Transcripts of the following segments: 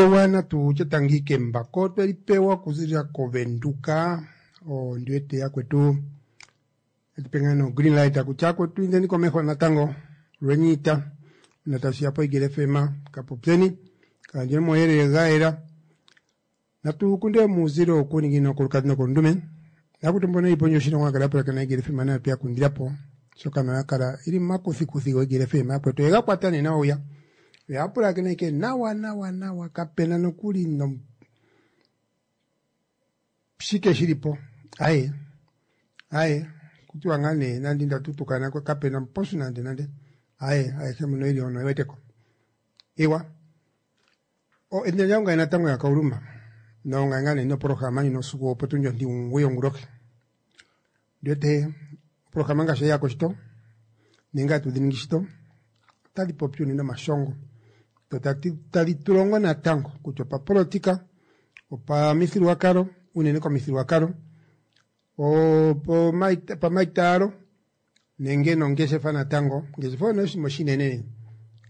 Pewa natu tye tangi kembako tweli pewa okuzilila koVenduka ondi wete yakwetu etupe ngaa no green light kutya akwetu indeni komeho natango lweniita una tashiya poIgele FM kapopyeni kagandjeni omauyelele ga yela. Natu kunde muuzilo wokuuninginino kolukadhi nokolundume nakuti mbono yeli pondje yoshilongo ya kala ya pulakena Igele FM nayo tweya kundilapo oshoka nayo ya kala ili momakuthikuthi goIgele FM yakwetu oyega kwata nee nawa hwiya oya pulakena ashike nawa nawa nawa kapena nokuli no shike shilipo aye aye kutiwa ngaa nee nande inda tutukana kapena mposu nande nande aye ayehe mbono yeli hono oyeweteko ewa o edina lyange ongaye natango yaKauluma nongaye ngaa nee noprograma ndjino usiku wopotundi ontimugoyi yongulohi ndiwete oprograma ngaashi oye yako shito nenge hatu dhi ningi shito otadhi popi unene omashongo dho tadhi tu longo natango kutya opapolotika opamithigululwakalo unene komithigululwakalo opamaitaalo nenge nongeshefa natango. Ongeshefa oyo nee oshinima oshinene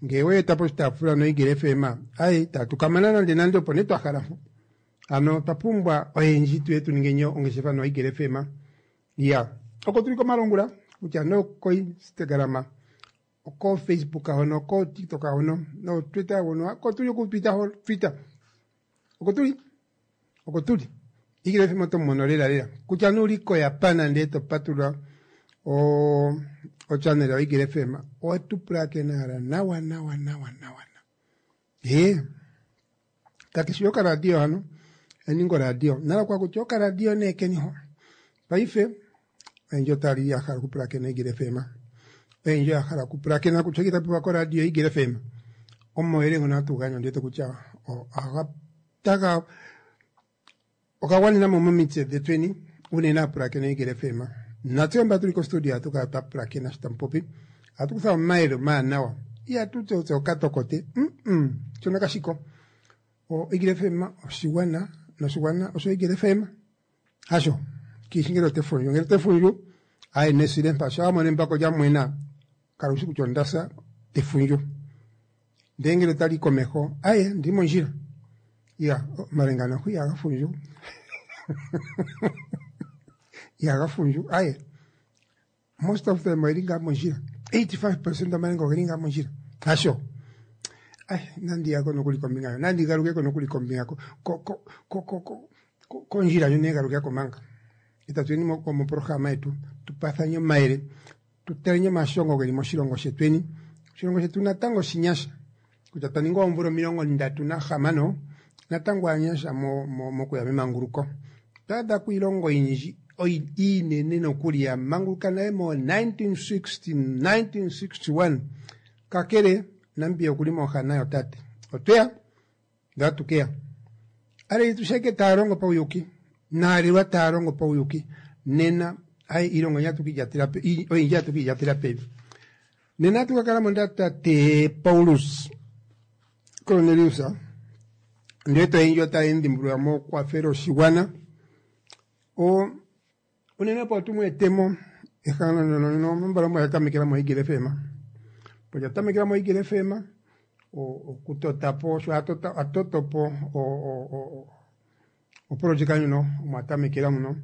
ngee weeta poshitaafula noEagle FM aaye itatu kamana nande nande opo nee twahala mpo. Hano otwa pumbwa oyendji tuye tuningeni ongeshefa noEagle FM. Iya oko tuli komalungula kutya nee okoInstagram, oko Facebook hono, oko TikTok hono, noTwitter hono oko tuli okutwita ho Twitter oko tuli oko tuli. Eagle FM oto mu mono lela lela kutya nee uli koJapan ndee to patulula o ochannel yoEagle FM owetu pulakena hala nawa nawa nawa nawa. Ee kakeshi okaradio hano eninga oradio nala kwa kutya okaradio nee keni ho paife oyendji otali ya hala okupulakena Eagle FM oyendji oya hala okupulakena kutya oshike tapopiwa koradio Eagle FM omauyelele ngono hatu gandja ondiwete kutya ohaga taga oga gwanena mo momitse dhetweni unene aapulakeni yoEagle FM. Natse mba tuli kostudio ohatu kala twa pulakena sho tamu popi. Ohatu kutha omayele omawanawa. Ihatu ti otse okatokote. Mm shono kashi ko. OEagle FM oshigwana noshigwana osho Eagle FM. Hasho kiishi ngele ote fundju. Ngele ote fundju aye nesile mpa sho wa mono embako lya mwena kala wushi kutya onda sa te fundju. Ndele ngele otali yi komeho aye ondili mondjila. Ya omalenga noho ihaga fundju ihaga fundju aye most of them oyeli ngaa mondjila 85% omalenga ogeli ngaa mondjila hasho ay nandi yako nokuli kombinga yo nandi galukeko nokuli kombinga ko ko ko ko ko kondjila ndjono negalukeko manga itatu yeni moprograma yetu tupathanye omayele tutaleni omashongo geli moshilongo shetweni oshilongo shetu natango oshinyasha kutya twa ninga oomvula 36 natango aanyasha mokuya memanguluko. Otwa adha ko iilongo oyindji iinene nokuli ya manguluka nale moo 1960, 1961 kakele Namibia okuli mooha nayo tate. Otweya ndele atu keya. Aaleli tu sheke taya longo pauyuki naalelwa taya longo pauyuki nena aye iilongo oyindji atu kiilyatela pevi. Nena atu ka kala mo nda tate Paulus Cornelius ndele oyendji otaya endhimbulula mokukwafela oshigwana. O unene opo tu mu etemo ehangano ndyono nombala omo lya tamekela moEagle FM. Opo lya tamekela moEagle FM okutota po sho a toto po oprojeka ndjono omo a tamekela muno.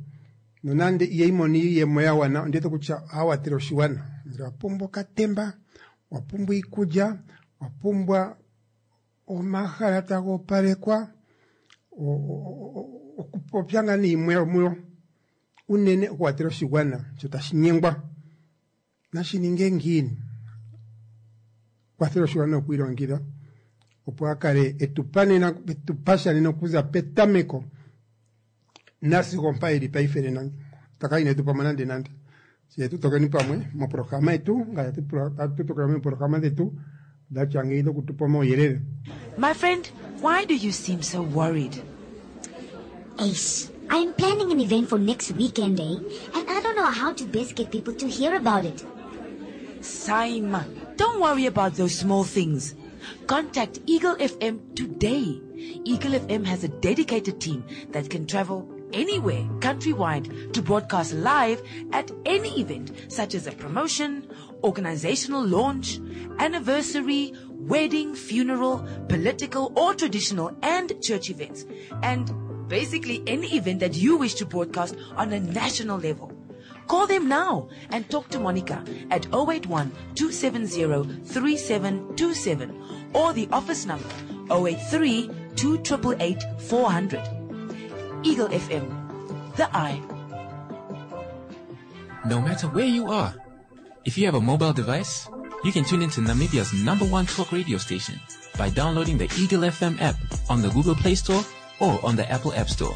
Nonande ihayi mono iiyemo ya gwana ondi wete kutya oha watele oshigwana. Ngele owa pumbwa okatemba, owa pumbwa iikulya, owa pumbwa omahala taga opalekwa, okupopya ngaa nee yimwe yomuyo unene okuwatela oshigwana sho tashi nyengwa nashi ninge ngiini. Kwathela oshigwana okwiilongekidha opo a kale etupa nena etupa sha nena okuza petameko nasigo ompa eli paife nena taka ine tu pamwe nande nande. Tse tu tokeni pamwe moprograma yetu ngaashi hatu tokela meeprograma dhetu dhatya ngeyi dhokutupa omauyelele. My friend, why do you seem so worried? Ace, I'm planning an event for next weekend, eh? And I don't know how to best get people to hear about it. Saima, don't worry about those small things. Contact Eagle FM today. Eagle FM has a dedicated team that can travel anywhere countrywide to broadcast live at any event, such as a promotion, organizational launch, anniversary, wedding, funeral, political or traditional and church events. And basically any event that you wish to broadcast on a national level. Call them now and talk to Monica at 081 270 3727 or the office number 083 2888 400. Eagle FM, the eye. No matter where you are, if you have a mobile device, you can tune into Namibia's number one talk radio station by downloading the Eagle FM app on the Google Play Store or on the Apple App Store.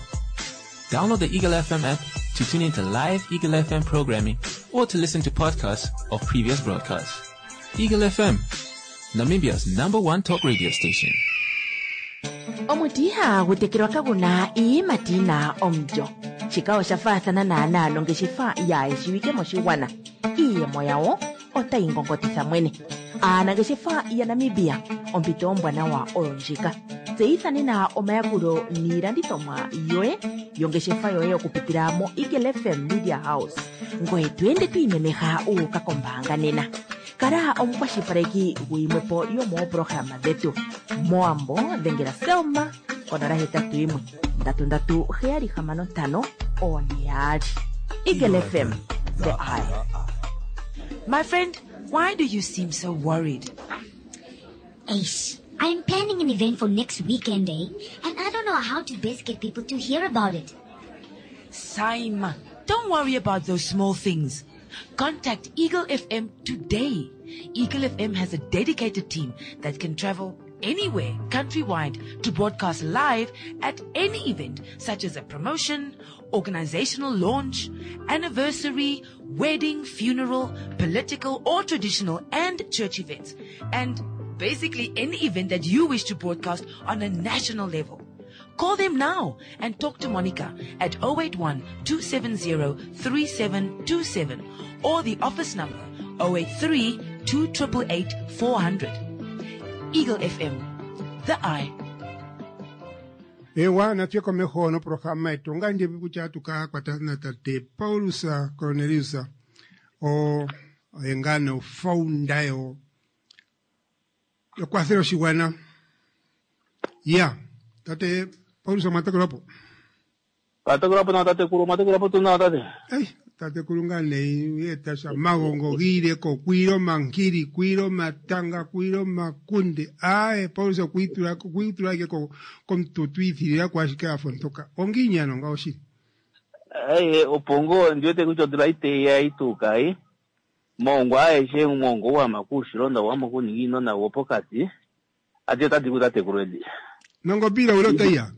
Download the Eagle FM app to tune into live Eagle FM programming or to listen to podcasts of previous broadcasts. Eagle FM, Namibia's number one talk radio station. Omuti ihagu tekelwa kagu na iiyimati yi na omulyo. Shika osha faathana naanaa nongeshefa yaa shiwike moshigwana. Iiyemo yawo otayi ngongotitha mwene. Aanangeshefa yaNamibia, ompito ombwanawa oyo ndjika. Tseyitha nena omayakulo niilandithomwa yoye yongeshefa yoye okupitila moEagle FM Media House. Ngoye to ende to imemeha wu uka kombaanga nena. Kala omukwashilipaleki guyimwepo yomoopolohalama dhetu. Mowambo dhengela Selma konola hetatu yimwe ndatu ndatu heyali hamano ntano one yaali. Eagle FM, the eye. My friend, why do you seem so worried? Ace, I'm planning an event for next weekend, eh? And I don't know how to best get people to hear about it. Saima, don't worry about those small things. Contact Eagle FM today. Eagle FM has a dedicated team that can travel anywhere countrywide to broadcast live at any event such as a promotion, organizational launch, anniversary, wedding, funeral, political or traditional and church events. And basically any event that you wish to broadcast on a national level. Call them now and talk to Monica at 081 270 3727 or the office number 083 2888 400. Eagle FM, the eye. Ewa natu ye komeho noprograma yetu onga ndi kutya atu ka kwatathana tate Paulus Cornelius o oye ngaa nee ofounder yo yokwathela oshigwana. Ya tate Paulus omwa tokelwa po? Twatokelwa po nawa tatekulu, omwa tokelwa po tuu nawa tate? Ei, tatekulu ngaa nee eta sha magongo giile ko kwiile omankili, kwiile omatanga, kwiile omakunde. Aaye, Paulus okwiitula okwiitula ashike ko komututu iithilila ko ashike a fa ontoka. Ongiini ano ngawo shili? Eye, opo ngoo ndi wete kutya odula iteyi ya tuu kai. Moongwa aeshe, omwoongo gwama kuushilo nogwama kuuninginino nagwopokati, adhihe otadhi ku tatekulu edi. Nongombe ilaula otayi ya?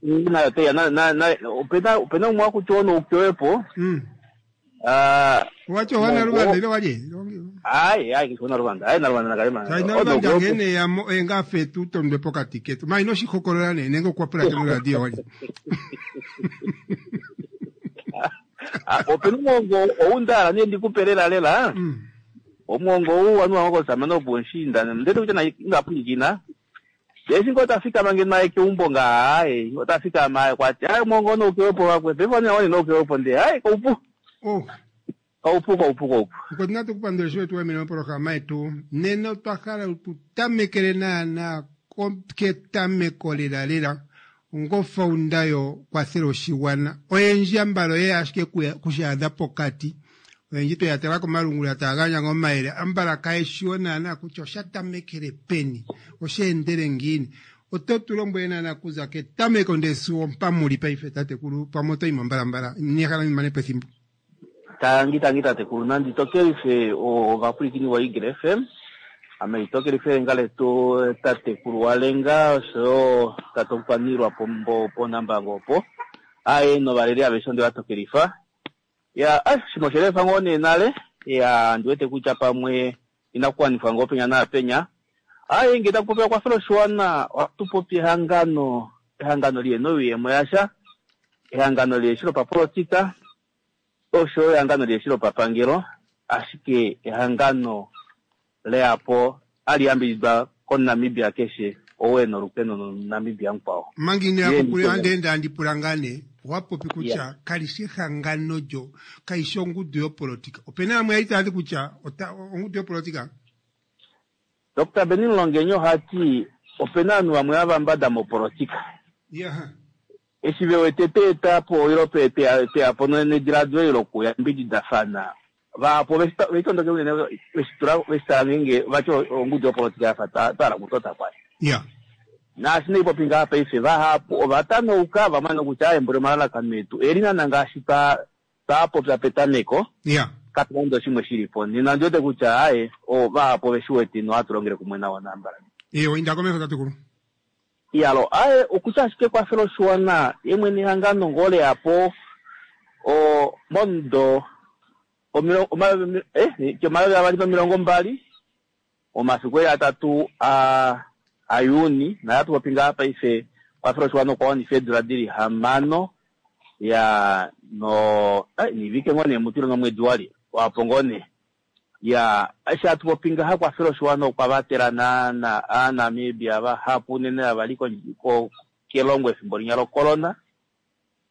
Nayo otayi ya. Na, na, na, opena, opena umwe wakutya onoukewepo. Ah, Owa tya owa Naluvanda ile walye? Aye, aye, keshi Naluvanda. Aye, Naluvanda nakalema. Shaashi Naluvanda nghene ya mo, oye ngaa fe tu tondwe pokati ketu. Ma ino shi hokolola nee, nenge okwa pulakena oradio walye. Ah, opena omwoongo ou nda hala nee ndi ku pe lela lela. Omwoongo ou wanuwa komusamane wopuushiinda, ndele kutya naye ina pwilikina. Ndele eshi ngoo ta fikama ngeno aye keumbo ngaa, aye, ota fikama aye kwa ti, aye, omwoongo onoukewepo wakwe, paife one one noukewepo ndee, aye, koupu. Oh. Koupu, koupu, koupu. Mukwetu natu ku pandule sho wetu wamene mopolohalama yetu. Nena otwa hala tu tamekele naana ketameko lela lela ongofaunda yo kwathela oshigwana. Oyendji ambala oyeya ashike kushaadha pokati. Oyendji tweya tala komalungula taya gandja ngaa omayele ambala kaye shiwo naana kutya osha tamekele peni, osha endele ngiini. Oto tu lombwele naana kuza ketameko ndee sigo mpa muli paife tatekulu, pamwe oto yimo mbalambala, nehala ndi mane po ethimbo. Tangi tangi tatekulu, nandi tokelife ovapwilikini vo Eagle FM, ame litokelife elenga letu tatekulu Walenga oshoyo tate omukwaniilwa pOnambango opo, aye novaleli aveshe onde va tokelifa. Ya, ah, shimwe oshe lefa ngoo nee nale, ya, ndi wete kutya pamwe inaku wanifwa ngoo penya naapenya. Aye, ngee taku popiwa ekwafo loshiwana, ohatu popi ehangano, ehangano lihena oyuuyemo yasha, ehangano liheshi lopapolotika, osho yo ehangano liheshi lopapangelo, ashike ehangano leyapo hali yambididwa kOmunamibia keshe ou e na olukeno nOmunamibia mukwao. Manga ino ya kokule, ohandi ende handi pula ngaa nee, owa popi kutya kali shi ehangano lyo, kayi shi ongudu yopolotika. Ope na yamwe ya li taya ti kutya ota, ongudu yopolotika? Dr Benny Mulongenyi ohati opena ovanhu vamwe hava mbada mopolotika. Eshi ve wete tweeta po ilo tweya po nediladilo eli lokuyambididafana, vahapu oveshitondoke unene veshitula veshitala ngeenge vati ongudu yopolotika yafa twa hala okutota kwali. Naashi naipopi ngaha paife vahapu ova tanauka va mona kutya embuli omalalakano etu eli naana ngaashi twa popya petameko. Kapena nande oshimwe shili po nena ondi wete kutya aaye vahapu ove shi wete nohatu longele kumwe navo nambala. Eewa inda komesho tatekulu. Iyalo aaye okutya ashike ekwafelo oshiwana ye mwene ehangano ngoo leyapo momudo 2020 omafiku eli 3 aJuni na hatu popi ngaa paife kwafela oshiwana okwa wanifa eedula dili 6 ya no nivike ngoo nee mutilo nomwedi wali wapo ngoo nee ya eshi hatu popi ngaha kwafela oshiwana okwa vatela naana aaNamibia vahapu unene ava li kelongo efimbo linya locorona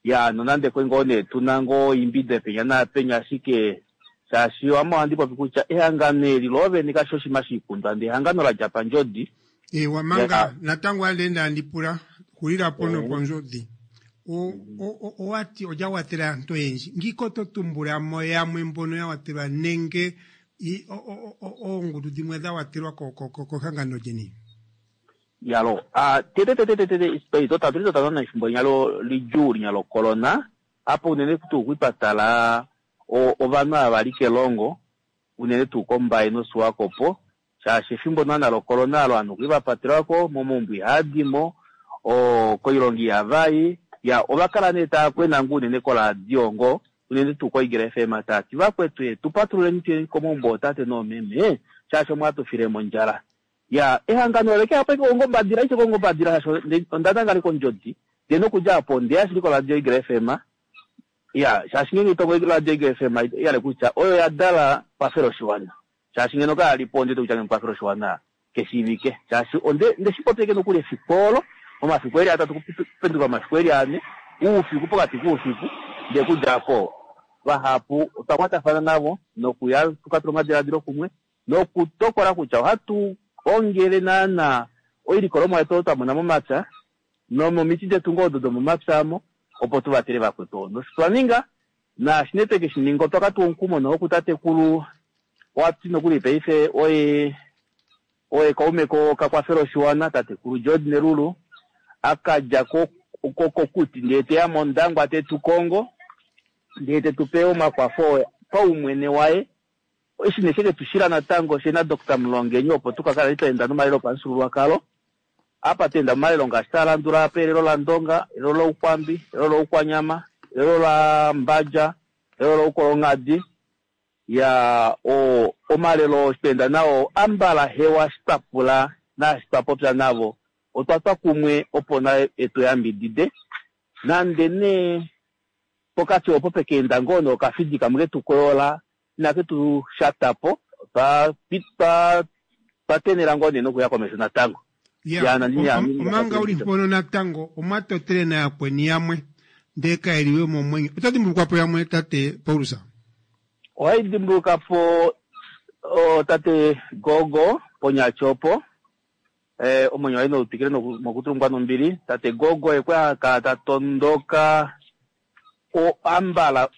ya nonande kwe ngoo nee tuna ngoo imbide penya naapenya ashike shaashi ame ohandi popi kutya ehangano eli loovene kashi oshinima shiikundwa ndee ehangano la dja pandjodi. Ewa manga natango ande handi pula xulilapo nopondjodi owati olya watela aantu oyendji ngiko to tumbula mo yamwe mbono ya watelwa nenge oongudu dimwe dha watelwa kehangano lyeni. Yalo tete tete tete tatu totana efimbo linya lidjuu linya locorona apo unene tuu kwipatala ovanhu ava vali kelongo unene tuu koMbaye noSwakopo shaashi efimbo naana locorona alo ovanhu okuli vapatelwako momaumbo ihadimo koilonga ihavayi ya ovakala nee tava kwena ngoo unene koradio ngoo unene tuu koEagle FM tati vakwetu tupatululeni tuyeni komaumbo ootate noomeme shaashi omwatufile mondjala. Ya ehangano oleke apo ongombadila ishe kongombadila shaashi onda nangale kondjodi ndee nokudja apo ndeya shili koradio Eagle FM ya shaashi ngeenge tongo radio Eagle FM yale kutya oyo ya dala kwafela oshiwana shaashi ngeno kayalipo ondete kutya ngeno kwafela oshiwana keshiivike shaashi ndeshipopyeke nokuli efiku olo omafiku eli 3 kupenduka omafiku eli 4 oufiku pokati koufiku ndee kudja apo vahapu otwa kwatafana navo nokuya tukatula omadiladilo kumwe nokutokola kutya ohatu ongele naana oilikolomwa yetu oyo twa mona momapya nomomiti detu ngoo odo domomapya amo opo tuvatele vakwetu. Nosho twa ninga naashi nee tweke shi ninga otwa katuwa omukumo noho kutatekulu wati nokuli paife oye kaume kakwafela oshiwana tatekulu George Nelulu akadja kokuti ndee teya mondangwa tetu kongo ndee tetupe omakwafo paumwene waye eshi nee sheke tushila natango shena Dr Mulongenyi opo tukakala twaenda nomalelo opamufyuululwakalo apa twenda momalelo ngaashi taalandula apa elelo laNdonga, elelo laUkwambi, elelo laUkwanyama, elelo laMbadja, elelo laUkolonghadi ya omalelo twenda nao ambala hewa eshi twapula naashi twapopya navo otwa twa kumwe opo naye etuyambidide nande nee pokati opo pekeenda ngoo nookafidi kamwe ketukoyola inake tu shatapo twa tenela ngoo nee nokuya komesho natango. Omanga uli mpono natango omwatotele nayakweni yamwe ndee kaeliwe momwenyo oto dimbulukwapo yamwe tate Paulus? Ohai dimbulukapo tate Gogo ponyatyopo omwenyo waye noutwikile mokutulungwa nombili. Tate Gogo ekwe akala tatondoka ambala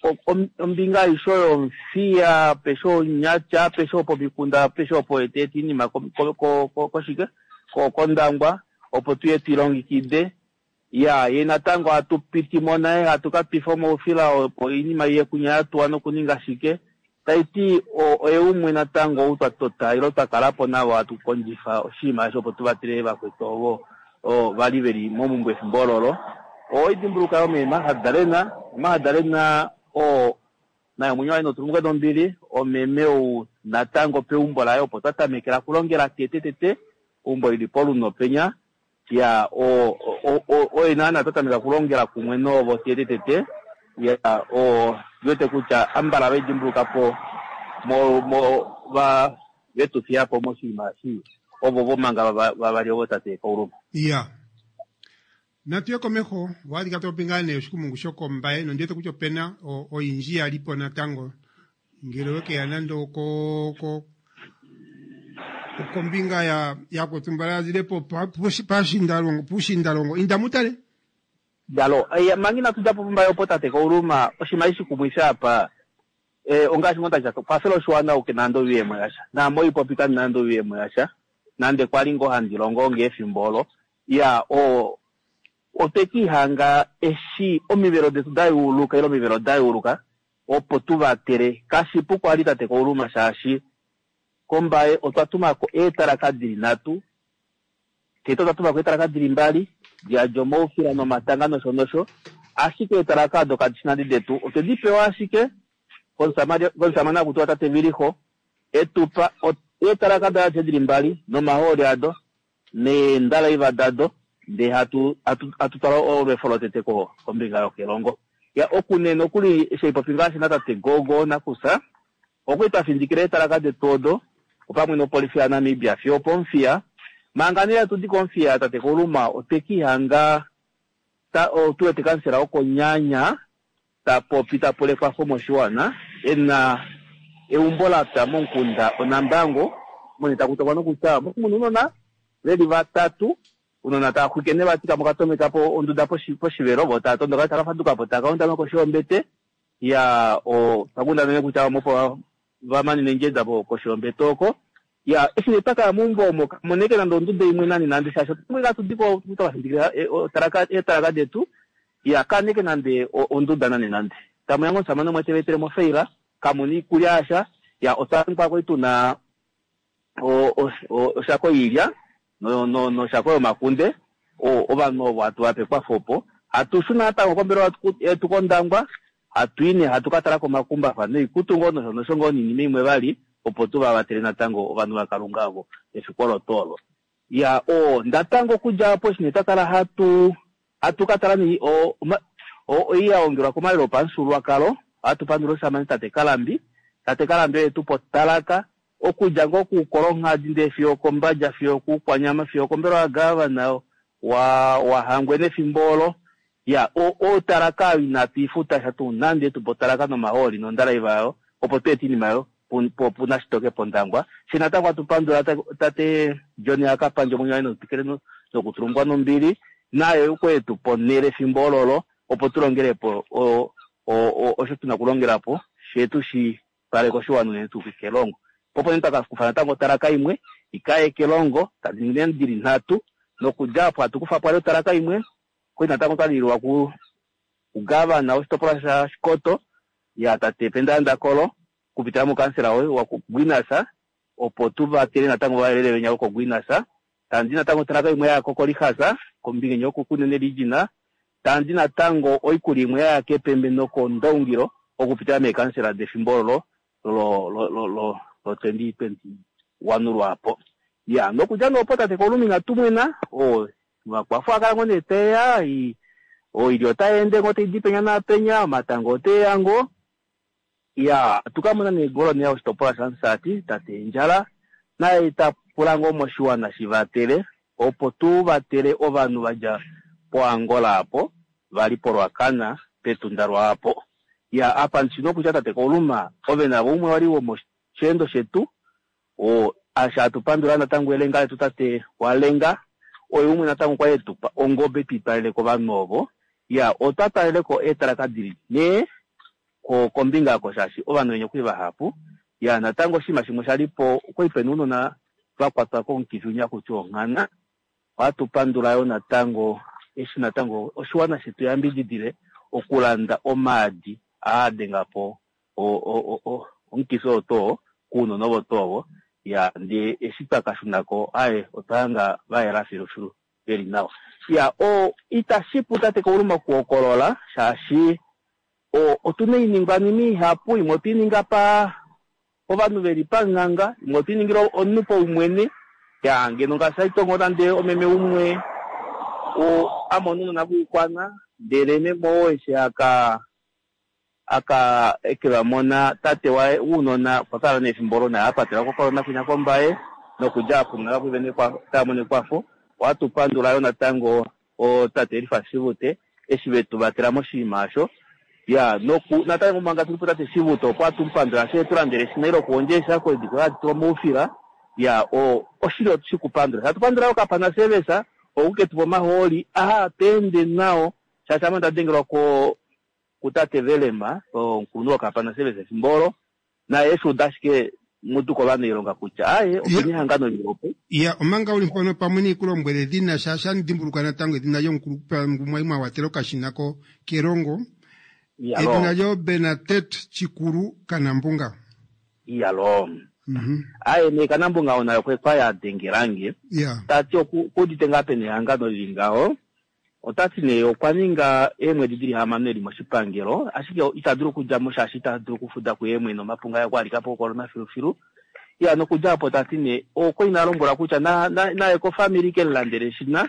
ombinga aishe oyo Omuthiya peshe Onyatya peshe opo mikunda peshe opo eteeta iinima koshike kOndangwa opo tuye twilongekide ya ye natango hatu pitimo naye hatu ka twifa omaufila opo oinima iye kunya yatuwa nokuninga shike taiti oye umwe natango ou twa tota ilo twa kalapo navo hatu kondjifa oshinima eshi opo tuvatele vakwetu ovo vali veli momumbwe efimbo ololo. Oidimbuluka yo mee Magdalena Magdalena naye omwenyo waye notulumuke nombili omeme ou natango peumbo laye opo twa tamekela kulongela tete tete eumbo lili poluno penya ya oye naana twa tameka kulongela kumwe novo tete tete ya ndiwete kutya ambala vaidimbulukapo mo vetufiyapo moshinima eshi ovo vomanga vavali ovo tate Kauluma. Ya natuye komeho wadika topopi ngaa nee oshikumungu shokombaye nondiwete kutya opena oyindji yalipo natango ngele owekeya nande Kombinga ya yakutumbala ya zile po pushindalongo pushindalongo inda mutale. Jalo, manga inatu dja po pOmbaye opo tate Kauluma, oshinima eshi shikumwifi apa, ongaashi ngoo ndashi kwafela oshiwana ou ke na nande oyuuyemo yasha. Naame oipopi kandi na nande oyuuyemo yasha, nande kwali ngoo handi longo ngee efimbo olo. Ya, o, otwe kiihanga eshi omivelo detu da yuuluka ile omivelo da yuuluka opo tu vatele. Kashipu kwali tate Kauluma shaashi kOmbaye otwa tuma ko eetalaka dili nhatu, tete otwa tuma ko eetalaka dili mbali, di omaufila nomatanga nosho nosho, ashike eetalaka odo kadi shi nande detu, otwe di pewa ashike komusamane haku tiwa tate Viliho, etupa eetalaka daye adishe dili mbali nomahooli ado neendalaiva dado, ndee hatu twala olwefo lotete kombinga yokelongo. Ya okunene okuli sheipopi ngaashi natate Gogo nakusa, okwali twa findikila eetalaka detu odo opamwe nopolifi yaNamibia fiyo opOmuthiya. Manga nee hatu di kOmuthiya tate Kauluma otwe kiihanga tu wete kansela wokOnyaanya ta popi ta pula ekwafo moshiwana ena eumbo lapya momukunda Onambango mone taku tokwa nokutya muna ounona veli vatatu, ounona tava xwike nevati kamwe okatomeka po onduda poshivelo vo tava tondoka tava faduka po tava kaundama koshi yombete. Ya twa kundana kutya vamwe opo va manine ndjeda koshi yombete oko. Ya eshi nee twakaya meumbo omo kamoneke nande onduda imwe nani nande shaashi otumwe katu diko twakafindikila eetalaka detu. Ya kaneke nande onduda nani nande. Tamuya ngoo omusamane umwe teva etele mofaila, kamuna iikulya yasha. Ya otwa kwali tuna oshako yiilya noshako yomakunde. Ovanhu ovo hatu vape ekwafo opo. Hatu shuna natango kombelewa yetu kOndangwa, hatu i nee hatu ka tala komakumbafa noikutu ngoo nosho nosho ngoo noinima imwe vali opo tu va vatele natango ovanhu vaKalunga ovo efiku olo tuu olo. Ya natango okudja opo eshi nee twa kala hatu ka tala nee oi ya ongelwa komalelo opamufyuululwakalo, ohatu pandula omushamane tate Kalambi. Tate Kalambi oye tupa otalaka okudja ngoo kuUkolonghadi ndee fiyo okoMbadja fiyo okuUkwanyama fiyo okombelewa yagavana waHangwena efimbo olo. Ya otalaka oyo inatu ifuta sha tuu nande, tupa otalaka nomahooli nondalaiva yayo opo tu ete iinima yayo punashitoke pOndangwa. Fye natango hatu pandula tate John Akapandje omwenyo waye notwikile nokutulungwa nombili naye okwe etu pa onhele efimbo ololo opo tu longele po osho tuna okulongela po fye tushi twale koshiwana unene tuu kelongo. Opo nee twakakufa natango otalaka imwe ikaye kelongo tadi ningi dili nhatu nokudja apo hatu kufa po otalaka imwe kwali natango twalilwa kugavana woshitopolwa shaShikoto ya tate Penda Ndakolo kupitila mukansela waGuinas opo tu vatele natango vayelele venya vokoGuinas. Tandi natango otalaka imwe yaya koKorihasa kombinga yokuKunene Region. Tandi natango oikulya imwe yaya kEpembe nokOndaungilo okupitila meekansela defimbo olo lo 2021 lwaapo. Ya nokudja nee opo tate Kauluma inatu mwena, omakwafo akala ngoo nee teya, oilya otai ende ngoo taidi penya naapenya, omatango oteya ngoo. Ya tukamona nee ngoloneya woshitopolwa shaMusati tate Endjala naye ta pula ngoo moshiwana shi vatele opo tu vatele ovanhu vadja poAngola apo vali poRuacana petunda lwaapo. Ya apa ndishi nokutya tate Kauluma ove navo umwe wali womosheendo shetu asha hatu pandula natango elenga letu tate Walenga oye umwe natango kwali etupa ongobe twitwalele kovanhu ovo. Ya otwa twaleleko eetalaka dili nhee kombinga oko shaashi ovanhu venya okuli vahapu. Ya natango oshinima shimwe shalipo okwali pena ounona vakwatwa komukifi winya hakutiwa onghana. Ohatu pandula yo natango eshi natango oshiwana shetu yambididile okulanda omaadi aa denga po omukifi oo too kuunona ovo tuu ovo. Ya ndee eshi twakashunako aye otwa hanga vayela filufilu veli nawa. Ya itashipu tate Kauluma okuhokolola shaashi otuna oiningwanima ihapu, imwe otwei ninga pa ovanhu veli panganga, imwe otwei ningila omunhu paumwene. Ya ngeno ngaashi haitongo nande omeme umwe amona ounona voukwana ndele meme oo eshi aka ekevamona tate waye ounona okwa kala nefimbo olo naye apatelwa kocorona kwinya kOmbaye nokudja apo ounona vamwe tava mono ekwafo. Ohatu pandula yo natango tate Elifas Shivute eshi vetu vatela moshinima osho. Ya natango manga tuli po tate Shivute opo hatu mu pandula eshi etulandela eshina lokuhondja eeshako edi hadi tulwa moufila. Ya o oshili otushi kupandula. Hatu pandula okapana service okuketupa omahooli aha tweende nao shaashi ame onda dengelwa ko kutate Velema omukulunhu wokapana service efimbo olo naye eshi uda ashike mutu kovanailonga kutya aaye opena ehangano lilipo. Ya, omanga uli mpono pamwe niikulombwele edhina shaashi andi dhimbulukwa natango edhina lyomukulupe ngu mwali mwa watela okashina ko kelongo. Edhina lyo Bernadette Chikulu Kanambunga. Iyalo. Aye nee Kanambunga oo naye okwa ya dengelange. Ta ti okuudite ngaa pena ehangano lili ngaho. Ota ti nee okwa ninga eemwedi dili 6 eli moshipangelo, ashike ita dulu okudja mo shaashi ita dulu okufuda kuye mwene, omapunga aye okwa alika po kocorona filufilu. Ya nokudja opo ta ti nee okwa ina lombwelwa kutya naye kofamili ke mulandele eshina,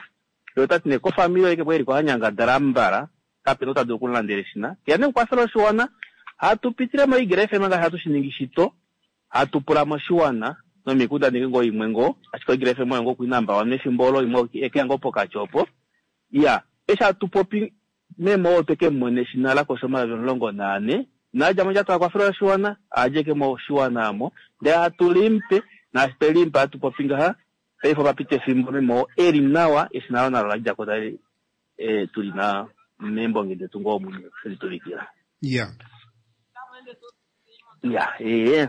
ye ota ti nee kofamili oye ke eliko ha nyangadala mbala, kapena ou ta dulu okumulandela eshina. Ya nee okukwafela oshiwana, hatu pitile moEagle FM ngaashi hatu shi ningi shito, hatu pula moshiwana nomikundaneki ngoo imwe ngoo, ashike oEagle FM oyo ngoo kui number one mefimbo olo, imwe ekeya ngoo pokati opo. Ya, eshi hatu popi meme oo otwe ke mu mona eshina la kosha 14,000, nadja mondjato a kwafela oshiwana, adje ke moshiwana amo, ndele hatu limupe, naashi twe limupa hatu popi ngaha, paife opa pita efimbo meme oo e li nawa, eshina olo nalo la dja ko tali tuli na meembonge detu ngoo omwene e li tuvikila. Ya. Ya, ee.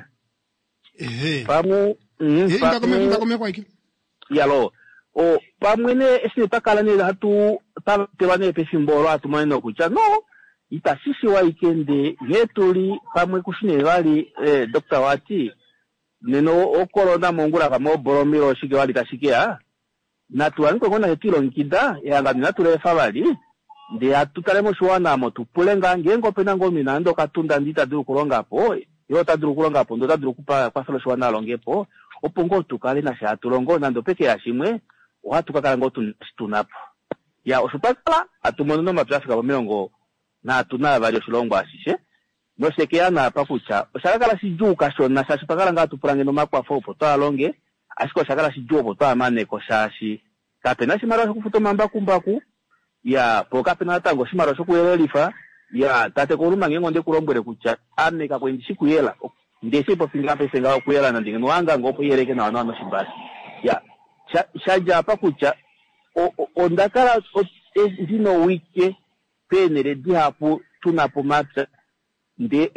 Ehe. Pamwe, inda komeho, inda komeho aike. Yalo. O, pamwe ne, eshi ne twa kala ne hatu patelwa ne pefimbo olo hatu mone nokutya, no, itashi shiwa ike nde nghee tuli pamwe kushi ne vali, Doctor wati, nena ocorona mongula pamwe oboromilo oshike vali tashi keya, natu wanikwe ngoo nafye twilongekida, ehangano inatu leefa vali, ndee hatu tale moshiwana omo tu pule ngaa ngeenge opena ngoo omunhu nande okatunda ndee ita dulu okulonga po, ye ota dulu okulonga po ndee ota dulu okukwafela oshiwana a longe po, opo ngoo tu kale nasha hatu longo nande opeke ya shimwe, ohatu ka kala ngoo tuna eshi tuna po. Ya, osho twa kala hatu mono nomapya a fika po32 oshilongo ashishe, noshe ke ya naapa kutya osha ka kala shidjuu kashona shaashi otwa kala ngaa hatu pula ngeno omakwafo opo twaa longe, ashike osha kala shidjuu opo twaa maneko shaashi kapena oshimaliwa shokufuta omambakumbaku, ya po kapena natango oshimaliwa shokuyelelifa, ya tate Koluma ngeenge onde ku lombwele kutya ame kakwe ndi shi kuyela, ndee shi popi ngaa paife ngaho okuyela nande ngeno wanga ngoo opo iyeleke nawa nawa noshimbashu. Ya, sha dja apa kutya onda kala ndina owike peenhele dihapu tuna po omapya, ndee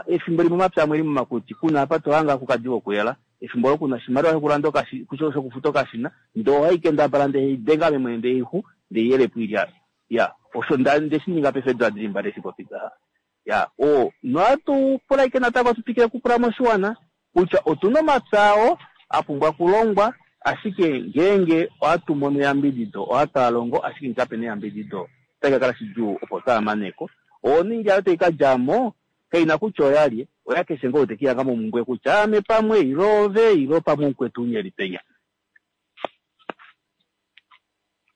efimbo limwe omapya amwe eli momakuti kuna apa to hanga kukadi wokuyela, efimbo olo kuna oshimaliwa shokulanda shokufuta okashina, ndee ohai kendabala ndee hei denga ame mwene ndee ixu ndee yelepo oilya. Ya, osho nde shi ninga paife eedula dili mbali eshi popi ngaha. Ya, o, nohatu pula ike natango tu twikile okupula moshiwana kutya otuna omapya ao a pumbwa okulongwa, ashike ngeenge ohatu mono eyambidido ohatu a longo, ashike ngee kapena eyambidido otashi ka kala shidjuu opo twaa maneko. Oningi ayo tai ka dja mo kaina kutya oya lye, oya keshe ngoo te kihanga momumbwe kutya ame pamwe ilo ove ilo pamwe omukwetu unya eli penya.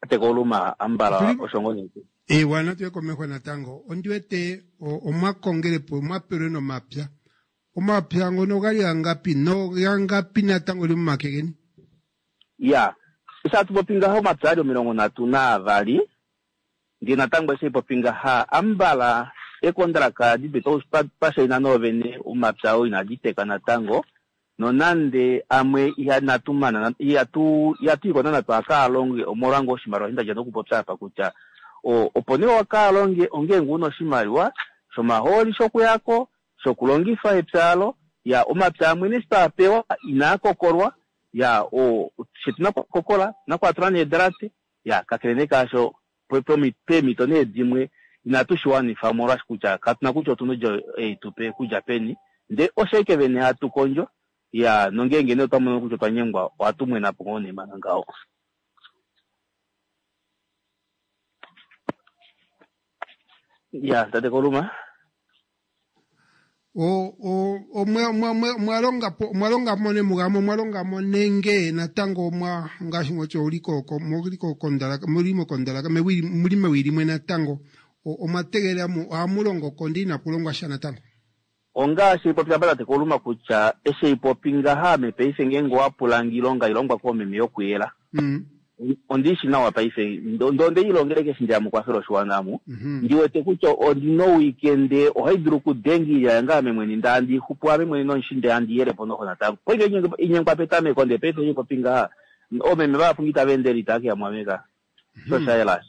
Tekoluma ambala osho ngoo nee. Ewa, natu ye komeho natango. Ondi wete omwa kongele po omwa pelwe nomapya. Omapya ngono ogali gangapi nogangapi natango li momake geni? Ya, eshi hatu popi ngaha omapya ali 32, ndee natango eshi popi ngaha ambala ekondraka dipe twashaina noovene omapya oo inadi teka natango, nonande amwe inatu mana, ihatu iko nana twakaalonge omolwa ngoo oshimaliwa eshi ndadja nokupopya apa kutya opo nee wakaalonge ongeenge una oshimaliwa shomahooli shokuyako, shokulongifa epya alo, ya omapya amwe nee twapewa inaa kokolwa, ya shetu nakukokola nakwatula needrate, ya kakele nee kaasho peemhito nee dimwe inatu shi wanifa omolwaashi kutya katuna kutya otuna odjo ei tupe kudja peni, ndee osho ashike vene hatu kondjo, ya nongeenge nee otwa mono kutya otwa nyengwa ohatu mwena po ngoo nee manga ngaho. Ya tate Koluma. Omwa longa mo nemugamo, omwa longa mo nenge natango omwa ngaashi ngotyo uli ko, muli ko kondalaka, muli mokondalaka, muli mewi limwe natango, omwa tegelela ohamu longo ko ndee inaku longwa sha natango. Ongaashi ipopi apa tate Koluma kutya eshi ipopi ngaha ame paife ngeenge owa pula nge ilonga ilongwa koomeme yokuyela. Ondishi nawa paife ndo ndeilongele keshe ndeya mukwafela oshiwana amu. Ndiwete kutya ondina owikende ohaidulu okudenga oilya yange ame mwene ndee handi xupu ame mwene nomushi ndee handi yelepo noxo natango. Paife inyengwa petameko ndee paife ipopi ngaha oomeme vahapu nge itava endele itava keya muAmerica. Sho shayela.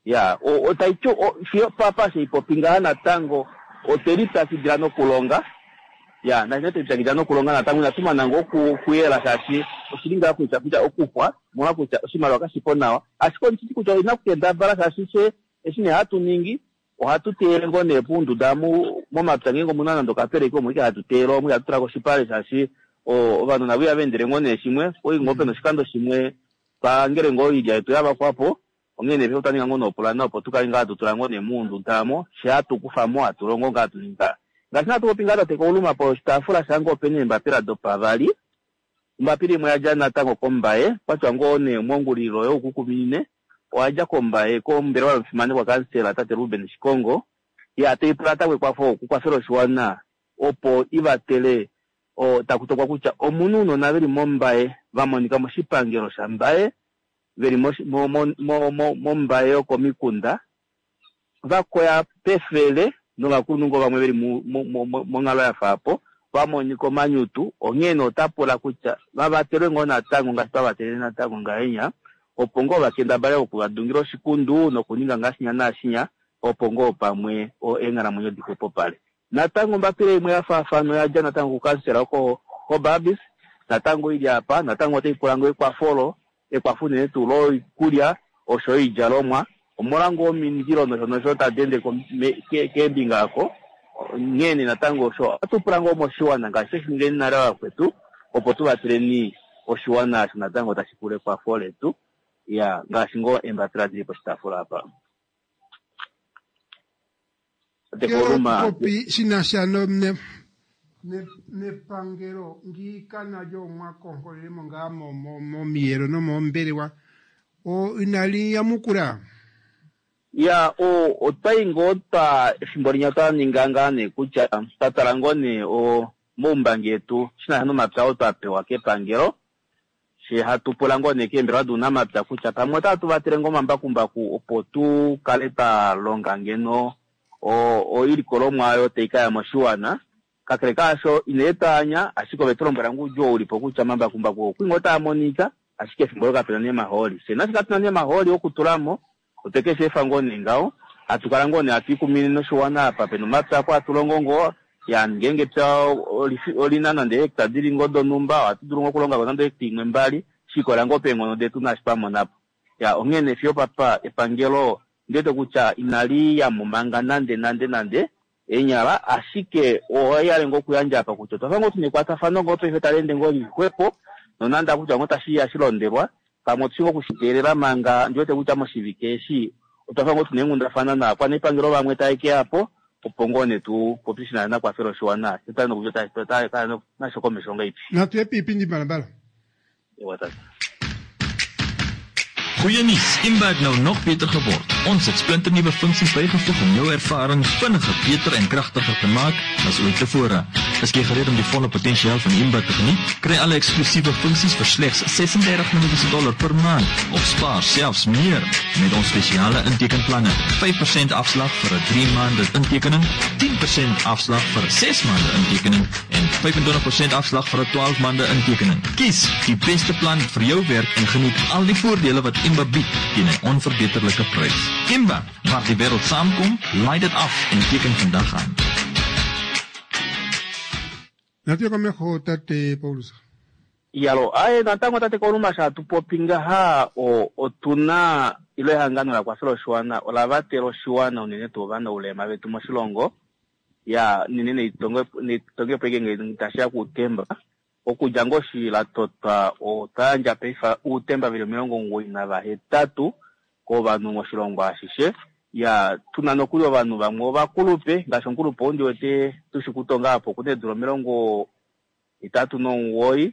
Ya, otaiti fiyo papa sheipopi ngaha natango otwe lipyakidila nokulonga. Ya, nashine twelipyakidila nokulonga natango inatu mana ngoo okuyela shaashi oshili ngaa kutya kutya okuxwa omolwa kutya oshimaliwa kashipo nawa. Ashike ondishiti kutya oina kukendabala shaashi she eshi nee hatu ningi ohatu teyele ngoo nee pounduda momapya ngeenge omuna nande okapeleki omo ike hatu teyele omo ihatu tula koshipale shaashi ovanhu navo ihava endele ngoo nee shimwe. Oi ngoo pena oshikando shimwe twangele ngoo oilya yetu yavakwapo onghee nee otwa ninga ngoo noopulana opo tukale ngaa hatu tula ngoo nee muunduda amo she hatu kufamo hatu longo ngaa hatu ninga. Ngaashi hatu popi ngaa tate Kauluma po oshitaafula shange opena eembapila dopavali. Ombapila imwe oyadja natango kOmbaye, kwatya ngoo nee mongulilo youkukuminine, oyadja kOmbaye kombelewa yomufimanekwa kansela tate Ruben Shikongo. Ya taipula natango ekwafo okukwafela oshiwana opo ivatele taku tokwa kutya omuna ounona veli mOmbaye va monika moshipangelo shaMbaye veli mOmbaye yokomikunda vakoya pefele novakulunhu ngoo vamwe veli monghalo yafaapo vamonika omanyutu onghee nee otapula kutya vavatelwe ngoo natango ngaashi twavatelele natango ngahenya opo ngoo vakendabale okuvadungila oshikundu nokuninga ngaashinya naashinya opo ngoo pamwe eenghalamwenyo dixwepopale. Natango ombapila imwe yafaafana oyadja natango kukansela oko Gobabis natango ili apa natango otaipula ngoo ekwafolo ekwafo unene tuu loikulya osho oidjalomwa omolwa ngoo omindilo nosho nosho tadi ende keembinga ako onghee nee natango osho ohatu pula ngoo moshiwana ngaashi tweshi ningeni nale vakwetu opo tuvateleni oshiwana osho natango tashi pula ekwafo letu ya ngaashi ngoo eembapila dili poshitaafula apa. Popi shinasha nepangelo ngiika nalyo mwakonkolelemo ngaa momiyelo nomoombelewa inali yamukula. Ya, otwai ngoo twa efimbo linya twa ninga ngaa nee kutya twatala ngoo nee moumbangi yetu shinasha nomapya oo twa pewa kepangelo she hatu pula ngoo nee keembelewa dounamapya kutya pamwe otatu vatele ngoo omambakumbaku opo tu kale twa longa ngeno oilikolomwa oyo tai kaya moshiwana. Kakele kaasho ine twaanya ashike ove tulombwela ngoo ulipo kutya omambakumbaku okwi ngoo taa monika ashike efimbo olo kapena nee omahooli. Fye naashi katuna nee omahooli okutulamo otwe keshi efa ngoo nee ngaho hatu kala ngoo nee hatu ikumine noshiwana apa pena omapya ako hatu longo ngoo ya ngeenge epya olina nande hecta dili ngoo donhumba ohatu dulu ngoo okulonga ko nande hecta imwe mbali shikola ngoo peenghono detu naashi twamonapo. Ya onghee nee fiyo papa epangelo ndiwete kutya inali yamo manga nande nande nande enyala ashike oyale ngoo okuyandja apa kutya otwafa ngoo tuna ekwatafano ngoo paife tali ende ngoo lixwepo nonande akutya ngoo tashi shilondelwa pamwe otushi ngoo okushiteelela manga ndiwete kutya moshivike eshi otwafa ngoo tuna eenghundafana naakwanepangelo vamwe tae keyapo opo ngoo nee tu popi shina nakwafela oshiwana tutale nasho komesho ngaipi. Natu ye piipindi mbalambala. Ewa tata. Goeie nuus, Imba het nou nog beter geword. Ons het splinternuwe funksies bygevoeg om jou ervaring vinniger, beter en kragtiger te maak as ooit tevore. Is jy gereed om die volle potensiaal van Imba te geniet? Kry alle eksklusiewe funksies vir slegs 36 Namibiese dollar per maand of spaar selfs meer met ons spesiale intekenplanne. 5% afslag vir 'n 3 maande intekening, 10% afslag vir 'n 6 maande intekening en 25% afslag vir 'n 12 maande intekening. Kies die beste plan vir jou werk en geniet al die voordele wat Imba bied teen 'n onverbeterlike prys. Imba, waar die wêreld saamkom, laai dit af en teken vandag aan. Natu ye komeho tate Paulus. Iyalo, aye natango tate Kauluma sha hatu popi ngaha otuna ilo ehangano la kwafela oshiwana ola vatela oshiwana unene tuu ovanaulema vetu moshilongo ya unene neitongepo ike ngee tashiya kuutemba okudja ngoo shi la totwa otwa yandja paife uutemba veli 98 kovanhu moshilongo ashishe. Ya tuna nokuli ovanhu vamwe ovakulupe ngaashi omukulupe ou ndiwete tushi kutonga apo okuna eedula 39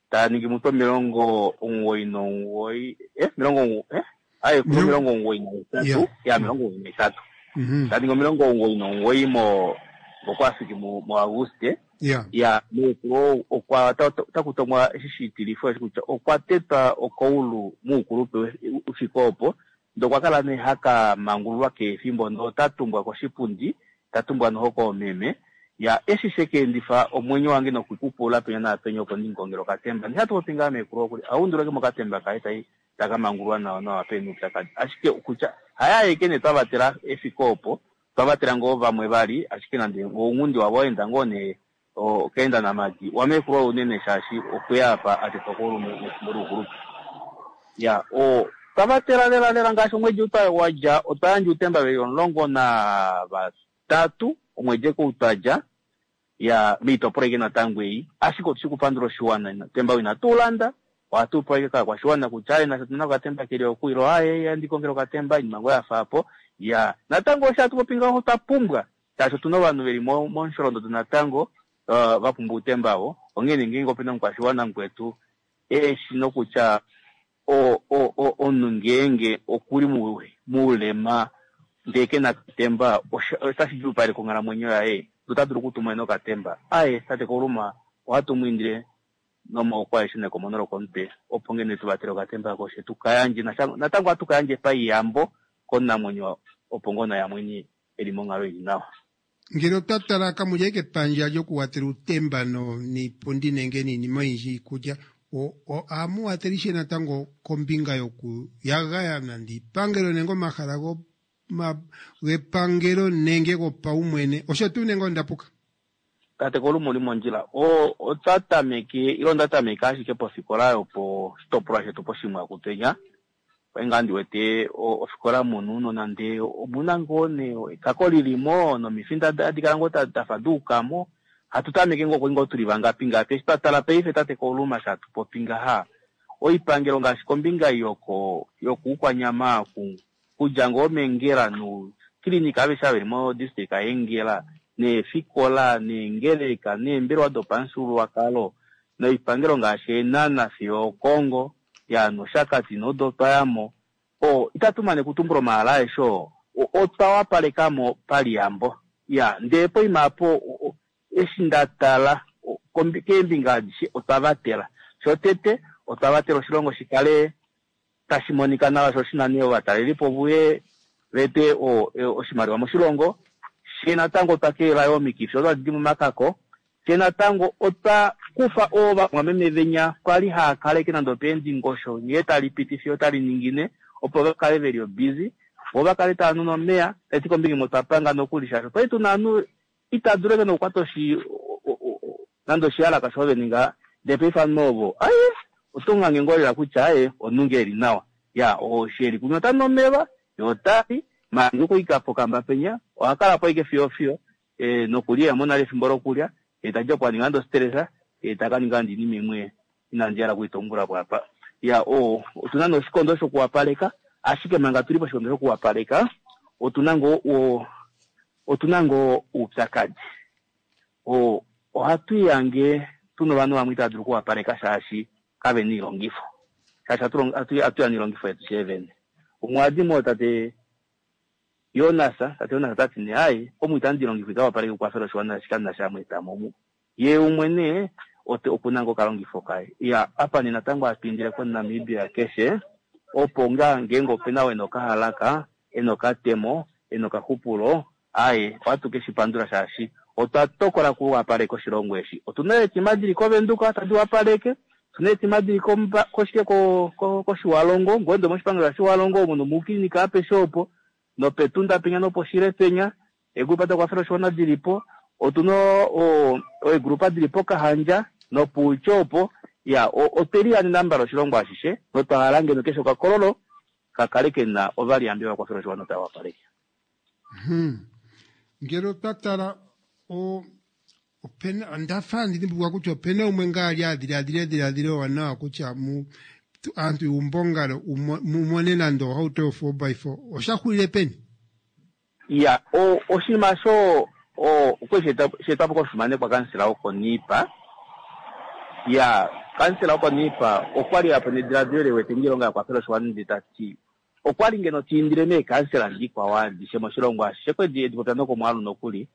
ta ningi mutu 99 aye kuna 98 ya 98 ta ningi 99 mo ngokwafiki mu Auguste. Ya. Ya, meekulu okwa otaku tongwa eshi shitilifo eshi kutya okwa tetwa okoulu moukulupe ufike opo, ndee okwa kala nee haka mangululwa keefimbo ndee ota tumbwa koshipundi, ta tumbwa noho koomeme. Ya, eshi shekeendifa omwenyo wange nokwikupula penya naapenya opo ndimukongele okatemba. Ndee hatu popi ngaa meekulu okuli aunduleke mokatemba kaye tai taka mangululwa nawa nawa pena oupyakadi. Ashike kutya haya aeke nee twavatela efiko opo, twavatela ngoo vamwe vali, ashike nande ounghundi wavo waenda ngoo nee okaenda namadi wameekulu unene shaashi okweya apa a tetwa koulu mefimbo loukulupe. Ya, twavatela lela lela ngaashi omwedi ou wa dja, otwa yandja outemba veli 13 omwedi eke ou twa dja, ya moitopolwa aike natango ei. Ashike otushi kupandula oshiwana, otemba ou inatu ulanda, ohatu upewa ashike kaakwashiwana kutya aye nafye otuna okatemba keli oku ilo aye yandi kongele okatemba, oinima ngoo yafa apo. Ya, natango osho hatu popi ngaho otwa pumbwa, shaashi otuna ovanhu veli momusholondodo natango va pumbwa outemba ovo. Onghee ngeenge opena omukwashiwana mukwetu eshi nokutya omunhu ngeenge okuli moulema ndee kena okatemba, otashi djuupaleke onghalamwenyo yaye, ota dulu okutumwa nokatemba. Aye, tate Kauluma, ohatu mu indile nomaoko aeshe nekomono lokomutwe opo ngeno tu vatele okatemba koshe tu ka yandje. Natango ohatu ka yandje paiyambo komunamwenyo opo ngoo naye amwene eli monghalo ili nawa. Ngele otwa tala kamulya ike epandja lyokuwatela uutemba niipundi nenge niinima oyindji iikulya, ohamu wathele ishewe natango kombinga yokuyagaya nande iipangelo nenge omahala gepangelo nenge gopaumwene, osho tuu nenge onda puka? Tate Kauluma uli mondjila. Otwa tameke, ilo onda tameka ashike pofikola yoposhitopolwa shetu poShimwakutenya. Oye ngaa ndi wete ofikola munu nonande omuna ngoo nee ekako lilimo nomifinda hadi kala ngoo dafa duukamo. Hatu tameke ngoo ngoo tuli vangapi ngapi. Eshi twa tala paife tate Kauluma sha tupopi ngaha, oipangelo ngaashi kombinga yokuukwanyama kudja ngoo mEngela nokilinika aveshe ava veli mo district yaEngela, neefikola, neengeleka, neembelewa dopamufyuululwakalo, noipangelo ngaashi Eenhana fiyo Okongo, ya nOshakati nodo twa yamo. Itatu mane kutumbula omahala aeshe oo, otwa wapalekamo paliyambo. Ya, ndee poima apo, eshi nda tala, keembinga adishe otwa vatela. Shotete, otwa vatela oshilongo shi kale tashi monika nawa, sho shina nee ovatalelipo vuye vete oshimaliwa moshilongo. She natango otwa kelela yo omikifi odo hadi di momakako. She natango otwa kufa ovamwameme venya kwali haa kaleke nande opeendingosho nghee tali piti fiyo tali ningine, opo va kale veli obusy, vo va kale tava nu nomeya. Tati kombinga imwe otwa panga nokuli shaashi otwali tuna ovanhu ita dulu eke nokukwata nande oshiyalaka sho ve ninga, ndee paife ovanhu ovo aye oto ngange ngoo lela kutya aye omunhu ngee eli nawa. Ya, oshi eli kunywa ota nu omeva, ye ota li, maange okuika pokamba penya, oha kala po ashike fiyo fiyo, nokulya iha mono nale efimbo lokulya, ye tadi opo a ninga nande ostress, ye taka ninga nande oinima imwe inandi hala okuitumbula po apa. Ya, otuna nee oshikondo shokuwapaleka, ashike manga tuli poshikondo shokuwapaleka, otuna ngoo oupyakadi. Ohatu ihange tuna ovanhu vamwe itava dulu okuwapaleka shaashi kave na oilongifo. Shaashi hatu ya noilongifo yetu fyee vene. Umwe oha di mo tate Jonas, tate Jonas ota ti nee, ai, omu itandi longifa ikawapaleke okukwafela oshiwana shika nasha amweetamo omu. Ye umwe nee, ote okuna ngoo okalongifo kaye. Ya, apa nee natango hatu indile koNamibia keshe, opo ngaa ngeenge opena oo ena okahalaka, ena okatemo, ena okaxupulo, aye, ohatu ke shi pandula shaashi otwa tokola kuwapaleka oshilongo eshi. Otuna eetima dili koVenduka tadi wapaleke, otuna eetima dili koshike kOshiwalongo, ngoende moshipangelo shaShiwalongo omo nomuukilinika apeshe opo, nopetunda penya noposhile penya, eegrupa dakwafela oshiwana dilipo, otuna eegrupa dili pOkahandja nopuutjo opo. Ya, otwe lihanena mbala oshilongo ashishe, notwa hala ngeno keshe okakololo ka kale kena ovaliyambi vakwafela oshiwana tava wapaleke. Ngele otwa tala, opena, onda fa ndi dhimbulukwa kutya opena umwe ngaa ali a dhiladhila edhiladhilo ewanawa kutya aantu yuumbongalo mu mone nande ohauto yo four by four. Osha xulile peni? Ya, oshinima sho, okwali she etwa po komufimanekwa kansela wokOniipa. Ya, kansela wokOniipa okwali a pa nediladilo le wete ngeilonga ya kwafela oshiwana ndele ta ti okwali ngeno ta indile meekansela dikwao adishe moshilongo ashishe, kwedi edi popya nokomwaalu nokuli.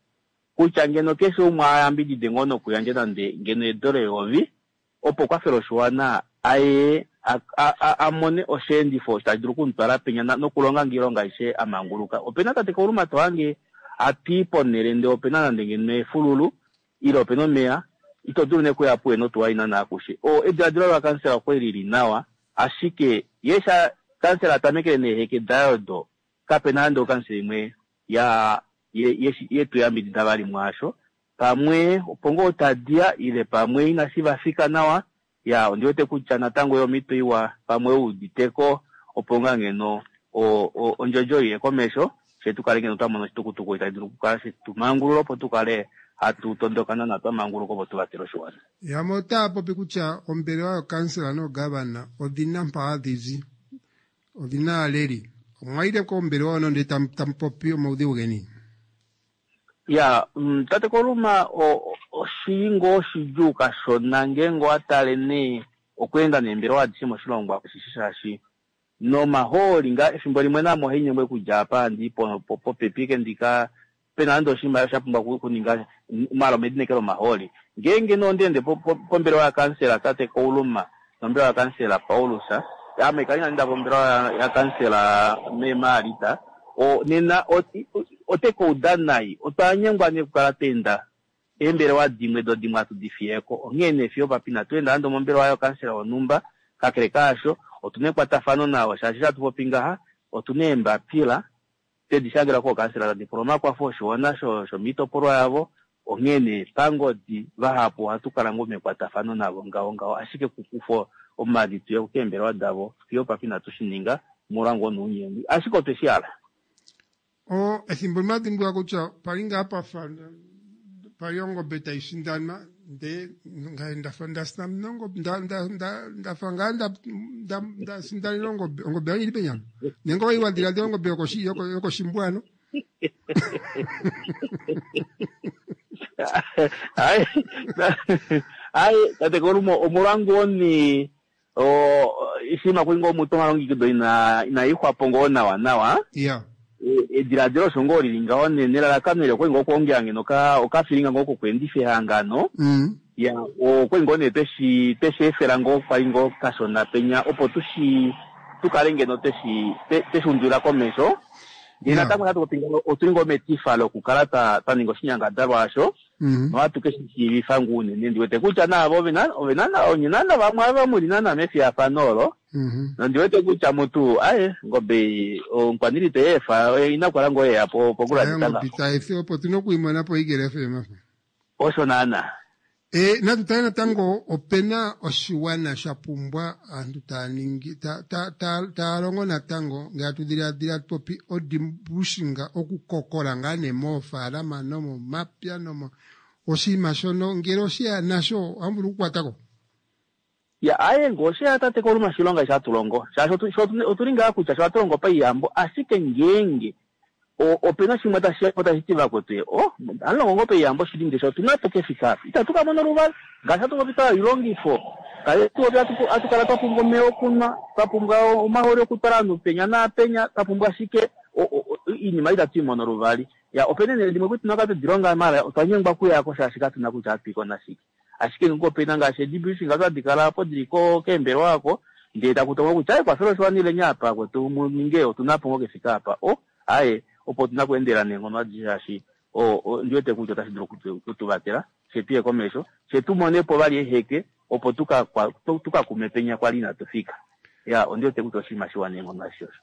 Kutya ngeno keshe umwe ayambidide ngoo nokuyandja nande ngeno edola eyovi opo kwafela oshiwana aye amone osheendifo tashi dulu okumutwala penya nokulonga oilonga aishe amanguluka. Opena tate Kauluma tohange ati ponele ndee opena nande ngeno efululu ile opena omeya ito dulu nee okuya puye notuwa ina naakushe. Ediladilo lakansela okwali lili nawa ashike ye sha kansela atamekele neeheke daye odo kapena nande okansela imwe ya yetuyambidida vali mwaasho pamwe opo ngoo tadiya ile pamwe inashi vafika nawa ya ondiwete kutya natango yomhito iwa pamwe uuditeko opo ngaa ngeno ondjodjo iye komesho fye tukale ngeno twamona oshitukutuku itashi dulu okukala shetumangulula opo tukale hatu tondoka nana twamanguluka opo tuvatele oshiwana. Yamwe otaya popi kutya ombelewa yokansela noogavana odhina mpa hadhi zi, odhina aaleli. Omwa yile kombelewa hono ndele tamu popi omaudhigu geni? Ya tate Koluma oshili ngoo shidjuu kashona ngeenge owatale nee okweenda neembelewa adishe moshilongo ashishe shaashi nomahooli nga efimbo limwe namo ohainyengwa okudja apa handi popepi eke ndika pena nande oshimaliwa sha pumbwa okuninga maala omedinekelo omahooli. Ngeenge nee ondeende pombelewa yakansela tate Kauluma nombelewa yakansela Paulus ame kali nande pombelewa yakansela Mema Alita nena otekauda nai otwanyengwa nee okukala tweenda eembelewa dimwe do dimwe hatu di fiyeko. Onghee nee fiyo papi inatu enda nande omombelewa yokansela wonhumba kakele kaasho otuna ekwatafano navo shaashi hatu popi ngaha otuna eembapila tedi shangela kookansela tadi pula omakwafo oshiwana shomiitopolwa yavo. Onghee nee pangodi vahapu ohatu kala ngoo mekwatafano navo ngaho ngaho ashike kukufa omavi tuye keembelewa davo fiyo papi inatu shi ninga molwa ngoo nounyengwi ashike otwe shi hala. Ethimbo limwe adhimbulula kutya pali ngaa pafa pali ongobe taisindanwa ndee ngaye ndafa ndafa ngaa ndasindanena ongobe ongobe yange ili penyama nenge owali wadhiladhila ongobe yokoshimbwano. Ayi tate Kolumo omolwa ngoo nee oshinima kwali ngoo mutu omalongekido inaixwapo ngoo nawa nawa. Ediladilo osho ngoo lili ngaho nelalakano eli okwali ngoo okwoongela ngeno okafilinga ngoo kokweendifa ehangano. Ya okwali ngoo nee tweshi efela ngoo kwali ngoo kashona penya opo tukale ngeno tweshi undulila komesho. Ndee natango hatu popi ngaho otuli ngoo metifa lokukala twa ninga oshinyangadalwa asho nohatu keshi shiivifa ngoo unene ndiwete kutya naavo onye naana vamwe ava muli naana mefiyafano olo nondiwete kutya mutu aye ngobe omukwaniilwa iteyeefa inakukala ngoo yeya pokulanditha ngaho. Itaefi opo tuna okuimona po Eagle FM. Osho naana. Natu tale natango opena oshiwana sha pumbwa aantu taya ningi taya longo natango ngele atu dhiladhila popi odimbushinga okukokola ngaa nee moofaalama nomomapya nomo oshinima shono ngele osheya nasho ohamu vulu okukwatako. Ya aye ngoo osheya tate Koluma shilonga eshi hatu longo shaashi otuli ngaa kutya sho hatu longo paiyambo ashike ngeenge opena shimwe tashiyapo tashi ti vakwetu hamulongo ngoo paiyambo shili ndee otuna po kefika apa itatu kamona oluvala ngaashi hatu popi twa oilongifo hatu kala twapumbwa omeya okunwa twapumbwa omahooli okutwala ovanhu penya naapenya twapumbwa ashike iinima itatu imono oluvali. Ya opena eenhele dimwe kutya tuna twedilonga maala otwa nyengwa okuyako shaashi katuna kutya ohatu iko nashike. Ashike ngoo opena ngaashi edibushing hadi kala apo dili keembelewa ako ndee taku tongwa kutya aye kwafela oshiwana ileni apa kwetu muninge otuna po ngoo kefika apa aye opo otuna okuendela neenghono adishe shaashi ondiwete kutya otashi dulu okutuvatela fye tuye komesho fye tumonepo vali eheke opo tukakume penya kwali inatu fika. Ya ondiwete kutya oshinima shiwa neenghono ashishe osho.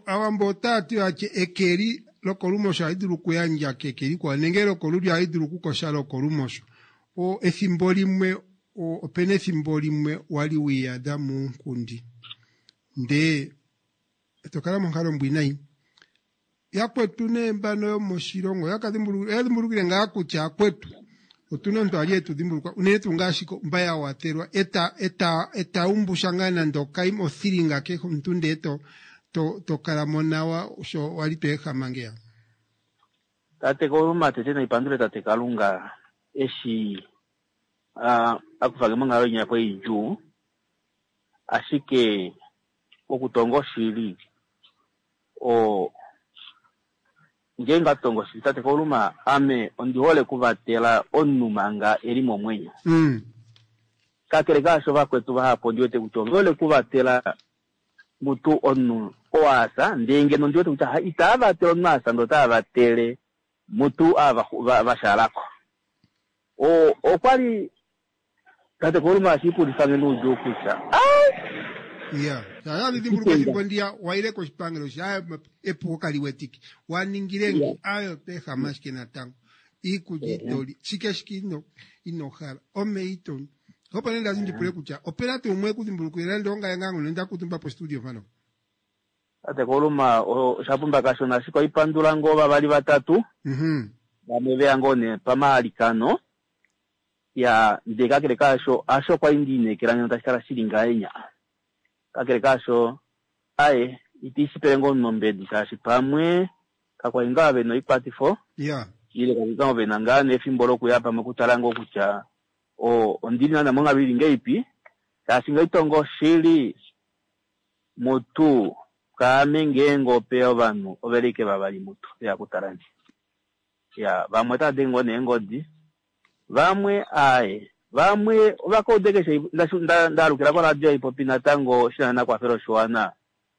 Aawambo otaya ti atye ekeli lokolumosho ohali dulu okuyandja keke likwao nenge lokolulyo ohali dulu okukosha lokolumosho. Efimbo limwe opena efimbo limwe wali wiiyadha muunkundi ndee eto kala monghalo ombwiinayi. Yakwetu nee mbano yomoshilongo oyadhimbulukile ngaa kutya akwetu otuna omuntu ali etu dhimbulukwa unene tuu ngaashi mba ya watelwa eta umbusha ngaa nande okaima othilinga kehe omuntu ndee to kala mo nawa sho wali to ehama ngeya. Tate Koluma tete naipandule tate Kalunga eshi akufange monghalo inya po idjuu ashike okutonga oshili Ngeenge atongo shili tate Kauluma, ame ondi hole kuvatela omunhu manga eli momwenyo. Kakele kaasho vakwetu vahapu ondi wete kutya ove hole kuvatela mutu omunhu oo asa, ndee ngeno ondi wete kutya itava vatele omunhu asa ndee otava vatele mutu ava vashalako. Okwali tate Kauluma ashiipulifange noudjuu kutya ya shaya ethimbo ndiya waile koshipangelo shaya epuko kali wetike waningile ngi ayo peha ashike natango iikulya itoli shike shike ino hala ome ito opo nee ndazi ndipule kutya opena tuu umwe kudhimbulukile nande ongaye ngaa ngono nda kutumba po studio mpano. Tate Kauluma oshapumba kashona ashike oipandula ngoo vavali vatatu vamwe veya ngoo nee pamalikano ya ndee kakele kaasho asho kwali ndiinekela ngeno tashi kala shili ngahenya. Kakele kaasho aye itiishipele ngoo nombedi shaashi pamwe kakwali ngaa vena oikwatifo ile kakwali ngaa vena ngaa nefimbo lokuya pamwe okutala ngoo kutya ondili naana monghalo ili ngeipi shaashi ngaitongo shili mutu kaame ngeenge opeya ovanhu ovelike vavali mutu veya kutala nge. Ya vamwe otava denge ngoo neengodi vamwe aye vamwe ovakaude keshe ndaalukila koradio ipopi natango shina nakwafela oshiwana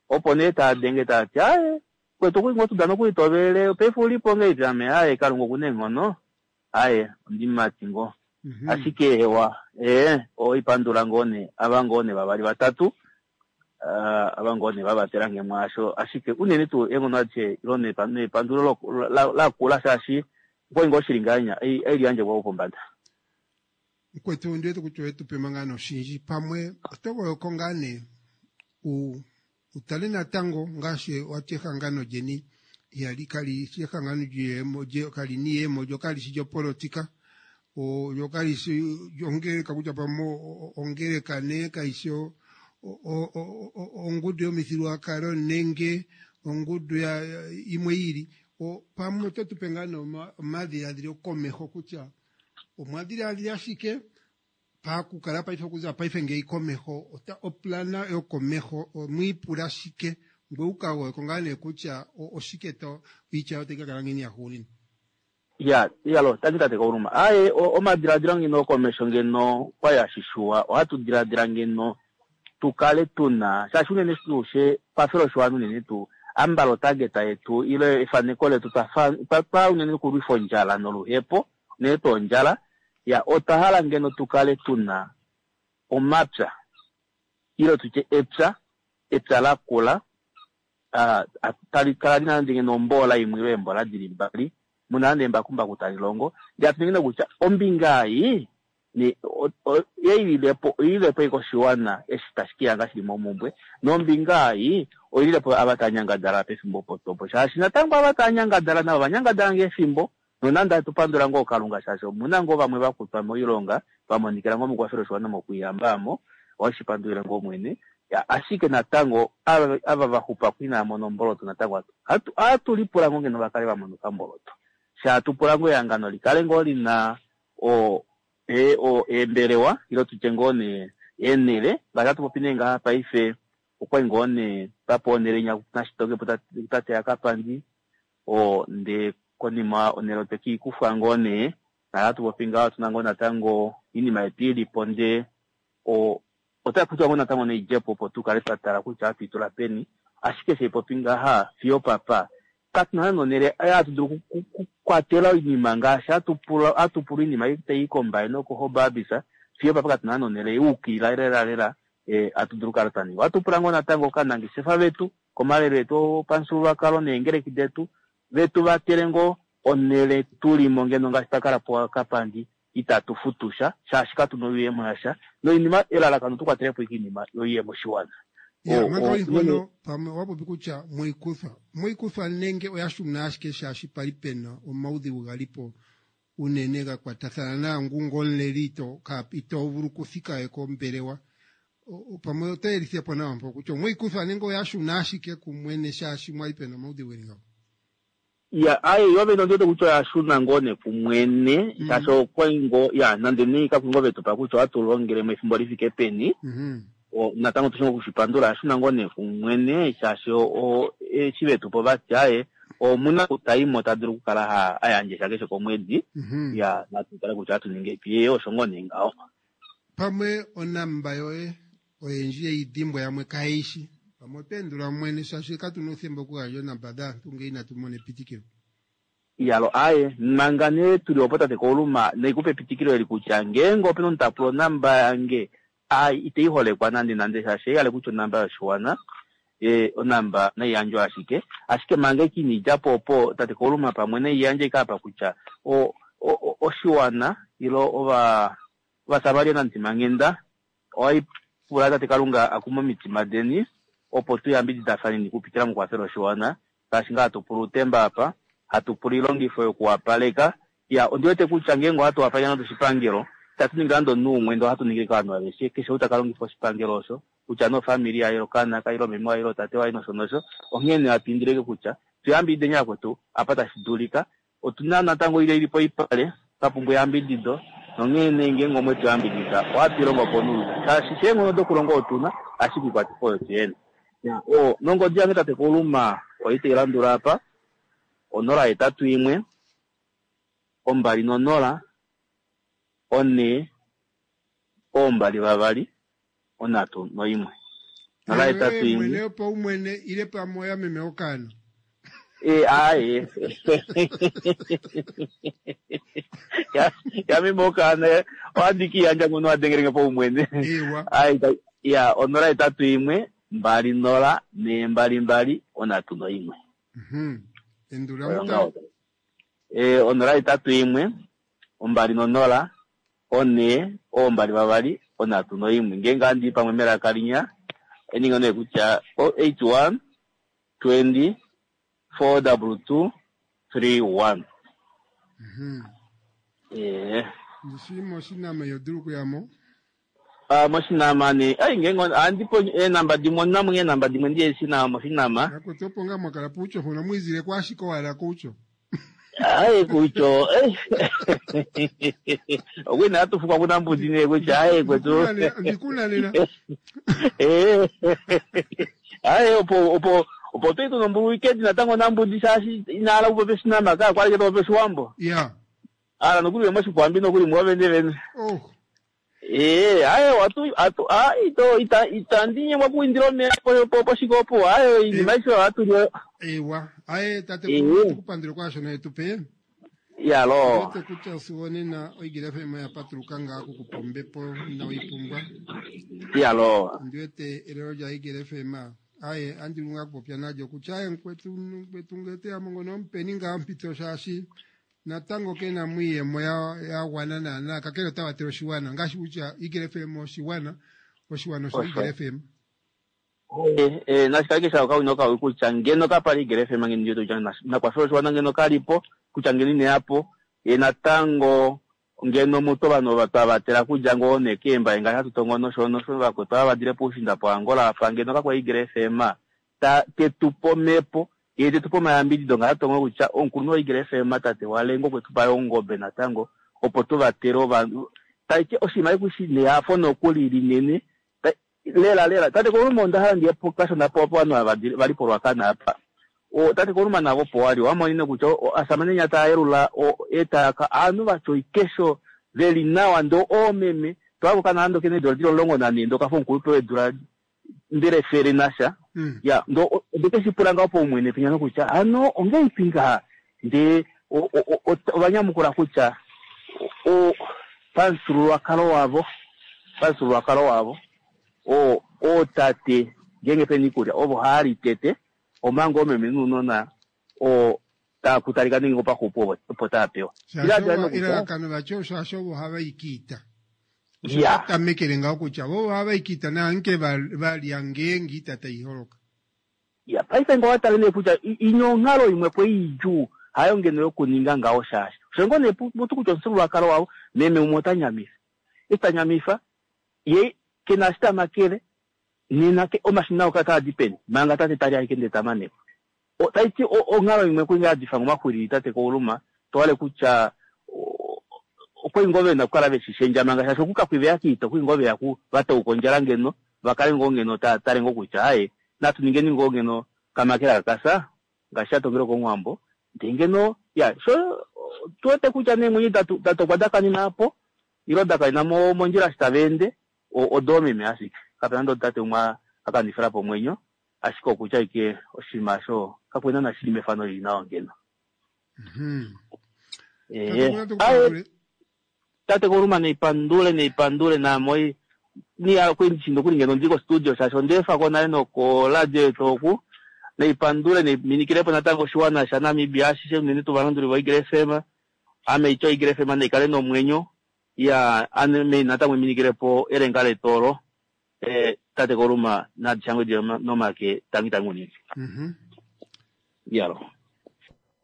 opo nee tadenge tati aye kwetu okuli ngoo tudana okuli tovele paife ulipo ngeipi ame aye Kalunga okuna eenghono aye ondimati ngoo ashike ewa oipandula ngoo nee ava ngoo nee vavali vatatu ava ngoo nee vavatela nge mwaasho ashike unene tuu eenghono adishe ilo nepandulo lakula shaashi okwali ngoo shili ngahenya eliyandje kwao pombada. Mukwetu ndiwete kutya owetupe manga noshindji pamwe oto goyoko ngaa nee utale natango ngaashi wati ehangano lyeni ihali kali shi ehangano lyiyemo kali niiyemo lyo kali shi lyopolotika lyo kali shi ongeleka kutya pamwe ongeleka nee kaishi ongudu yomithigululwakalo nenge ongudu imwe ili pamwe oto tupe ngaa nee omadhiladhilo komeho kutya omwadhiladhila ashike pakukala paife okuza paife ngeyi komeho oplana yokomeho omwiipula shike ngwe ukagoyeko ngaa nee kutya oshike to iitya yotayi kakala ngiini yahugunina. Ya iyalo tangi tate Kauluma aye omadiladilo ngeno komesho ngeno kwali ashishuwa ohatu diladila ngeno tukale tuna shaashi unene tuu she kwafela oshiwana unene tuu ambala otageta yetu ile efaneko letu twa unene kulwifa ondjala noluhepo unene tuu ondjala ya otwa hala ngeno tukale tuna omapya ile tutye epya lakula tali kala lina nande ngeno ombola imwe ile eembola dili mbali muna nande embakumbaku tali longo ndee atu ningine kutya ombinga ei oililepo koshiwana eshi tashi kiyanga shili momumbwe nombinga ei oililepo ava tanyangadala pefimbo opo shaashi natango ava tanyangadala navo vanyangadala ngefimbo nonande atupandula ngoo Kalunga shaashi omuna ngoo vamwe vakutwa moilonga vamonikila ngoo mokwafela oshiwana mokuyambamo oshipandulile ngoo mwene ashike natango ava vaxupa kwina mono omboloto natango atulipula ngoo ngeno vakale vamona okamboloto shatupula ngoo ehangano likale ngoo lina eembelewa ilo tutye ngoo nee eenhele ngaashi atupopi nee ngaha paife okwali ngoo nee papo onhele inya nashitoke po tate yakapandi ndee konima onhele otekiikufwa ngoo nee nahatupopi ngaha otuna ngoo natango oinima yetu ilipo ndee otakutwa ngoo natango neidjepo opo tukale twatala kutya hatuitula peni ashike sheipopi ngaha fiyo papa katuna nonhele hatu dulu kukwatela oinima ngaashi hatupula oinima tai kombaye nokohobabisa fiyo papa katuna nonhele iukilila lela lela hatu dulu kukala twaninga. Ohatu pula ngoo natango kanangeshefa vetu komalelo etu opamufyuululwakalo neengeleki detu vetu vatele ngoo onhele tulimo ngeno ngaashi twakala po kapandi itatu futusha shaashi katuna oyuuyemo yasha noinima elalakano tukwatelepo oinima yoiyemo oshiwana. Manga oimpono pamwe owapopi kutya moikuthwa nenge oyashuna ashike shaashi pali pena omaudhigu galipo unene gakwatathana naangu ngomuleli ito vulu okuthika kombelewa pamwe oto yelithilepo nawa mpo kutya omweikuthwa nenge oyashuna ashike kumwene shaashi mwali pena omaudhigu geli ngawo. Ya aye yo vene ondiwete kutya oyashuna ngoo nee kumwene shaashi okwali ngoo ya nande nee kakuli ngoo vetupa kutya ohatu longelemo efimbo lifike peni natango tushi okushipandula ashuna ngoo nee kumwene shaashi eshi vetupa ovati aye. Omuna kutaimo ta dulu okukala ha ayandje sha keshe komwedi. Ya natu tale kutya ohatu ningi epi osho ngoo nee ngaho. Pamwe onamba yoye oyendji yeyi dhimbwa yamwe kaye shi. Pamwe oto endula mwene shaashi katuna uuthemba okugandja oonamba dhaantu ngele inatu mona epitikilo. Iyalo aye manga nee tuli opo tate Kauluma naikupe epitikilo eli kutya ngeenge opena omunhu ta pula onamba yange ai itei holekwa nande nande shaashi ei ale kutya onamba yoshiwana onamba nai yandjwe ashike ashike manga eke ina idjapo opo tate Kauluma pamwe nai yandje ike apa kutya oshiwana ilo ovasamaria namutima-nghenda ohai pula tate Kalunga akume omitima deni opo tu yambididafaneni okupitila mokukwafela oshiwana ngaashi ngaa hatu pula uutemba apa hatu pula oilongifo yokuwapaleka. Ya ondi wete kutya ngeenge ohatu wapaleke nande oshipangelo itatu ningi nande omunhu umwe ndele ohatu ningile kovanhu aveshe keshe ou taka longifa oshipangelo osho kutya nofamili yaye okaana kaye ile meme waye ile tate waye nosho nosho. Onghee nee hatu indileke kutya tuyambidideni vakwetu apa tashi dulika. Otuna natango ile ili poipale twapumbwa eyambidido nonghee nee ngeenge omwe tu yambidida ohatu ilongo po nuupu shaashi sheenghono dokulonga otuna ashike oikwatifo oyo tuyena. Nongodi yange tate Kauluma oi tai landula apa 081 20 4 22 31. 081 Mwene yopaumwene ile pamwe oya meme okaana. Aye. Ya meme okaana ohandi kiyandja ngono adengelenge paumwene. Ewa. Ai ya 081 20 422 31. Endula muta. 081 20 4 22 31. Ngeenge handi pamwe melaka linya eninga nee kutya 081 20 422 31. Ndishi moshinama yodulu kuyamo? Moshinama ne ai ngeenge ohandi po eenamba dimwe onamwe eenamba dimwe ndiye shina moshinama. Nakutopo nga mwakala puucho hono mwizile kwashiko wala kucho. Aye kucho. Okwina atufuka kuna mbudzi ne kutya aye kwetu. Ndikuna nena. Aye opo opo opo twetu nombulu weekend natango nambudi shaashi inaala kupopa oshinama ka kwali topopa oshiwambo. Yeah. Ala nokuli moshikwambi nokuli mwo vene vene. Oh. Aye watu atu ai to ita itandi nyemwa kuindira omeya poshikopo aye iinima aishe ohatu Ewa. Aye tate tukupandile kwasho naye tupe. Yalo. Yote kutya siwonena oigila FM ya patuluka nga kukupa ombepo inaoipumbwa. Yalo. Ndiwete elelo lya Igele FM. Aye andilunga kupopya nalyo kutya aye nkwetu nkwetu ngete ya mongo nompeni nga mpito shaashi natango kena mwiiyemo ya gwana naana kakele ota vatele oshiwana ngaashi kutya Igele FM oshiwana oshiwana osho Igele FM. Nashikale kesha okawino kawi kutya ngeno kapali Igele FM ngeno ndiwete kutya nakwafela oshiwana ngeno kalipo kutya ngeno ineyapo natango ngeno mutu ovanhu twavatela kudja ngoo nekeemba ngaashi hatu tongo nosho nosho vakwetu ava vadile poushinda po Angola apa ngeno kakwa Igele FM tetupo omhepo ye tetupo omayambidido ngaashi hatu tongo kutya omukulunhu wa Igele FM tate Walengo okwetupa ongobe natango opo tuvatele ovanhu taiti oshinima ekushi nehafo nokuli linene lela lela tate Kauluma onda hala ndiye kashona po ovanhu ava vali polwakana apa. Tate Kauluma navo opo wali wamonene kutya asamane nya taa yelula etaka aanhu vatya oikesho veli nawa ndo oomeme twako kana ando kene eedula dili 14 ndo kafa omukulupe weedula ndele fele nasha. Ya ndo ondekeshi pula ngaho paumwene penya nokutya ano ongeipi ngaha ndee ovanyamukula kutya pamufyuululwakalo wavo pamufyuululwakalo wavo ootate ngeenge pena iikulya ovo haali tete omanga oomeme nounona taakutalika nenge opaxupu opo taapewa. Elalakano vatya shaashi ovo hava i kiita. Osho tamekele ngaho kutya vo ohava i kiita naanke valya ngeenge iita tai holoka. Ya paife ngo watale nee kutya inyo onghalo imwe po idjuu hayo ngeno yokuninga ngaho shaashi osho ngoo nee mutu kutya omufyuululwakalo wavo meme umwe ota nyamifa eshi ta nyamifa ye kena eshi tamakele nena omashina oka taa di peni manga tate tali ashike ndee tamaneko. Taiti onghalo imwe kwinga yadifa ngomaxwilili tate Kauluma towale kutya okwali ngoo vena okukala veshishendja manga shaashi okukakwiveya kiita okwali ngoo veya vatauka ondjala ngeno vakale ngoo ngeno taatale ngoo kutya aye natu ningeni ngoo ngeno kamakela kakasa Ngaashi sha tongelwe kOmuwambo. Ndee ngeno, ya, sho tu wete kutya neemwenyo da tokwa da kanina po, ilo da kanina mondjila eshi tava ende, odoomeme ashike. Kape nande omutate umwe a kanifila po omwenyo, ashike okutya ashike oshinima osho kakwena na shili mefano lili nawa ngeno. Tate Koluma neipandule neipandule naamoi niya kwendi nokuli ngeno ndi ko studio shaashi ondeefa ko nale nokoradio yetu oku neipandule neiminikilepo natango oshiwana shaNamibia ashishe unene tuu ovalanduli voEagle FM. Ame ityo Eagle FM naikale nomwenyo ya ame natango iminikilepo elenga letu olo. Tate Koluma nadishangwe nomake tangi tangi unene. Yalo.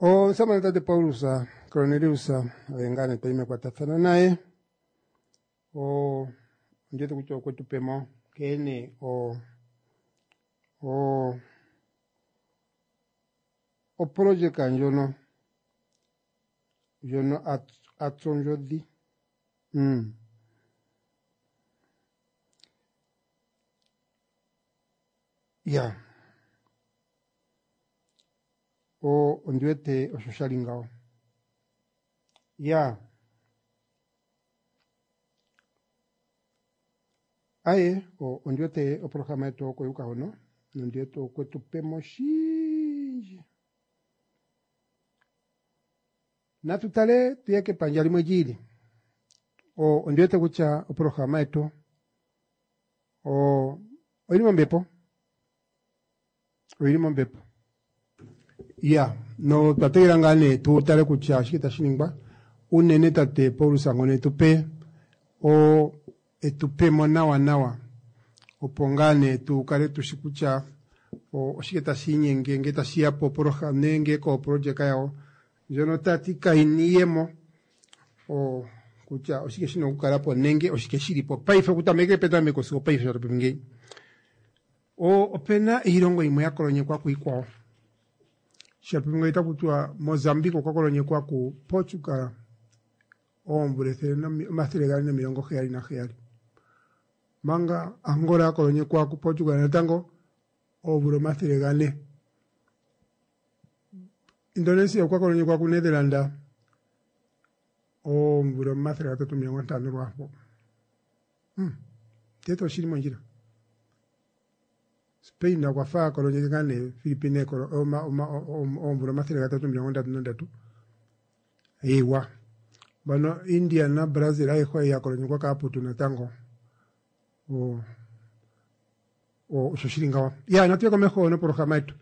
Omusamane tate Paulus Cornelius oye ngaa nee twayi mekwatathano naye. Ondiwete kutya okwe tu pemo nkene oprojeka ndjono a tsa ondjodhi. Ya ondiwete osho sha li ngawo. Ya aye ondiwete oprograma yetu oko yuka hono nondiwete okwe tu pemo shindji. Natu tale tuye kepandja limwe lyiili. Ondiwete kutya oprograma yetu oyili mombepo. Oyili mombepo. Ya, no twa tegelela ngaa nee tu tale kutya oshike tashi ningwa. Unene tate Paulus ngono etupe etupemo nawa nawa opo ngaa nee tu kale tushi kutya oshike tashi inyenge nge tashi ya popoloha nenge koprojeka yawo ndjono tati kaina iiyemo kutya oshike shina okukala po nenge oshike shili po paife okutameka petameko sigo paife sho topopi ngeyi. Opena iilongo yimwe ya kolonyekwa kuikwawo. Shapopi ngeyi otaku tiwa Mozambique okwa kolonyekwa ku Portugal oomvula 477. Manga Angola ya kolonyekwa ku Portugal natango oomvula 400. Indonesia okwa kolonyekwa ku Netherland oomvula 350 lwapo. Tete oshili mondjila. Spain okwa fa kolonyeke ngaa nee Philippine oomvula 333. Ewa. Bano India na Brazil ayihe ya kolonyekwa kaaputu natango. Osho shili ngawo. Ya, natuye komeho noprograma yetu.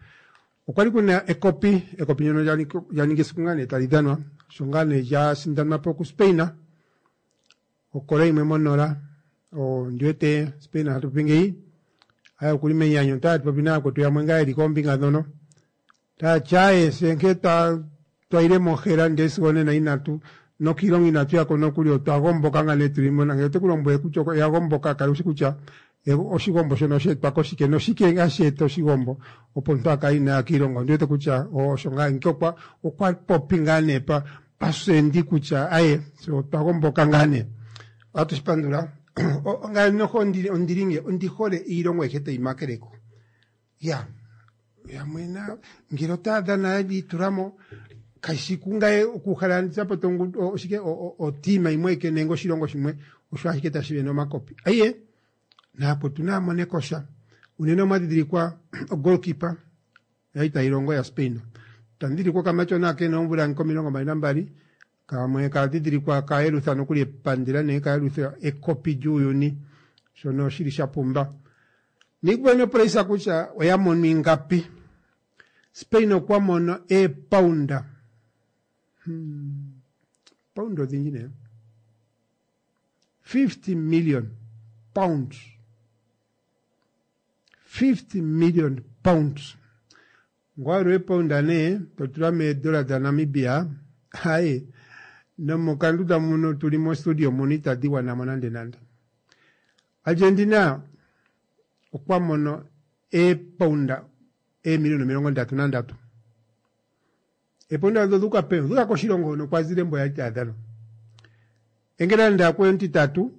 Okwali kuna ekopi, ekopi ndyono lya ningi esiku ngaa nee tali dhanwa, sho ngaa nee lya sindanwa po kuSpain. Okola yimwe monola, ondiwete Spain hatu popi ngeyi, aya okuli menyanyu, taya popi nayakwetu yamwe ngaa yeli koombinga ndhono. Taya ti aye se nkene twayile mohela ndele sigo onena inatu nokiilongo inatu yako nokuli otwa gomboka ngaa nee tuli mo nangele ote ku lombwele kutya oya gomboka kala ushi kutya oshigombo shono oshe etwa koshike noshike hashi eta oshigombo opo omuntu a kale inaya kiilongo. Ondiwete kutya osho ngaa nke okwa popi ngaa nee paswendi kutya aye se otwa gomboka ngaa nee. Ohatu shi pandula. Ngame noho ondili nge ondi hole iilongo ayihe tayi makeleko. Ya yamwe na ngele otaya dhana ya itulamo kashi kungaye okuhala nzapo oshike otima yimwe eke nenge oshilongo shimwe osho ashike tashi vene omakopi. Aye naakwetu naya mone kosha. Unene omwa dhidhilikwa ogoalkeeper yali tayi longo ya Spain. Tandhidhilikwa okamatyona kena oomvula nka 22 kamwe kadhidhilikwa kayelutha nokuli epandela nenge kayelutha ekopi lyuuyuni shono shili sha pumba. Niikupa nopresa kutya oya mono ingapi. Spain okwa mono eepaunda. Paunda odhindji nee. 50 million pounds. 50 million pounds. Ngwalwa eepaunda nee totula meedola dhaNamibia aye nomokanduda muno tuli mo studio muno itadhi gwana mo nande nande. Argentina okwa mono eepaunda eemiliona 33. Eepaunda odho dhuuka peni? Odhuuka koshilongo hono kwa zile mbo yali taya dhana. England akwe ontitatu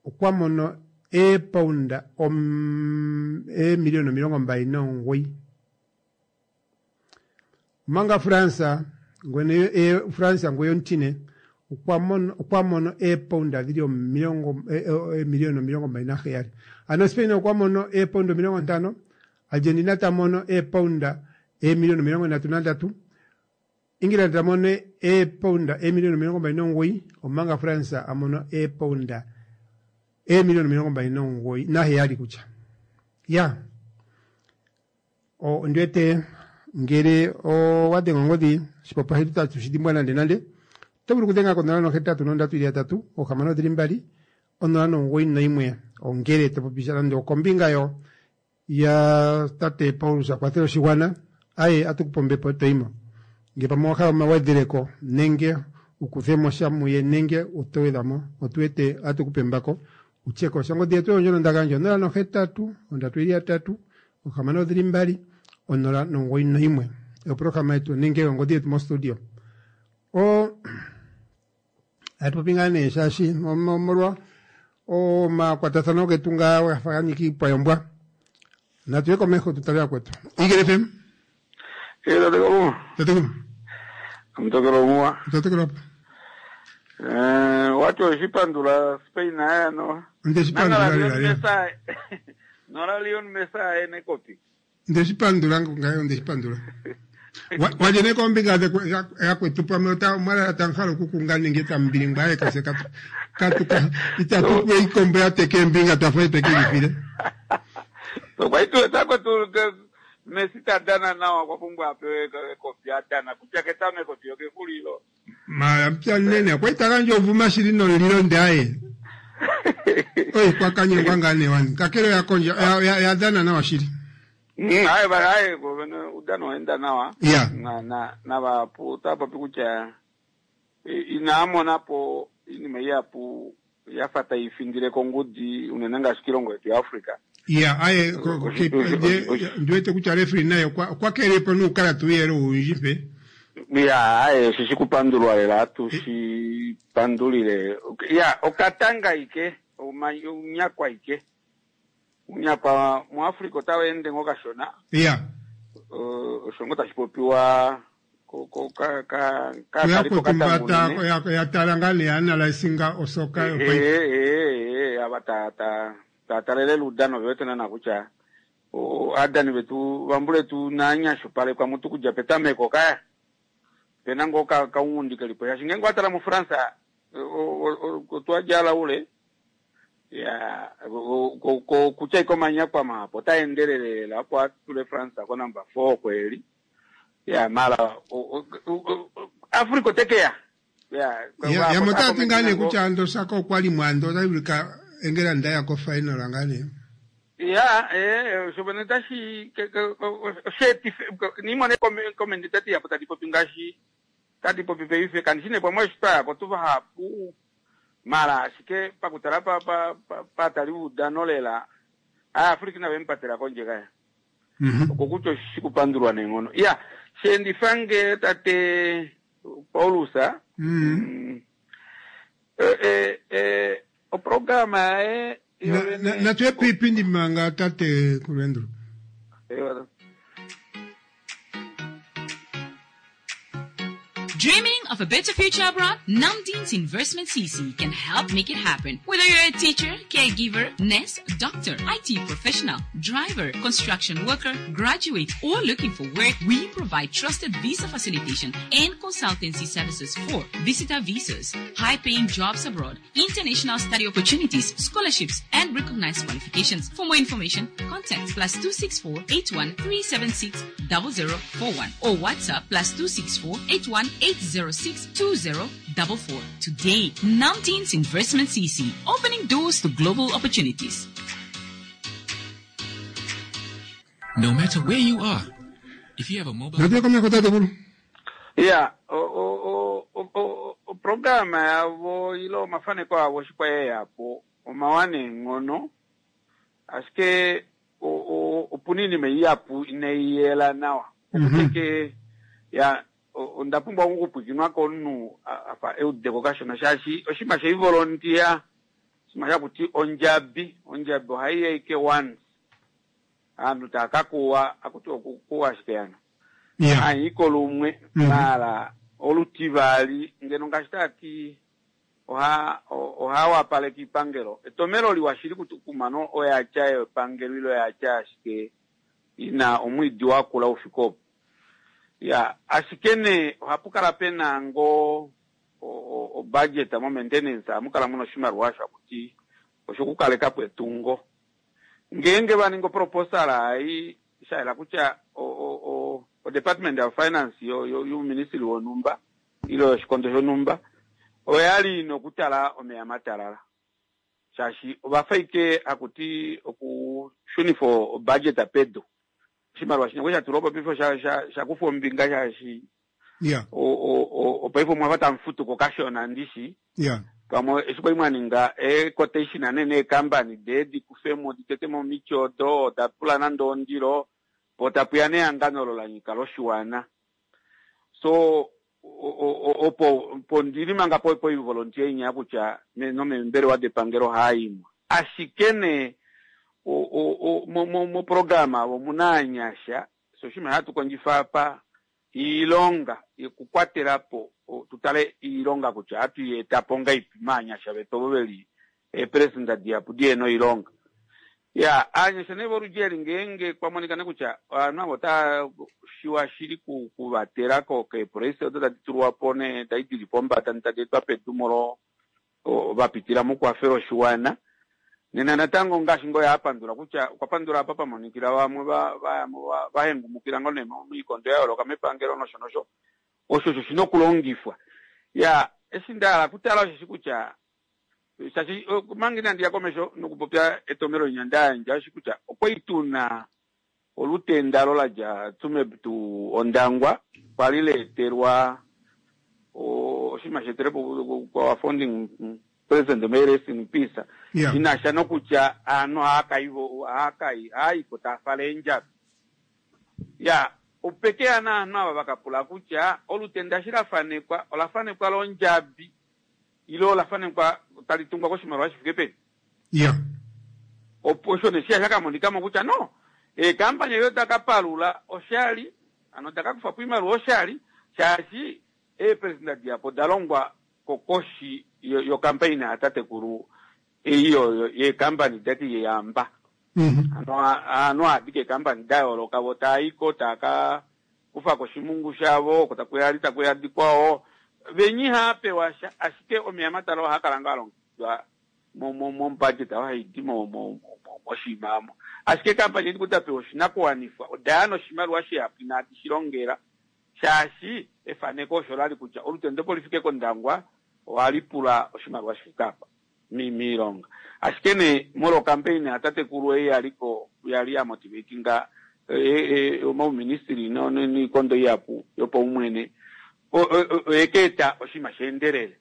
okwa mono eepaunda eemiliona 29. Omanga France ngwene e, France ngwe ontine okwa mono eepounda dhili omilongo eemiliyona 27. Ano Spain okwa mono eepounda 50, Argentina ta mono eepounda eemiliyona 33, England ta mono eepounda eemiliyona 29, omanga France a mono eepounda eemiliyona 29 kutya. Ya. Ondi wete ngele owa dhenga ongodhi oshipopiwa shetu itatu shi dhimbwa nande nande. Oto vulu okudhenga ko 083 622 091 ongele to popi sha nande okombinga yo ya tate Paulus a kwathele oshigwana aye atu kupe ombepo toyimo. Ngele pamwe owa hala omagwedheleko nenge u kuthemo sha muye nenge oto gwedhamo otu wete atu kupe embako utye ko sha. Ongodhi yetu oyo ndjono nda gandja 083 3 622 091 oprograma yetu nenge ongodhi yetu mostudio. O atu popi ngaa nee shaashi omolwa omakwatathano getu ngaa gafa ga nyika iipwa yombwa. Natu ye komeho tu tale yakwetu. Eagle FM. Eh, tatekulu. Tatekulu. Omutokelo omuwa. Tatekulu apa. Eh, wati oshipandula Spain aya no. Nde shi pandula lela lela. Nora Leon Messi aye nekopi. Nde shi pandula ngayo nde shi pandula. Walye ne kombinga yakwetu pamwe ota omwalala tamuhala okukunga nenge tambilingwa aye kase katu katu itatu kwe ikombo ya teke embinga twafa eteke lifile. So kwa itu takwetu Messi ta dana nawa okwa pumbwa apewe ekopi a dana kutya ketameko fiyo kexulilo. Mara mpya nene okwa ita gandja ovuma shili nomulilo nde aye. Oi kwa kanyengwa ngaa nee wani. Kakele oya kondja oya dhana nawa shili. Aye ba aye udano waenda nawa. Yeah. Na na na vahapu otava popi kutya inaa mona po iinima ihapu ya fa tayi thindile kongudhi unene ngaashi kiilongo yetu yaAfrica. Ya, aye, ndi wete kutya referee naye okwa keelele po nuukalata uuyele owundji mpe. Ya, aye, oshishi kupandulwa lela, atu shi pandulile. Ya, okatanga ike, unyakwa ike. Unyakwa muAfrica otawu ende ngo kashona. Ya. Osho ngo tashi popiwa Kuyakwetu mba ya tala ngaa nee analysinga osoka yopaife. Ava taya talele uudhano ove wete naana kutya aadhani vetu vambuletu inaya nyashupalekwa mutu okudja petameko kaya pena ngoo okaunghundi kelipo shaashi ngeenge owa tala muFrance otwa djala ule ya kutya ike omanyakwa mahapu otaa endelele lela opo a tule France ko number 4 oko eli ya mara Africa ote ke ya ya yamwe otaya ti ngaa nee kutya ando Saka okwa li mo ando otashi vulika England ya kofinal ngaa nee. Ya eh osho vene tashi osheetife niimone comment tati yapo tadi popi ngaashi tadi popi paife kandi shi nee pamwe eshi twa yako tuvahapu mara ashike pakutala pa pa paatali voudano lela Aafrica inave mupatela kondje kaya. Okokutya oshishi kupandulwa neenghono. Iya, sheendifa nge tate Paulus, oprograma yaye yovene. Natu ye piipindi manga tate Kulwendro. Dreaming of a better future abroad? Namdeen's Investment CC can help make it happen. Whether you're a teacher, caregiver, nurse, doctor, IT professional, driver, construction worker, graduate, or looking for work, we provide trusted visa facilitation and consultancy services for visitor visas, high-paying jobs abroad, international study opportunities, scholarships, and recognized qualifications. For more information, contact +264 81 376 0041 or WhatsApp +264 81 806 2044. Today, Namdeen's Investment CC, opening doors to global opportunities. No matter where you are, if you have a mobile... Natu ye komeho tatekulu. Ya, oprograma yavo ile omafaneko avo eshi kwa ye ya po omawa neenghono, ashike opuna oinima ihapu inai yela nawa. Okutya ya onda pumbwa okupwikinwa komunhu afa eudeko kashona shaashi oshinima sheivolontiya oshinima shakuti ondjabi, ondjabi ohai ya ike once. Aanhu tava ka kuwa, akuti okukuwa ashike hano. Haanyiko lumwe maala olutivali ngeno ngaashi taati oha oha wapaleke iipangelo. Etomelo liwa shili kumano oyatya yepangelo ile oyatya ashike ina omwiidi wakula ufike opo. Ya ashike nee ohapu kala pena ngoo o budget mo maintenance ohamu kala muna oshimaliwa osho hakuti oshokukalekapo etungo. Ngeenge va ninga oproposal ai shayela kutya o department of finance youministry wonhumba ile yoshikondo shonhumba oyali ina okutala omeya matalala shaashi ovafa ike hakuti okushunifa obudget pedu. Oshimaliwa shino sha tulwa po paife sha kufwa ombinga shaashi opaife omwafa tamufutuko kashona ndishi. Pamwe eshi kwali mwaninga equotation nee neekambani dee dikufemo ditetemo omiti odo oda pula nande ondilo po tapuya nehangano olo lanyika loshiwana. So opo po ndili manga po poivolontier inya kutya nomembelewa depangelo haimwa. Ashike nee moprograma omuna aanyasha so oshinima hatu kondjifa apa iilonga yokukwatela po tutale iilonga kutya hatu yeetapo ngaipi maanyasha vetu ovo veli eepresident dihapu dihena oilonga. Ya aanyasha nee voludji ngeenge kwamonika kutya ovanhu avo otava shiwa shili kuvatela keepolisi odo tadi tulwa po nee tadi dili pombada tadi etwa pedu molo vapitila mokukwafela oshiwana. Nena natango ngaashi ngoo yapandula kutya okwa pandula apa pamonikila vamwe vahengumukila ngoo nee moikondo ya yooloka mepangelo nosho nosho osho osho shina okulongifwa. Ya eshi ndahala kutala osheshi kutya shaashi manga inandi ya komesho nokupopya etomelo linya ndayandja oshi kutya okwali tuna olutenda olo ladja Tsumeb to Ondangwa kwali leetelwa oshinima sheetelepo kwa founding president may rest in peace. Shinasha nokutya aanhu haayiko taafala eendjabi. Ya opekeya naanhu ava vakapula kutya olutenda eshi lafanekwa olafanekwa londjabi ile olafanekwa tali tungwa koshimaliwa shifike peni. Opo osho nee shiya shakamonikamo kutya no eekampani edo dakapalula oshali ano dakakufapo oimaliwa oshali shaashi eepresident dihapu oda longwa kokoshi yokampaina yatatekulu ei yeekampani dati yeyamba. Ano aanhu aadika eekampani da yooloka vo taayiko taaka kufako oshimungu shavo oko takuya takuya dikwao venyi ihaapewa sha ashike omeya matala ohaa kala ngaa alongekidwa mobudget haidi moshinima omo. Ashike eekampani edi dapewa oshinakuwanifwa odaya noshimaliwa shihapu inadi shilongela shaashi efaneko osho lali kutya olutendo opo lifike kOndangwa ohali pula oshimaliwa shifike apa miilonga. Ashike nee molwa ocampaign yatatekulu ei yaliko yali ya motivatinga omauministry niikondo ihapu yopaumwene oyeka eta oshinima sheendelele.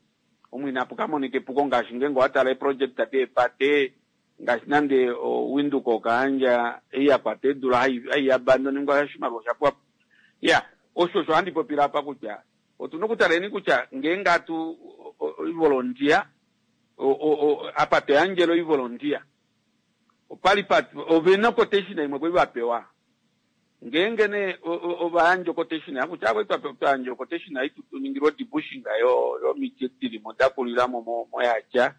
Omo inapu kamonika epuko ngaashi ngeenge owatala eeproject deepate ngaashi nande Windhoek Okahandja ei yakwata eedula hai abandoningwa oshimaliwa osha pwapo. Ya osho osho handi popile apa kutya otuna okutaleni kutya ngeenge atu ivolontier apa toyandjele oivolontier opali ovena quotation imwe kwali vapewa ngeenge nee ovayandja quotation kutya kwali twayandja quotation ei tuningilwe odebushing yomiti dilimo dakulilamo moyatya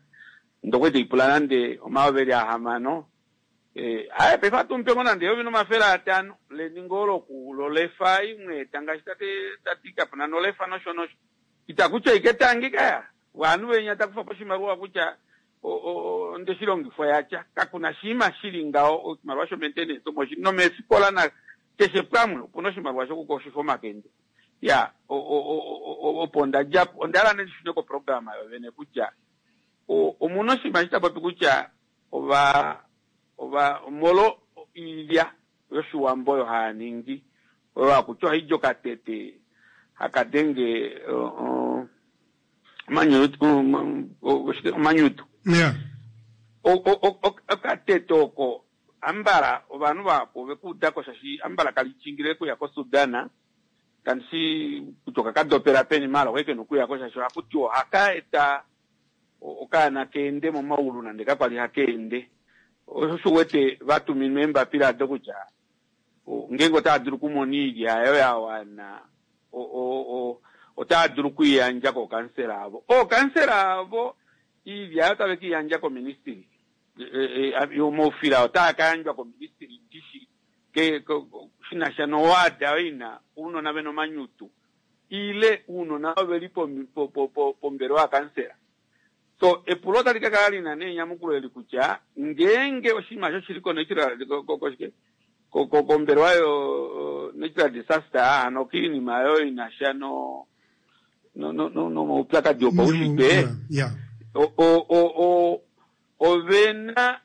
ndokwali taipula nande 6000 aye paife atumupemo nande 1500 leningo loku lolefa imwe eta ngaashi tati kapuna nolefa nosho nosho itakutya ike tangi kaya vanhu venya takufapo oshimaliwa kutya ondeshilongifwa yatya kakuna shiima shili ngaho oshimaliwa sho maintenance omo shili nomeefikola na keshe pamwe opuna oshimaliwa shokukoshifa omakende. Ya opo ndadjapo ondahala ndishune koprograma yovene kutya omuna oshinima eshi tapopi kutya ova ova molo iilya yoshiwambo oyo haya ningi oyo hakutya ohaidi okatete hakadenge omanyutu. Okatete oko ambala ovanhu vahapu ovekuudako shaashi ambala kali chingile kuya koSudan kandishi kutya okakadopela peni maala okwali kena okuyako shaashi ohakutiwa ohaka eta okaana keende momaulu nande kakwali hakeende osho wete vatuminwa eembapila ado kutya Ngeenge otaa dulu okumona oilya ayo ya wana, otaa dulu okuiyandja kookansela avo. Ookansela avo iilya ayo otave ke i yandja koministili. Omaufila otaa ka yandjwa koministili ndishi shi na sha nowaada oyo i na ounona ve na omanyutu ile ounona ovo ve li pombelewa yakansela. So epulo otali ka kala li na nee enyamukulo eli kutya ngeenge oshinima osho shili ko-natural koshike kombelewa yo natural disaster hano kiinima oyo i na sha no nomaupyakadi opaushitwe ove na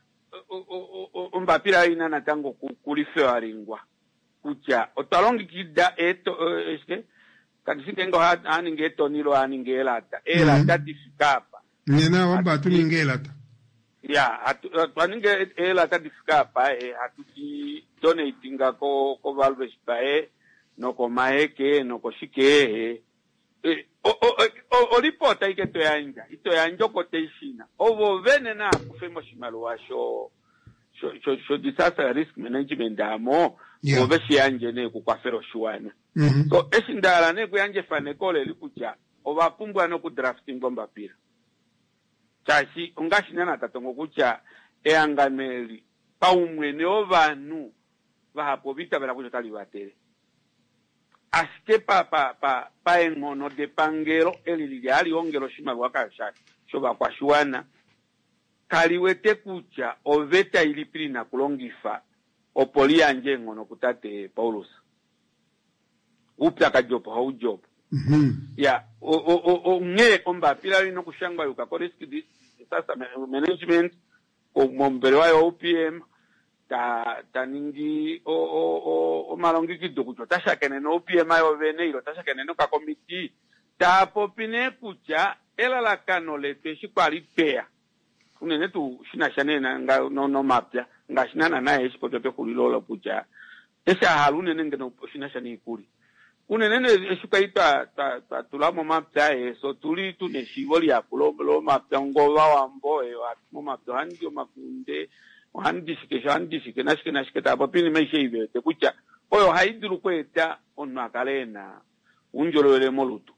ombapila oyo ina natango kulifewalingwa kutya otwa longekida shike kandi shi ngeenge ohaa ningi eetoni ile ohaa ningi eelata eelata di fike apa. Nena ohamba hatu ningi eelata. Ya, twa ninga eelata di fike apa hatu di donatinga koValves Bay nokoMaheke nokoshike. Olipota ike to yandja, ito yandja oquotation. Ovo vene naa kufe moshimaliwa sho sho disaster risk management amo, vo ve shi yandje nee kukwafela oshiwana. So eshi nda hala nee kuyandja efaneko oleli kutya ova pumbwa noku draftingwa ombapila. Shaashi ongaashi naana ta tongo kutya ehangano eli paumwene wovanhu vahapu ova itavela kutya otali vatele. Ashike pa, pa, pa, paenghono depangelo eli lili hali ongele oshimaliwa ka, shovakwashiwana, kali wete kutya oveta ilipi li na kulongifa opo li yandje eenghono kutate Paulus. Oupyakadi opo hau di opo. Ya, onghee ombapila oyo ina okushangwa yuka koRisk Disaster Management, mombelewa yo-OPM, ta, ta ningi o, o, o, omalongekido kutya ota shakene no-OPM yovene ile ota shakene nokakomiti, taa popi nee kutya elalakano letu eshi kwa li tweya, unene tuu shi na sha nee nomapya, ngaashi naana naye eshi popya pexulilo olo kutya eshi a hala unene ngeno oshi na sha noikulya. Unene nee eshi kwali twa, twa, twa tula momapya ees, otu li tu na eshiivo lihapu lomapya ongovawambo, momapya ohamu di omakunde, ohamu di shike, ohamu di shike nashike nashike, tava popi oinima aishe ei ve wete kutya oyo ohai dulu okweeta omunhu a kale e na oundjolowele molutu.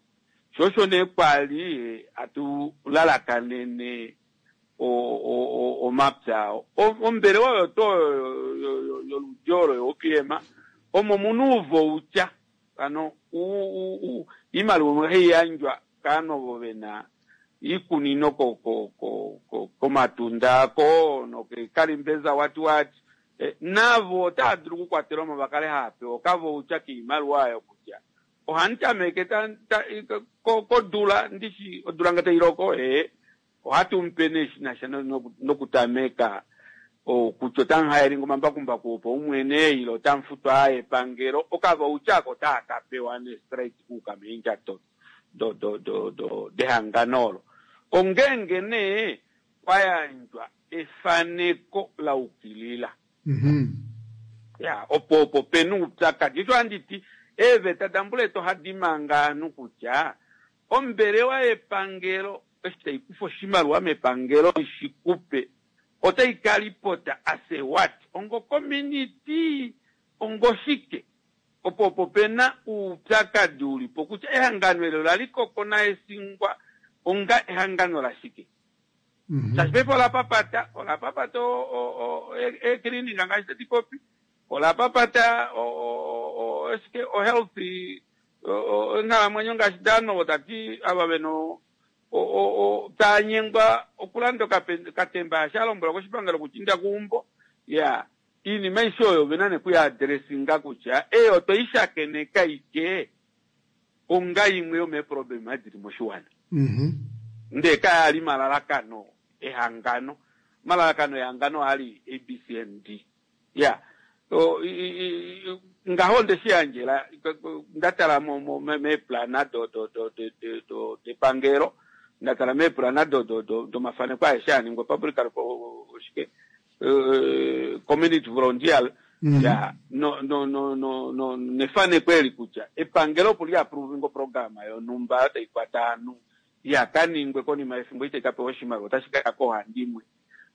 Sho osho nee kwa li hatu lalakanene omapya. Ombelewa oyo tuu oyo yoludi olo yoOPM omo mu na ouvoutya, hano oimaliwa imwe ohai yandjwa kaanhu ovo ve na iikunino komatunda ako nokeekalimbeza what what. Navo otava dulu okukwatelwa mo va kale hava pewa okavoutya koimaliwa oyo kutya Ohandi tameke ta, ta, ko, kodula, ndishi odula nge tai loko, ee, ohatu mu pe nee shi na sha nokutameka, o, kutya otamu haelinga omambakumbaku opaumwene, ile otamu futwa aa epangelo, okavaucha ako otaa ka pewa nee straight kuuka meendjato do, do, do, do, dehangano olo. Ongeenge nee kwa yandjwa efaneko la ukilila. Ya, opo opo pe na oupyakadi. Osho handi ti, eeveta daMbuletu ohadi manga ovanhu kutya ombelewa yepangelo eshi tai kufa oshimaliwa mepangelo i shi kupe, otai ka lipota as a what? Ongokominiti? Ongoshike? Opo opo pe na oupyakadi u li po kutya ehangano eli ola li koko naEsingwa onga ehangano lashike? Shaashi paife ola papata, ola papata eekilinika ngaashi tadi popi, ola papata oshike ohealth, onghalamwenyo ngaashi Danowo ta ti ava ve na tava nyengwa okulanda okatemba eshi a lombwelwa koshipangelo kutya inda keumbo. Ya, iinima aishe oyo ove na nee okuya addressinga kutya ei otwe i shakeneka ike onga imwe yomeeproblema di li moshiwana. Ndee kaya li malalakano ehangano. Omalalakano ehangano ohaa li ABCND. Ya. Ngaho onde shi yandjela, nda tala meeplana depangelo, nda tala meeplana domafaneko aeshe a ningwa, public, oshike, community volunteer, ya, no, no, no, no, no, nefaneko eli kutya epangelo opo li approve oprograma yonhumba oyo tai kwata ovanhu ya ka ningwe konima yefimbo itai ka pewa oshimaliwa otashi ka ya koohandimwe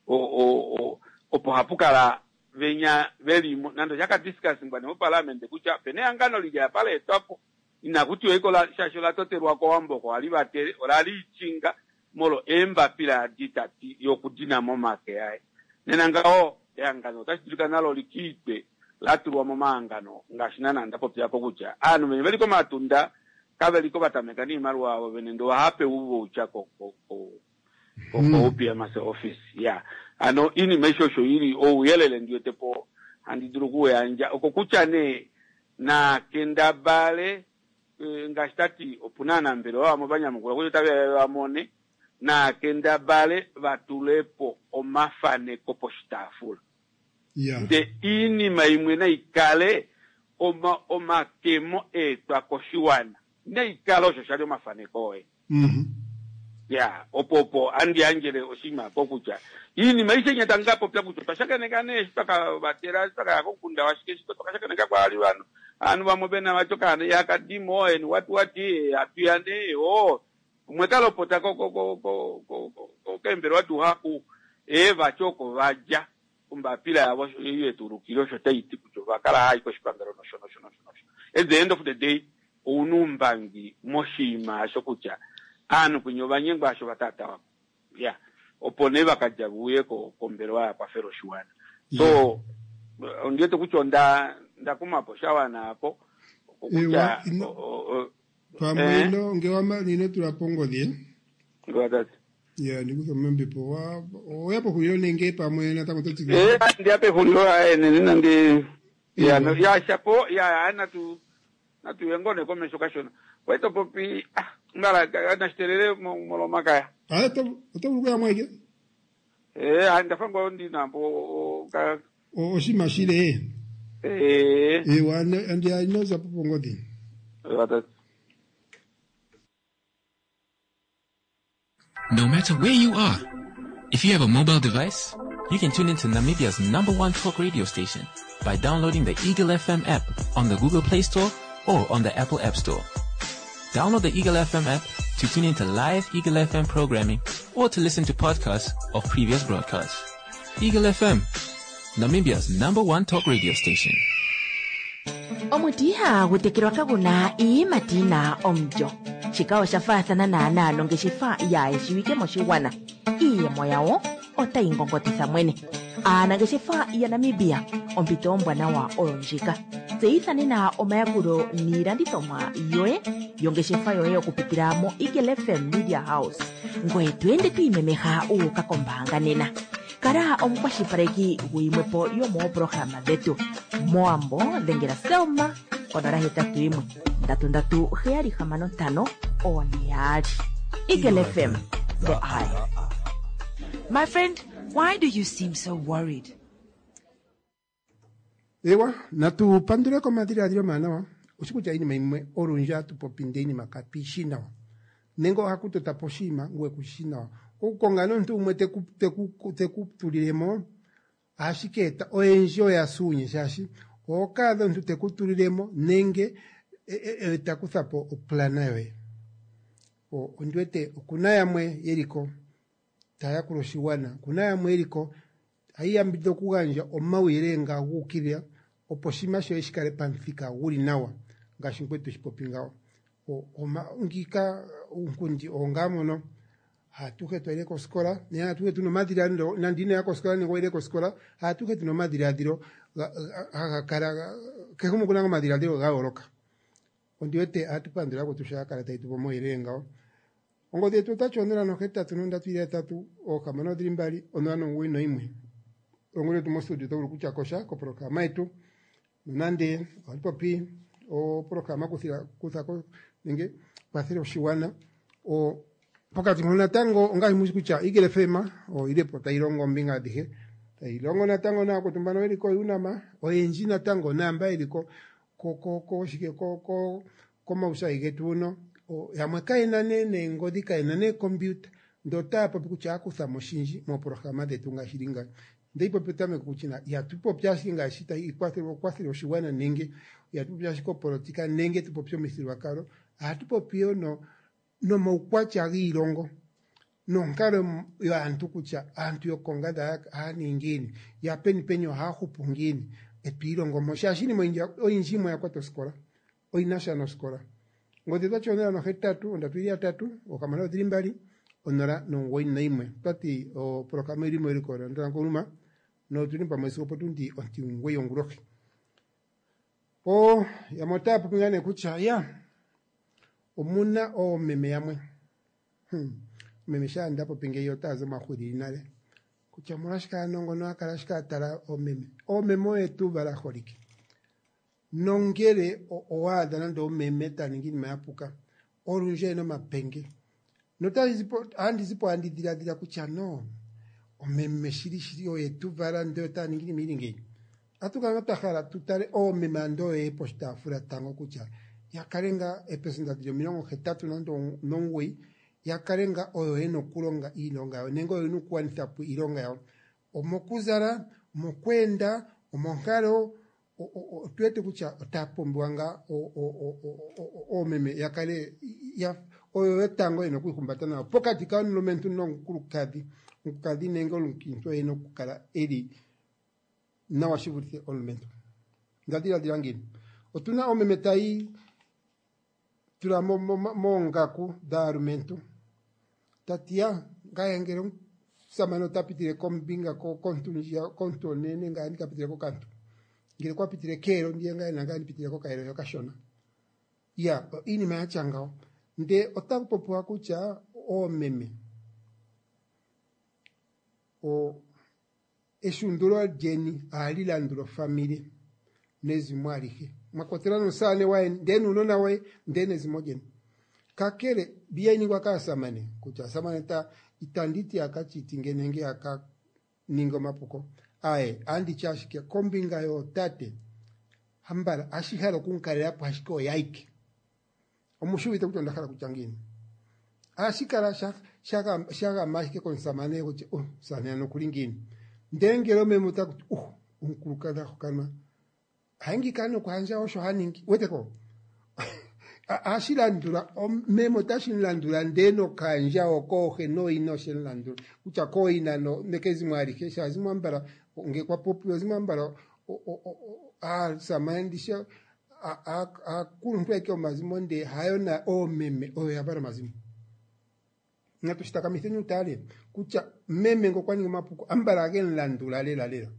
opo hapu kala Venya velimo nande oshaka discussingwa nee moparliament kutya opena ehangano lili apa laetwapo inakutiwa iko shaashi ola totelwa kOwambo oko hali vatele ola liichinga molwo eembapila adi tati yokudina momake aye. Nena ngaho ehangano otashi dulika nalo likiitwe la tulwa momahangano ngaashi naana nda popyako kutya aanhu venya veli komatunda kaveliko vatameka niimaliwa yavo vene ndee ohapewa ouvoucha ko ko ko ko-OPMC office. Ya hano iinima aishe osho ili ouyelele ndi wete po handi dulu okuyandja oko kutya nee nakendabale ngaashi tati opuna aanambelewa vamwe vanyamukula kutya otave ya vamone nakendabale vatulepo omafaneko poshitaafula. Ndee iinima imwe naikale oma omakemo eetwa koshiwana naikale osho shali omafaneko oye. Ya, opo opo andi yandjele oshinima apo kutya iinima aishe inya tamu ka popya kutya otwa shakeneka nee eshi twa ka vatela eshi twa ka ya komukunda washike shike otwa ka shakeneka kwaali vanhu ovanhu vamwe vena vati okaana ihaka dimo and what what hatu ya nee oo umwe ka lopota ko ko ko ko ko ko keembelewa duhaku ee vati oko va dja ombapila yavo ei yetu ulukile osho tai ti kutya ova kala hava i koshipangelo nosho nosho nosho nosho. At the end of the day ouna oumbangi moshinima osho kutya aanhu kwinya ova nyengwa osho va taatawako. Ya. Opo nee va ka dja ve uye ko kombelewa ya kwafela oshiwana. So ondi wete kutya onda nda kumapo sha wana apo Ewa, okutya ino pamwe eh ino nge wamana ino tula po ongodhi eh? Ngwatati. Ya ndikutha mombepo wa oya pexulilo nenge pamwe natango oto tsikile Eh, ndiya pexulilo aye nene nandi ya no ewa ya shapo ya ya natu natu yengone komesho kashona. Kwai to popi ah mbala nashitelele molomakaya. Ah, oto oto vulu okuya mweke Eh, ah, ndafa ngo ndinambo ka oshinima shile eh ewa andi inoza po pongodhi watati. No matter where you are, if you have a mobile device, you can tune into Namibia's number one talk radio station by downloading the Eagle FM app on the Google Play Store or on the Apple App Store. Download the Eagle FM app to tune into live Eagle FM programming or to listen to podcasts of previous broadcasts. Eagle FM, Namibia's number one talk radio station. Omuti ihagu tekelwa kagu na iiyimati yi na omulyo. Shika osha faathana naanaa nongeshefa yaayeshiwike moshigwana. Iiyemo yawo otayi ngongotitha mwene. Aanangeshefa yaNamibia, ompito ombwanawa oyo ndjika. Tseyitha nena omayakulo niilandithomwa yoye yongeshefa yoye okupitila moEagle FM Media House. Ngoye to ende to imemeha wu uka kombaanga nena. Kala omukwashilipaleki guyimwe po yomoopolohalama dhetu. Mowambo dhengela Selma konola hetatu yimwe ndatu ndatu heyali hamano ntano one yaali. Eagle FM, the eye. My friend, why do you seem so worried? Ewa, natu pandule komadhiladhilo omawanawa. Oshi kutya iinima imwe olundji ohatu popi ndee iinima katu yi shi nawa. Nenge ohaku tota po oshinima ngoye ku shi nawa. Okukonga nee omuntu gumwe teku teku teku tulilemo ohashi ka eta oyendji oya suunye shaashi oho ka adha omuntu teku tulilemo nenge e, ta kutha po oplana yoye. Ondi wete okuna yamwe yeliko taya yakula oshigwana, okuna yamwe yeliko hayi yambidhidha okugandja omauyelele nga guukilila opo oshinima shoye shi kale pamuthika guli nawa ngaashi mukwetu eshi popi ngawo. Ngiika uunkundi owo ngaa mono haatuhe twayile kosikola nenge haatuhe tuna omadhiladhilo nande inoya kosikola nenge wayile kosikola haatuhe tuna omadhiladhilo haga kala kehe gumwe okuna omadhiladhilo ga yooloka. Ondi wete ohatu pandula yakwetu sho ya kala tayi tupe omauyelele ngawo. Ongodhi yetu otati 081 3 6 091. Ongodhi yetu mostudio oto vulu okutya kosha koprograma yetu nonande ohatu popi oprograma kuthako nenge kwathela oshiwana. O pokati mpono natango ongaashi mushi kutya Eagle FM oyili po tayi longo ombinga adhihe tayi longo natango naakwetu mbano yeli ko UNAM oyendji natango naamba yeli ko ko ko shike ko ko komaushayi getu huno yamwe kayena nee neengodhi kayena neekompiuta ndee otaya popi kutya akuthamo oshindji mooprograma dhetu ngaashi li ngayo. Ndeyi popi petameko kutya ihatu popi ashike ngaashi tayi kwathele oshigwana nenge ihatu popi ashike opolitika nenge tu popye omithigululwakalo ohatu popi yo no nomaukwatya giilongo. Nonkalo yaantu kutya aantu yokonganda haya ningi ngiini, ya peni peni ohaya hupu ngiini, etwiilongo mo shaashi iinima oyindji yimwe oya kwata osikola, oyina sha nosikola. Ongodhi otwati 083 3 6 2 091. Otwati opolohalama oyili mewiliko lyaNdonga notuli pamwe sigo opotundi 9 yongulohi. Yamwe otaya popi ngaa nee kutya ya omuna oomeme yamwe meme shaa nda popi ngeyi otaya zi omahwilili nale kutya omolwashike aanongo a kala ashike a tala oomeme. Oomeme oye tuu vala aaholike nongele owa adha nande omeme ta ningi iinima ya puka olundji oyena omapenge notandi zipo andi dhiladhila kutya no omeme shili shili oye tu vala ndele otaya ningi iinima ili ngeyi. Ohatu kala twa hala tu tale oomeme ando oye poshitaafula tango kutya ya kale ngaa eepelesenda dhili 89 ya kale ngaa oyo yena okulonga iilonga yawo nenge oyo yena okugwanitha po iilonga yawo. Omokuzala, omokweenda, omonkalo, otu wete kutya otaya pumbiwa ngaa oomeme ya kale oyo yotango yena okwiihumbata nawa pokati komulumentu nomukulukadhi. Omukulukadhi nenge omukiintu oye ena okukala eli nawa shi vulithe omulumentu. Onda dhiladhila ngiini? Otuna oomeme tayi tula moongaku dhaalumentu tati ya ngaye ngele omusamane ota pitile kombinga kontu ndjiya kontu onene ngaye andika pitile kokantu ngele okwa pitile keelo ndiye ngaye nangaye andi pitile kokaelo heya okashona. Ya iinima yatya ngawo ndee otaku popiwa kutya oomeme eshundulo lyeni ohali landula ofamili nezimo alihe mwakwatelwa nomusamane waye ndee nuunona woye ndee nezimo lyeni. Kakele mbi hayi ningwa kaasamane kutya aasamane itanditi yaka cheatinge nenge yaka ninge omapuko aaye anditi ashike kombinga yootate hambala ohashi hala okumukalelapo ashike oye aike. Omushi uvite kutya onda hala kutya ngiini? Ohashi kala sha gama ashike komusamane kutya omusamane ano okuli ngiini. Ndele ngele omeme otakuti omukulukadhi a hokanwa haingi kaa nokuhandja osho haningi uweteko ohashi landula meme otashi mulandula ndee nokaandjawo kooxe nooina oshe mulandula kutya kooina nekezimo alihe shaashi mwambala ngee kwa popiwa mwambala aasamane ndishi aakuluntu aike yomazimo ndee hayo na oomeme oyo yavala omazimo. Natu shitakamitheni utale kutya meme ngee okwa ningi omapuko ambala agemulandula lela lela.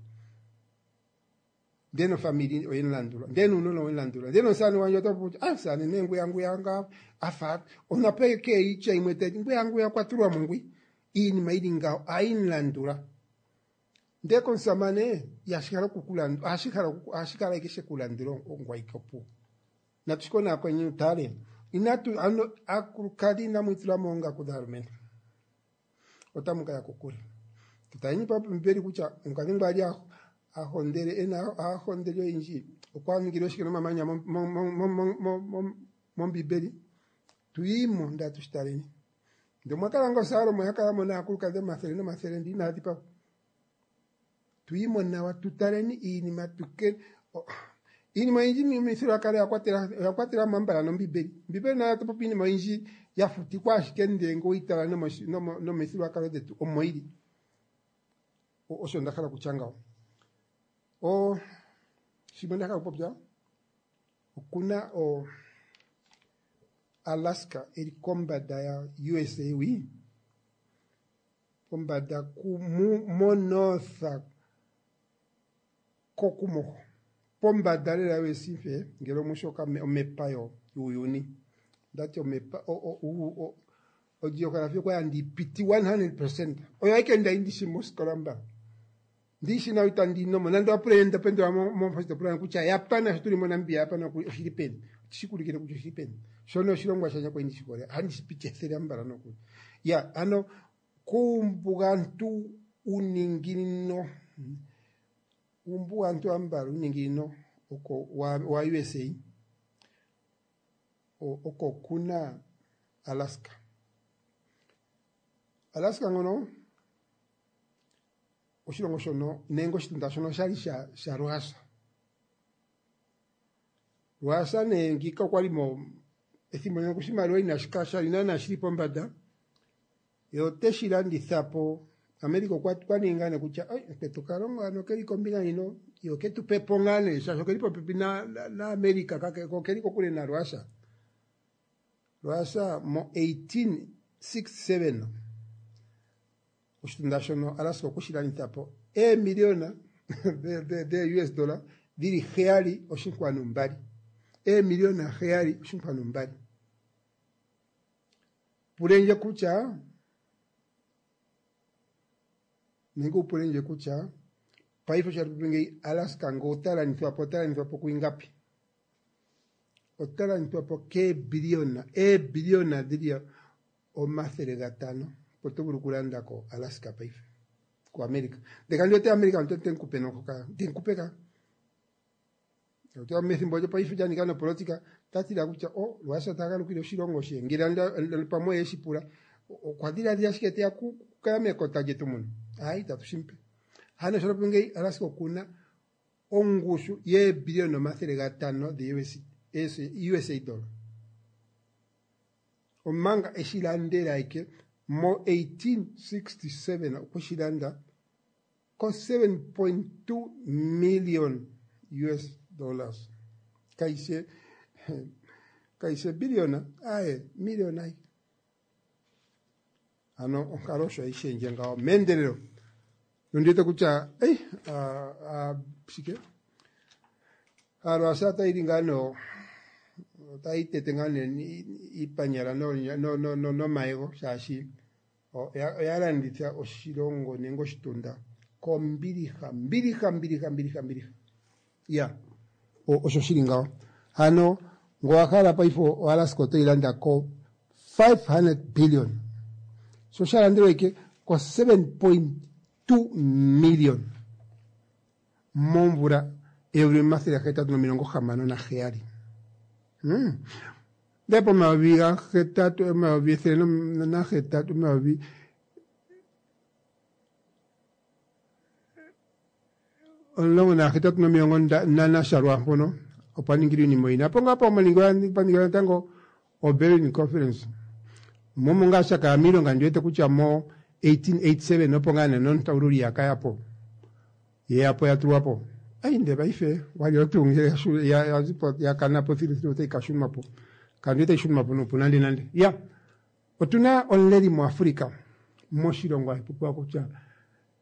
Ndee nofamili oyemulandula ndee nuunona owemulandula ndee nomusamane wandje ota popi kutya omusamane nee ngwiya ngwiya ngaa afa onapo keitya imwe taiti ngwiya ngwiya okwa tulwamo ngwi iinima ili ngawo ohayimulandula. Ndee komusamane ihashi hala okukulandula ohashi kala ashike shekulandula ongwaike opuwo. Natu shikonakoneni utale inatu ano aakulukadhi inamu itula moongaku dhaalumentu otamu kaya kokule. Tutaleni pambibeli kutya omukadhi ngu ali ahondele ena aahondeli oyendji okwa ningile shike nomamanya mombibeli tuyimo ndee atu shitaleni. Ndee omwa kala ngoo Salomo yakala mo naakulukadhi omathele nomathele ndee inaya dhipagwa. Tuyimo nawa tutaleni iinima tuke iinima oyindji momithigululwakalo oya kwatela mo ambala nombibeli. Ombibeli nayo otayi popi iinima oyindji ya futikwa ashike ndee ngee oweyitala nomithigululwakalo dhetu omo yili. Osho nda hala okutya ngawo. Shimwe nda hala okupopya okuna Alaska eli kombada ya USA wi pombada mo north kokumoho pombada lela USA ngele omushi omepa yuuyuni ndati omepa ogeography okwali andipiti 100% oyo aike ndali ndishi mosikola mba ndishi nawa itandi nomo nande owapula ndapendula mo kutya Japan sho tuli moNamibia Japan oshili peni otashikuulikile kutya oshili peni shono oshilongwa shandje kwali ndishi hole ohandi shipiti ethele ambala nokuli. Ya ano kuumbugantu uninginino uumbugantu ambala uninginino oko wa USA oko kuna Alaska. Alaska ngono oshilongo shono nenge oshitunda shono oshali sha Russia. Russia nee ngiika okwali mo ethimbo ndyono oshimaliwa inashi kala shali naana shili pombada. Ye ote shi landitha po. America okwa okwa ninga nee kutya oi mukwetu Kalongo hano keli kombinga ino ye oke tu pe po ngaa nee shaashi okeli popepi na, na, na America kake ko okeli kokule naRussia. Russia mo 1867 oshitunda shono Alaska okwe shi landitha po eemiliona de US dollar dhili 7.2. Eemiliona 7.2. Pulendje kutya nenge u pulendje kutya paife osho hatu popi ngeyi Alaska ngele ota landithwa po ota landithwa po kuingapi? Ota landithwa po keebiliona eebiliona dhili 500 opo to vulu okulanda ko Alaska paife kuAmerica. Ndele kandi wete America ote mu kupe noko ka te mu kupe ka. Ota methimbo lyopaife lya nika nopolitika ta tila kutya o oh, Lwasa ta galukile oshilongo she ngele pamwe ye shi pula okwa dhiladhila ashike teya kukala mekota lyetu muno. Hayi itatu shi mupe. Hano sho ngeyi Alaska okuna ongushu yeebiliona 500 dhe USA dollar. Omanga eshi landela ike mo 1867 okwe shi landa ko 7.2 million US dollars. Kaise kaise biliona aye million ayi. Ano onkalo osho hayi shendje ngawo meendelelo. Nondiwete kutya ei shike Aalwasa otayi li ngaa no otayi tete ngaa nee iipanyala nomayego shaashi oya landitha oshilongo nenge oshitunda kombiliha mbiliha mbiliha mbiliha mbiliha ya osho shili ngawo hano ngo wa hala paife oAlaska otoyi landa ko 500 billion sho sha landelwa ike ko 7.2 million momvula 1867. Ndele pomayovi gahetatu, 1108, 2018 nomilongo nasha lwaampono opwa ningilwa iinima oyindji. Apo ngaa pa ningilwa natango oBerlin Conference. Momo ngaa sha kaya miilonga ndi wete kutya mo 1887 opo ngaa nee nontaululi ya kaya po. Ye ya po ya tulwa po. Ai ndele paife walyo tuu ngele ya zipo ya kana po thiluthilu otayi ka shunwa po. Kandi otayi shunwa po nuupu nande nande. Ya, otuna omuleli muAfrica moshilongo hashi popiwa kutya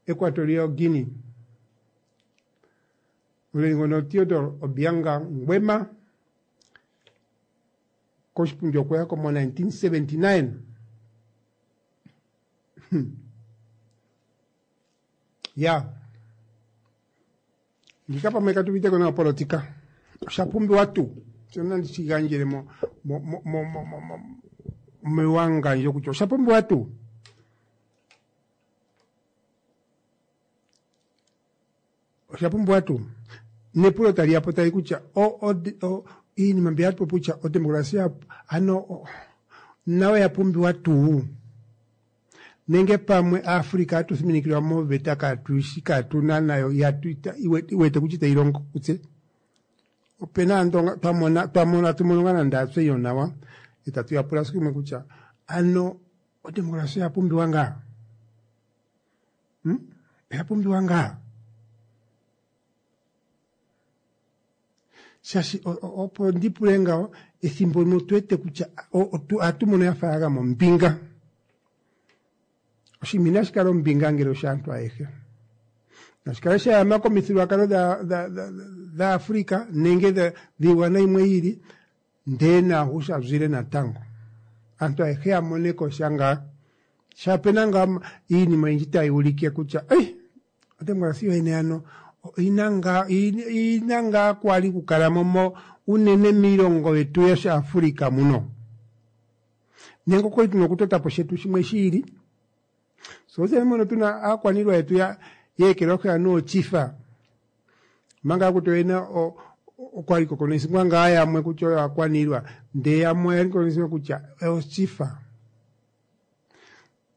Equatorial Guinea. Omuleli ngono Theodore Obianga Nguema koshipundi okweya ko mo 1979. Ya, ngika pamwe katu uvite ko nawa politika. Osha pumbiwa tuu. Sho nandi shi gandjele mo mo mo mo mo mo mo mewangandjo kutya osha pumbiwa tuu. Osha pumbiwa tuu. Nepulo tali ya po tali kutya o, o, o, iinima mbi hatu popi kutya odemokrasia ano nayo ya pumbiwa tuu. Nenge pamwe Africa atu thiminikilwa moveta katuishi katuna nayo iwete kutya itayi longo kutse. Opena aantu twamona twamona tumono ngaa nande atse iyo nawa etatu ya pula siku limwe kutya ano odemokrasia oya pumbiwa ngaa? Hmm? Oya pumbiwa ngaa? Shaashi opo ndi pule ngawo ethimbo limwe otu wete kutya ohatu mono ya fa ya gama ombinga. Oshinima inashi kala ombinga ngele oshaantu ayehe. Nashi kale sha yama komithigululwakalo dhaAfrika nenge dhiigwana yimwe yi ili, ndele naahu sha zwile natango. Aantu ayehe ya mone ko sha ngaa. Sha pena ngaa iinima oyindji tayi ulike kutya ei, odemokrasi yoyene ano oyina ngaa oyina ngaa kwali okukala mo mo unene miilongo yetu yoshiAfrika muno. Nenge okwali tuna okutota po shetu shimwe shi ili. So tse mono tuna aakwaniilwa yetu ya yeekelwahi anuwa ochifa. Omanga akuti oyena okwali kokonoisingwa ngaa yamwe kutya oyo aakwaniilwa ndee yamwe oyali kokonoisingwa kutya ochifa.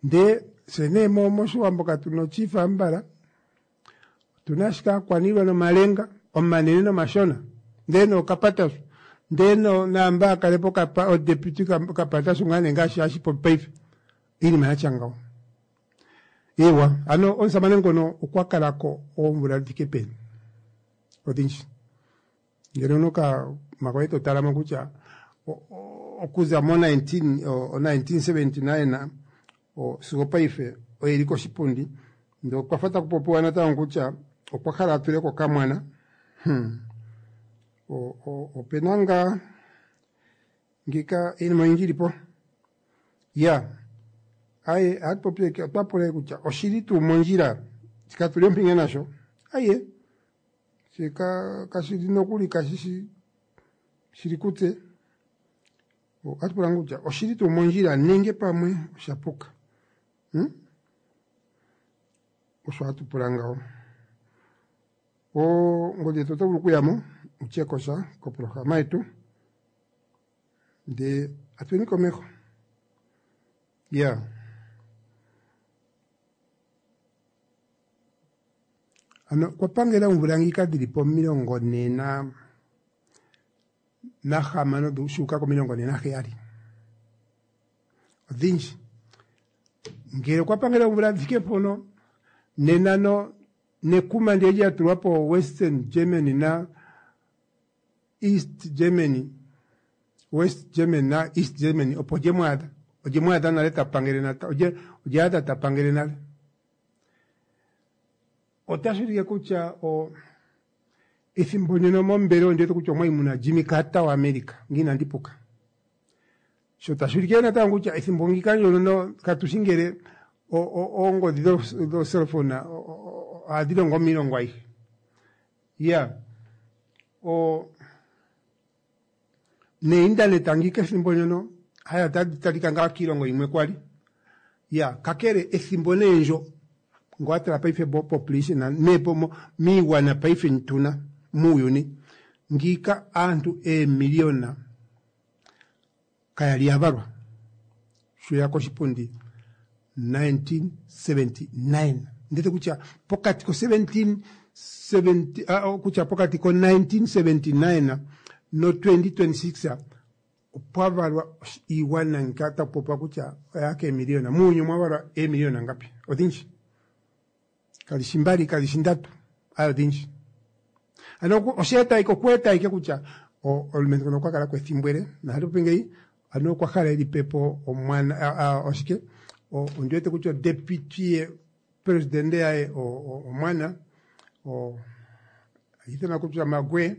Ndee fye nee moshiwambo katuna ochifa mbala. Otuna ashike aakwaniilwa nomalenga omanene nomashona. Ndee nookapatashu. Ndee naamba akalepo odeputy kapatashu ngaa nee ngaashi hashi popi paife. Iinima yatya ngawo. Eewa, ano omusamane ngono okwa kala ko oomvula dhi thike peni? Odhindji. Ngele owuna okamako e to tala mo kutya okuza mo 1979 sigo paife oye li koshipundi, ndee okwa fa taku popiwa natango kutya okwa hala a tule ko okamwana. Hmm. Opena ngaa ngiika iinima oyindji li po. Ya, aye, ohatu popi, otwa pula kutya oshili tuu mondjila shika tuli ompinge nasho? Aye, shika kashi li nokuli kashi shi shili kutse. Ohatu pula kutya oshili tuu mondjila nenge pamwe osha puka? Hmm? Osho hatu pula ngawo. Ongodhi yetu oto vulu okuya mo utye ko sha koprograma yetu ndee atweni komeho. Ya. Ano okwa pangela oomvula ngika dhili po 46 shuuka komilongo ne naheyali. Odhindji. Ngele okwa pangela oomvula dhi thike mpono, nena no nekuma ndiye lya tulwa po Western Germany na East Germany, West Germany na East Germany opo lye mu adha. Olye mu adha nale ta pangele nata, olye, olye adha ta pangele nale. Otashi ulike kutya o, ethimbo ndyono mombelewa ondi wete kutya omwali muna Jimmy Carter waAmerica, ngele inandi puka. Sho tashi ulike natango kutya ethimbo ngika ndyono no katu shi ngele oongodhi dho cellphone ohadhi longo miilongo ayihe. Ya, o neintaneta ngika ethimbo ndyono haya tadhi talika ngaa kiilongo yimwe kwali. Ya, kakele ethimbo nee ndjo ngo wa tala paife bo population ne po miigwana paife ntuna muuyuni ngiika aantu eemiliona kaya li ya valwa sho ya koshipundi 1979 ndete kutya pokati ko 1770 ah, kutya pokati ko 1979 no 2026 opwa valwa iigwana ngika taku popiwa kutya oya keemiliona muuyuni omwa valwa eemiliona ngapi odhindji kali shi mbali kali shi ndatu ayo odhindji ano osheeta ike okweeta ike kutya omulumentu ngono okwa kala ko ethimbo ele nahatu popi ngeyi ano okwa hala eli pepo omwana oshike ondi wete kutya deputy presidente yaye omwana ithanwa kutya Magwe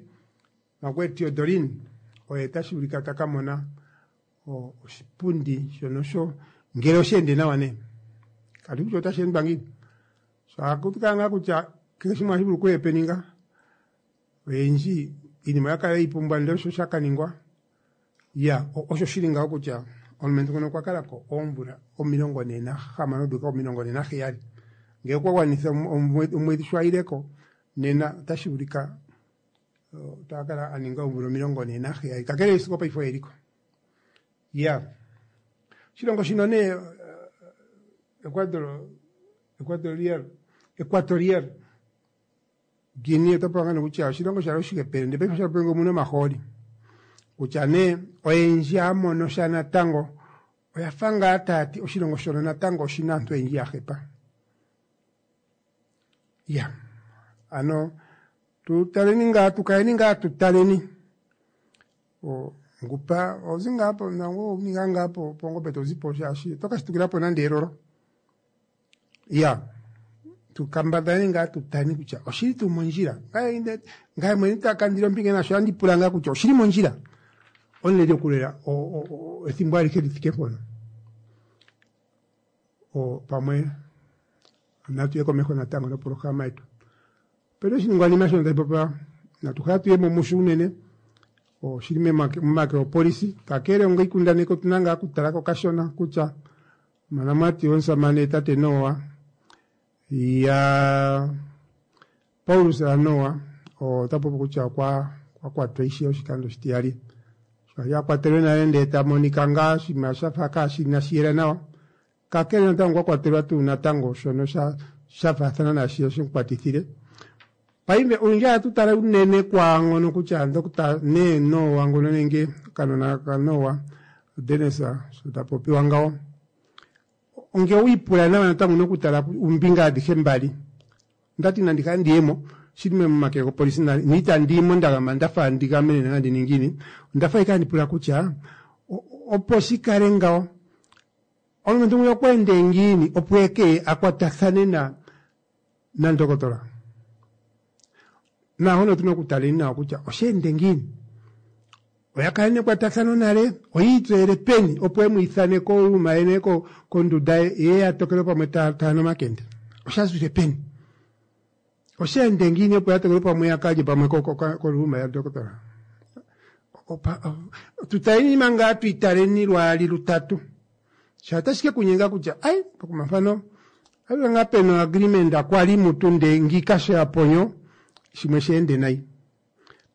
Magwe Teodorin oye tashi vulika ta ka mona oshipundi shono sho ngele oshe ende nawa nee kati kutya otashi endwa ngiini so ohaku kala ngaa kutya kehe shimwe ohashi vulu okuhepeninga oyendji iinima oya kala yi pumbwa ndele osho sha ka ningwa ya osho shili ngawo kutya omulumentu ngono okwa kala ko oomvula 46 dhuuka 47 ngele okwa gwanitha omwedhi sho ayileko nena otashi vulika ota kala a ninga oomvula 47 kakele sigo paife oye liko ya oshilongo shino nee Ecuador Equatorial Equatorial Guinea oto pula ngaa kutya oshilongo shalo oshihepele ndele paife osha omuna omahooli kutya nee oyendji ya mono sha natango oya fa ngaa taya ti oshilongo shono natango oshina aantu oyendji ya hepa ya ano tu taleni ngaa tukaleni ngaa tu taleni ngupa ozi ngaa po nango ninga ngaa po pongombe to zipo shaashi oto ka shitukila po nande elolo ya tukambadhaleni ngaa tu taleni kutya oshili tuu mondjila ngaye mwene takandile ompinge nasho andi pula ngaa kutya oshili mondjila omuleli okulela ethimbo alihe li thike mpono pamwe natu ye komeho natango noprograma yetu opena oshiningwanima shono tashi popiwa natu hala tuye mo musho unene oshili momake gopolisi kakele onga iikundaneki otuna ngaa okutala ko kashona kutya omonamati womusamane tate Noa ya Paulus Noa ota popi kutya okwa kwatwa ishewe oshikando oshitiyali sho ali akwatelwe nale ndee ta monika ngaa oshinima shafa kaashina shiyela nawa kakele natango okwa kwatelwa tuu natango shono sha faathana naashi shemukwatithile paife olundji ohatu tala unene kwaangono kutya Dr. nee Noa ngono nenge okanona kaNoa Dennis sho ta popiwa ngawo. Ngele owi ipula nawa natango owuna okutala ombinga adhihe mbali. Ondati nandi kale ndiyemo shili momake gopolisi na itandi yimo nda gama ndafa ndi gamenena nande ningiini. Ondafa ashike handi pula kutya opo shi kale ngawo omulumentu ngwiya okwa ende ngiini opo eke a kwatathane na nandokotola. Naahono otuna okutaleni nawa kutya osha ende ngiini. Oya kala nekwatathano nale, oyi itseyele peni opo e mu ithane koluma ye nenge kondunda ye, ye ya tokelwe pamwe taya nu omakende. Osha zile peni? Osha ende ngiini opo ya tokelwe pamwe ya kalye pamwe koluma yadokotola? Tu taleni manga tu italeni lwaali lutatu. Sha otashi ke ku nyenga kutya ai pokuma mpano otashi ngaa pena agreement kwali mutu nde ngiika sho ya ponyo shimwe she ende nayi.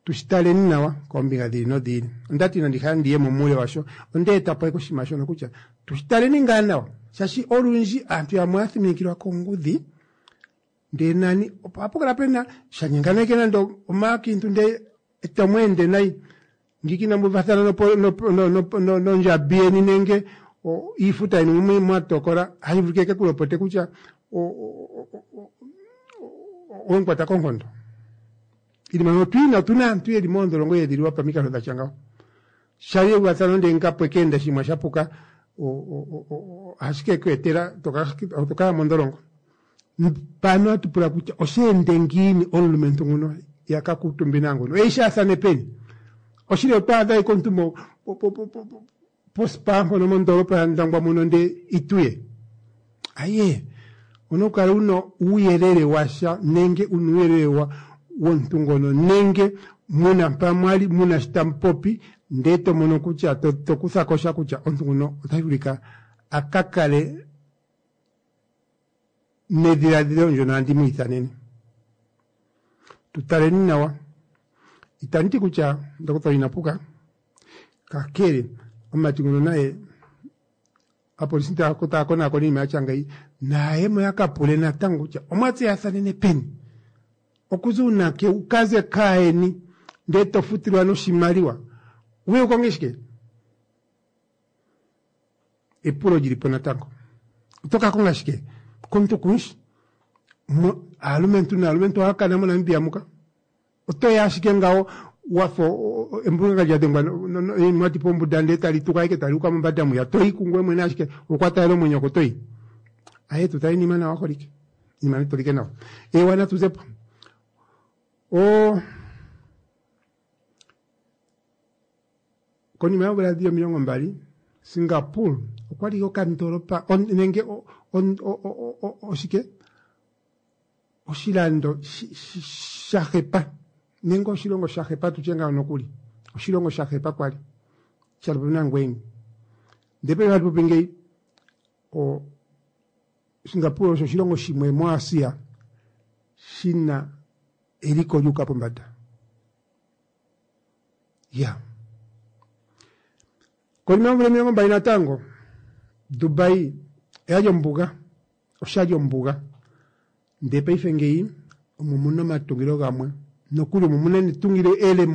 Tu shi taleni nawa koombinga dhi ili nodhi ili. Onda ti inandi hala ndi ye mo muule washo, onda eta po ashike oshinima shono kutya tu shi taleni ngaa nawa. Shaashi olundji aantu yamwe ohaya thiminikilwa kongudhi ndee nani ohapu kala pena sha nyengana ashike nande omaakiintu ndee eto mu ende nayi ngiika inamu uvathana nondjambi yeni nenge iifuta yeni mwa tokola, ohashi vulika eke ku lopote kutya owe mu kwata koonkondo. Iinima mbyono otwiina, otuna aantu yeli moondholongo yeedhililwa pamikalo dhatya ngawo. Shali euvathano ndee nga pwe keenda oshinima sha puka ohashi ke ku etela to kaya mondholongo. Mpano ohatu pula kutya osha ende ngiini omulumentu nguno ya ka kuutumbe naanguno oye shaathane peni? Oshili otwa adha ashike omuntu mo pospa mpono mondoolopa yaNdangwa muno ndee ituye. Aye, owuna okukala wuna uuyelele washa nenge una uuyelele womuntu ngono nenge muna mpa mwali muna shi tamu popi ndee to mono kutya to kutha ko sha kutya omuntu nguno otashi vulika a ka kale nedhiladhilo ndjono handi mu ithanene. Tu taleni nawa. Itandi ti kutya ndokotola ina puka, kakele omumati nguno naye aapolisi taya konaakona iinima ya tya ngeyi naye mo ya ka pule natango kutya omwa tseyathanene peni, okuza uunake wu kaze kaayeni ndele to futilwa noshimaliwa wuye wu konge shike? Epulo lili po natango. Oto ka konga shike komuntu kuushi? Aalumentu naalumentu ohaya kana moNamibia muka. Oto ya ashike ngawo wa fa embunga lya dhengwa emwati pombunda ndele tali tuka ashike tali uka mombanda mwiya. To yi kungoye mwene ashike okwa talela omwenyo oko to yi. Aye tu taleni iinima nawa holike. Iinima natu tolike nawa. Eewa natu ze po. O Konima yoomvula dhili 20, Singapore okwa li okandoolopa nenge oshike oshilando sha hepa nenge oshilongo sha hepa tutye ngawo nokuli oshilongo sha hepa kwali sha popi nangweye ndele paife hatu popi ngeyi Singapore osho oshilongo shimwe moAsia shina eliko lyuuka pombanda. Ya. Konima yoomvula 20 natango, Dubai oyali ombuga, oshali ombuga. Ndele paife ngeyi omo muna omatungilo gamwe, nokuli omo muna netungilo ele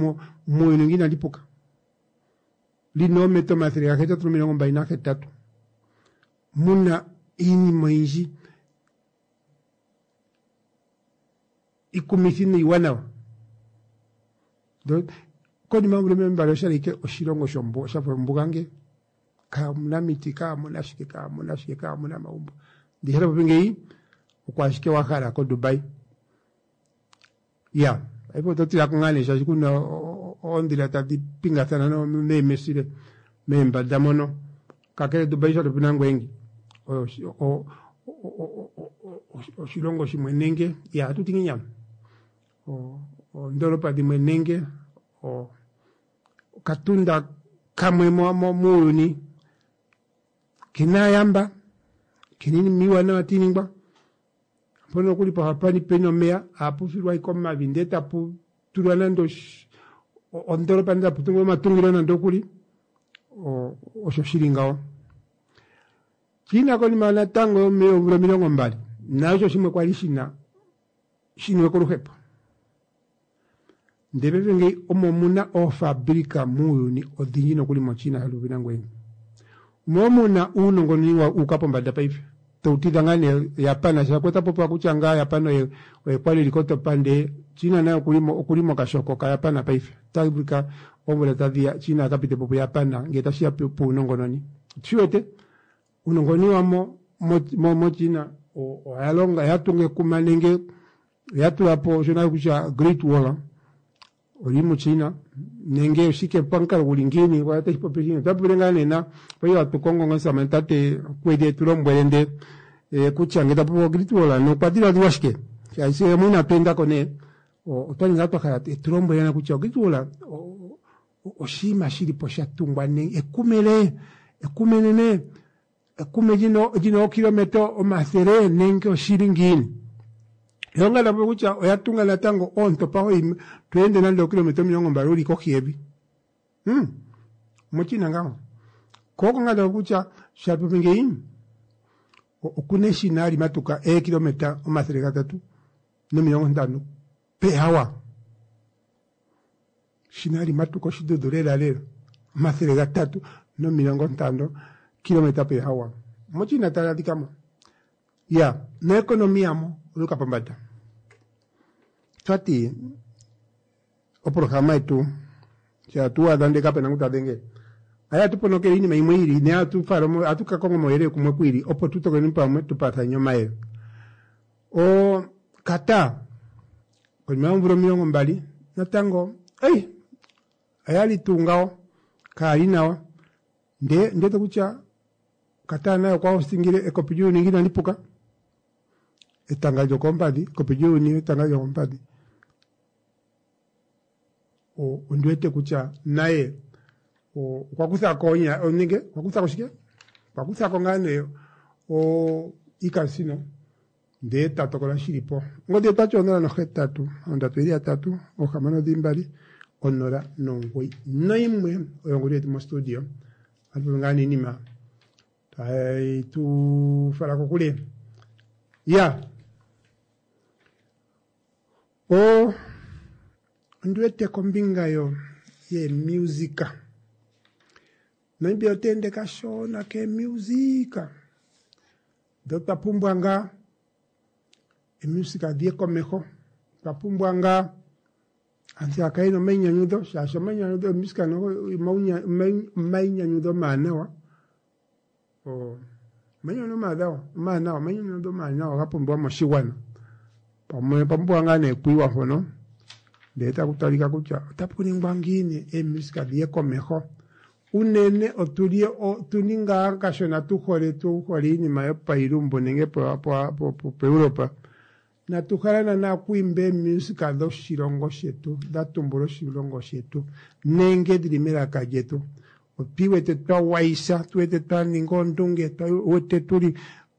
muuyuni nge inali puka. Lina oometa 828. Muna iinima oyindji ikumithi niiwanawa. Konima yoomvula 20 oshali ike oshilongo shafa ombuga nge. Kaamuna miti, kaamuna shike, kaamuna shike, kaamuna omagumbo. Ndi sho popi ngeyi, oko ashike wa hala koDubai. Ya, paife oto tila ko ngaa nee shaashi kuna oondhila tadhi pingathana meemesile meembada mono. Kakele Dubai sha popi nangoye ngi, oshilongo shimwe nenge, ya ohatu ti ngiini ano? Oondoolopa dhimwe nenge okatunda kamwe muuyuni kena aayamba, kena iinima iiwanawa tayi ningwa. Mpono nokuli poha pena omeya ohapu filwa ashike omavi ndele tapu tulwa nande ondoolopa ndele tapu tungwa omatungilo nande okuli, osho shili ngawo. China konima natango yoomvula 20 nayo osho shimwe kwali shina shiniwe koluhepo. Ndele paife ngeyi omo muna oofabulika muuyuni odhindji nokuli moChina haluvi nangweye. Omo muna uunongononi wa uka pombanda paife. Tou tidha ngaa nee Japan shaashi ota popiwa kutya ngaa Japan oye oye kwali eli kotopa ndee China naye okuli mo okuli mokashoko kaJapan paife. Ota vulika oomvula tadhiya China a ka pite po puJapan ngele tashiya puunongononi. Otushi wete uunongononi wamo mo mo China oya longa oya tunga ekuma nenge oya tula po shono kutya Great Wall oli muChina nenge oshike pamukalo guli ngiini otashi popi shini ota popile ngaa nena paife hatu kongo omusamane tate Kwedi etu lombwele nde eh, kutya ngele ta popi Great Wall ano okwa dhiladhilwa shike shaashi yamwe inatu enda ko nee otwali ngaa twa hala etu lombwele na kutya Great Wall oshinima shili po sha tungwa nenge ekumele ekumenene ekume lina ookilometa 100 nenge oshili ngiini. Yo ngaa kutya oya tunga natango oontopa hoyi to ende nande ookilometa 20 uli kohi yevi. MoChina ngaho. Ko oko ngaa kutya shapopi ngeyi okuna eshina hali matuka eekilometa 350 per hour. Eshina hali matuka oshidhudhu lela lela 350 kilometa per hour. MoChina tali adhika mo. Ya, noekonomi yamo oyuka pombada. Twati oprograma yetu sha tu adha ndele kapena ngu ta dhengele. Aya tu ponokele iinima yimwe ili ne atu fala atu ka konga omauyelele kumwe kwili opo tu tokeleni pamwe tu paathane omayele. O Qatar konima yoomvula 20 natango ei oyali tuu ngawo kaali nawa ndee ndete kutya Qatar naye okwa hostingile ekopi lyuuyuni nge inali puka etanga lyokoompadhi ekopi lyuuyuni etanga lyokoompadhi ondi wete kutya naye okwa kutha ko nenge okwa kutha ko shike okwa kutha ko ngaa nee iikasino ndee ta tokola shili po. Ongodhi otwati 0 8 3 6 0 91 oyo ongodhi yetu mostudio. Ohatu popi ngaa niinima tayi tu fala kokule. Ya o ondi wete kombinga yo yeemusika Namibia ota ende kashona keemusika ndee otwa pumbwa ngaa eemusika dhiye komeho otwa pumbwa ngaa aantu ya kale yena omainyanyudho shaashi omainyanyudho eemusika omainyanyudho omawanawa omainyanyudho omawanawa omainyanyudho omawanawa ga pumbiwa moshigwana pamwe opwa pumbiwa ngaa nee okwiiwa mpono ndele taku talika kutya otapu ningwa ngiini eemusika dhiye komeho unene otuli otuni ngaa kashona tu hole tu hole iinima yopailumbu nenge poEuropa natu hala naana okwiimba eemusika dhoshilongo shetu dha tumbula oshilongo shetu nenge dhili melaka lyetu otwi wete twa wayisa tu wete twa ninga oondunge wete tuli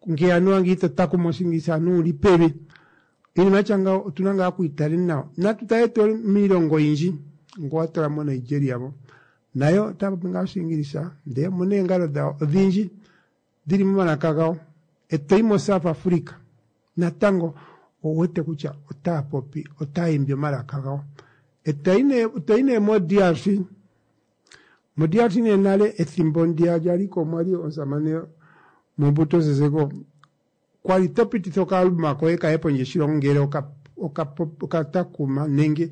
nge anuwa nge ito takuma oshingilisa anuwa uli pevi iinima yatya ngawo otuna ngaa okwiitale nawa natu tale to miilongo oyindji ngo watala mo Nigeria mo nayo otaya popi ngaa oshingilisa ndee omuna eengalo dhawo odhindji dhili momalaka gawo etoyi mo South Africa natango owuwete kutya otaya popi otaya imbi omalaka gawo etoyi nee mo DRC mo DRC nee nale ethimbo ndiya lyaliko omwali omusamane Mobutu Sese kwali to pititha okaalbuma koye kaye pondje yoshilongo ngele okatakuma nenge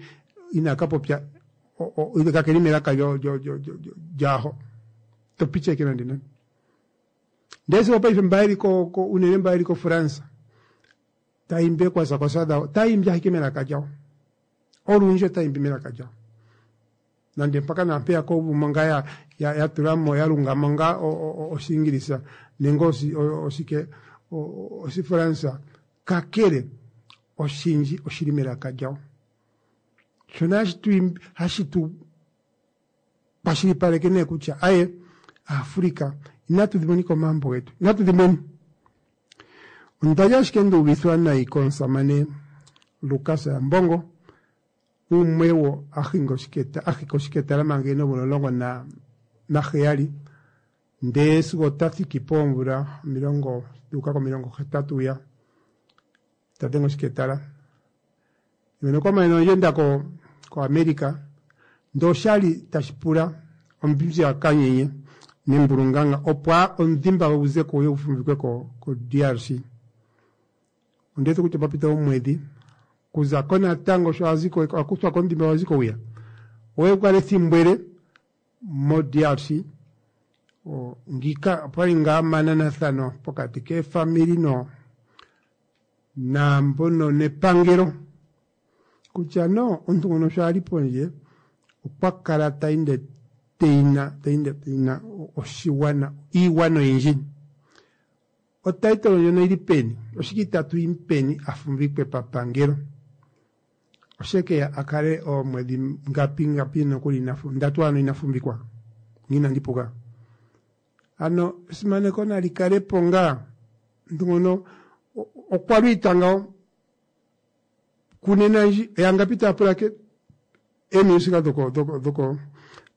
inaka popya kakeli melaka lyaho to picheke nande nande ndee sigo paife mba yeli unene mba yeli koFrance tayimbi eekwasakwasa dhawo tayimbi ashike melaka lyawo olundji otayimbi melaka lyawo nande mpaka naampeyaka uvumo ngaa ya tulamo ya lungamo ngaa oshingilisa nenge oshike oshifransa kakele oshindji oshili melaka lyawo shono hashi tu kwashilipaleke nee kutya aye Africa inatu dhimonika omambo getu inatu dhimweni ondali ashike nduuvithwa nayi komusamane Lukas Mbongo umwe wo ahinga oshiketa ahika oshiketala manga ena oomvula 17 ndee sigo ota thiki poomvula omilongo dhuuka komilongo 80 ya ta dhenge oshiketala mwene okwa manene ondjenda ko ko America ndee oshali tashi pula ombinzi ya kanyenye nembulunganga opo omudhimba gwe gu ze ko gu ye gu fumvikwe ko ko DRC. Ondi wete kutya opwa pita omwedhi kuza ko natango sho a zi ko a kuthwa ko omudhimba gwa zi ko hwiya oye kala ethimbo ele mo DRC. Ngiika opwali ngaa omananathano pokati keefamili no naambono nepangelo kutya no omuntu ngono sho a li pondje okwa kala ta ende teina ta ende teina oshigwana iigwana oyindji. Otitle ndjono oyili peni? Oshike itatu yi mupeni a fumvikwe papangelo? Oshekeya a kale oomwedhi ngapi ngapi nokuli ina ndatu ano ina fumvikwa? Ngele inandi puka. Ano esimaneko nali kale po ngaa. Omuntu ngono okwa lwiita ngawo. Kunena ndji yangapi taya pula eemusika dhoko dhoko dhoko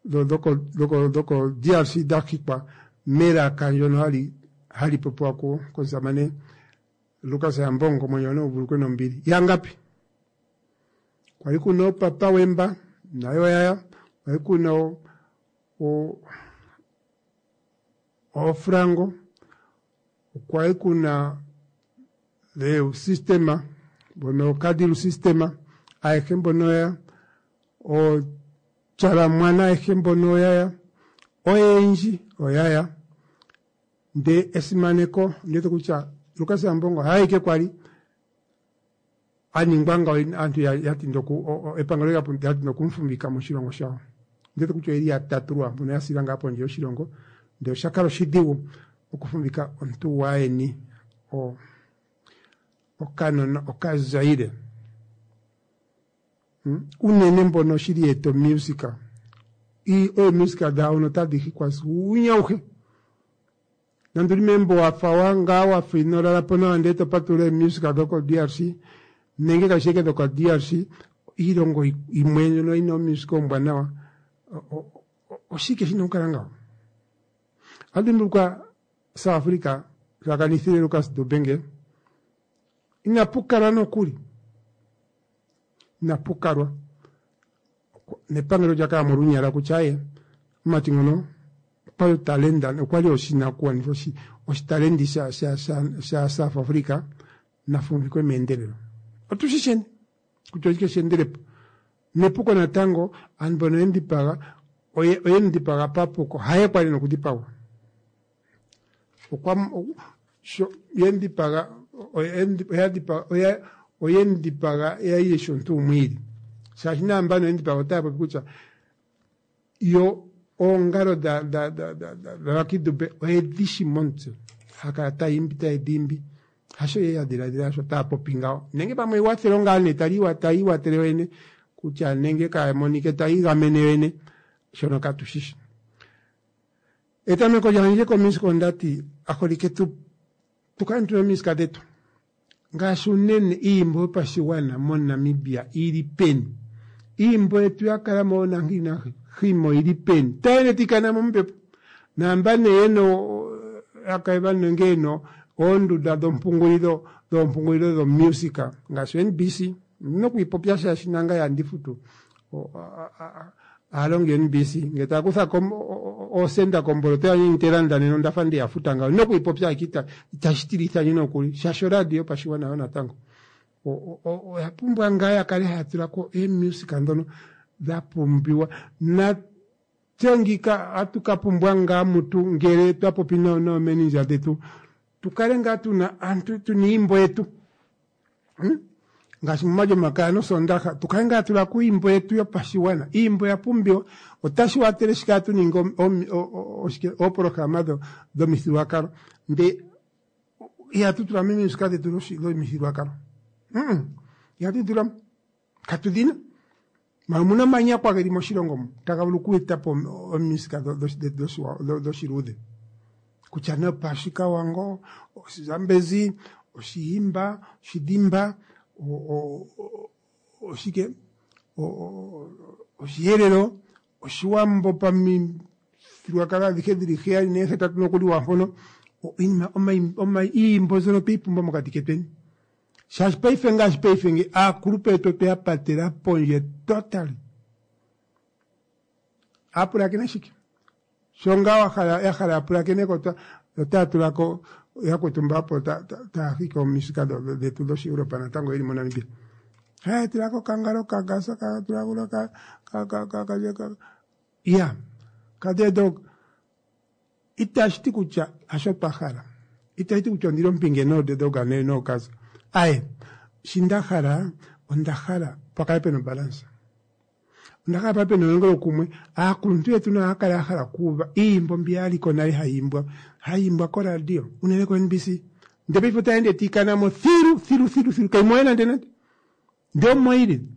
dhoko dhoko dhoko DRC dha hikwa melaka ndjono hali hali popiwa ku komusamane Lukas Yambongo omwenyo gwe nagu vululukwe nombili. Yangapi? Kwali kuna oopapa Wemba nayo oyaya, kwali kuna o oofrango, okwali kuna the system mbono Kadilu system ayehe mbono oya ooTyalamwana ayehe mbono oyaya oyendji oyaya nde esimaneko ondiwete kutya Lukas Ambongo haye ike kwali a ningwa ngawo aantu ya tinda oku epangelo lya tinda okumufumvika moshilongo shawo. Ondiwete kutya oyeli yatatu lwaampono ya sila ngaa pondje yoshilongo ndele osha kala oshidhigu okufumvika omuntu gwaayeni okanona okazaire. Unene mbono shili yeeta omusic oomusic dhawo notadhi hikwa uunyuni auhe. Nande uli megumbo wafa wa ngaa wafa ino lala po nawa ndele to patulula eemusic dhoko DRC nenge kashi ashike dhoko DRC iilongo imwe ndjono yina omusic ombwanawa oshike shina okukala ngawo? Ohatu dhimbulukwa South Africa sho a kanithile Lukas Dubenge inapu kalwa nokuli inapu kalwa nepangelo olya kala mo olunyala kutya aye omumati ngono okwali otalenda okwali oshinakugwanithwa oshi oshitalendi sha sha sha sha South Africa na fumvikwe meendelelo. Otu shi sheni kutya oshike she endelepo. Nepuko natango aantu mbono ye mu dhipaga oye oye mu dhipaga papuko haye kwali ena okudhipagwa. Okwa sho ye mu dhipaga oya dhipaga oya oye mu dhipaga ya yi yeshi omuntu gumwe iili. Shaashi naambano ye mu dhipaga otaya popi kutya yo oongalo dha dha dha dha dha Lucky Dube oyedhi shi momutse. Ha kala taya imbi taye dhi imbi. Hasho ye ya dhiladhila sho taya popi ngawo. Nenge pamwe ewathelo ngaa nee tali taya iwathele yoyene kutya nenge kaya monike taya igamene yoyene shono katu shi shi. Etameko lyandje koMusika ondati aholike tu tu kale tuna omisika dhetu ngaashi unene iiyimbo yopashigwana moNamibia ili peni iiyimbo yetu ya kala mo nahi nahimo ili peni tayene tikana mombepo naamba nee yena yakaiva nenge yena oondunda dhompungulilo dhoompungulilo dhomusika ngaashi oNBC ondina okwiipopya shaashi nangaye ohandi futu aalongi yoNBC ngele taya kutha ko oosenda komboloto yandje ndji te landa nena onda fa nde ya futa ngawo. Ondina okwiipopya ashike itashi tilitha ndje nokuli shaashi oradio yopashigwana yo natango oya pumbwa ngaa ya kale haya tula ko eemusika ndhono dha pumbiwa. Natse ngiika ohatu ka pumbwa ngaa mutu ngele twa popi noomenindja dhetu tu kale ngaa tuna aantu tuna iiyimbo yetu. Ngaashi momalyomakaya nosoondaha tu kale ngaa tula ko iiyimbo yetu yopashigwana. Iiyimbo oya pumbiwa, otashi watele shi kala tu ninga oshike oopolohalama dhomithigululwakalo ndee ihatu tula mo omisika dhetu dhomithigululwakalo. Ihatu dhi tula mo, katu dhi na. Mara omuna omanyakwa geli moshilongo mu taga vulu oku eta po omisika dhoshiluudhe kutya nee opashikawango, oshizambezi, oshihimba, oshidhimba, oshike oshihelelo, oshiwambo pamithigululwakalo adhihe dhili heyali neehetatu nokuli lwaampono. Iinima iiyimbo mbyono otweyi pumbwa mokati ketweni. Shaashi paife ngaashi paife nge aakulupe yetu otwe ya patela pondje totally. Aapulakena shike? Sho ngaa wa hala ya hala ya pulakene ko otaya tula ko yakwetu mba opo taya hiki omisika dhetu dhOshieuropa natango yeli moNamibia. Haya tula ko kangalo kagasa ka tula ko ka ka ka ka ka ka ya ka dog itashi ti kutya hasho twa hala. Itashi ti kutya ondili ompinge noDe Dog nooKaza. Aye, shi nda hala, onda hala pa kale pena obalansa. Onda hala pa pena elongelokumwe. Aakuluntu yetu nayo ohaya kala ya hala okuuva iiyimbo mbi ya li ko nale hayi imbwa, hayi imbwa koradio, unene ko-NBC. Ndele paife otayi ende tayi kana mo thilu, thilu, thilu, thilu. Kayi mo we nande nande. Ndele omo yi li.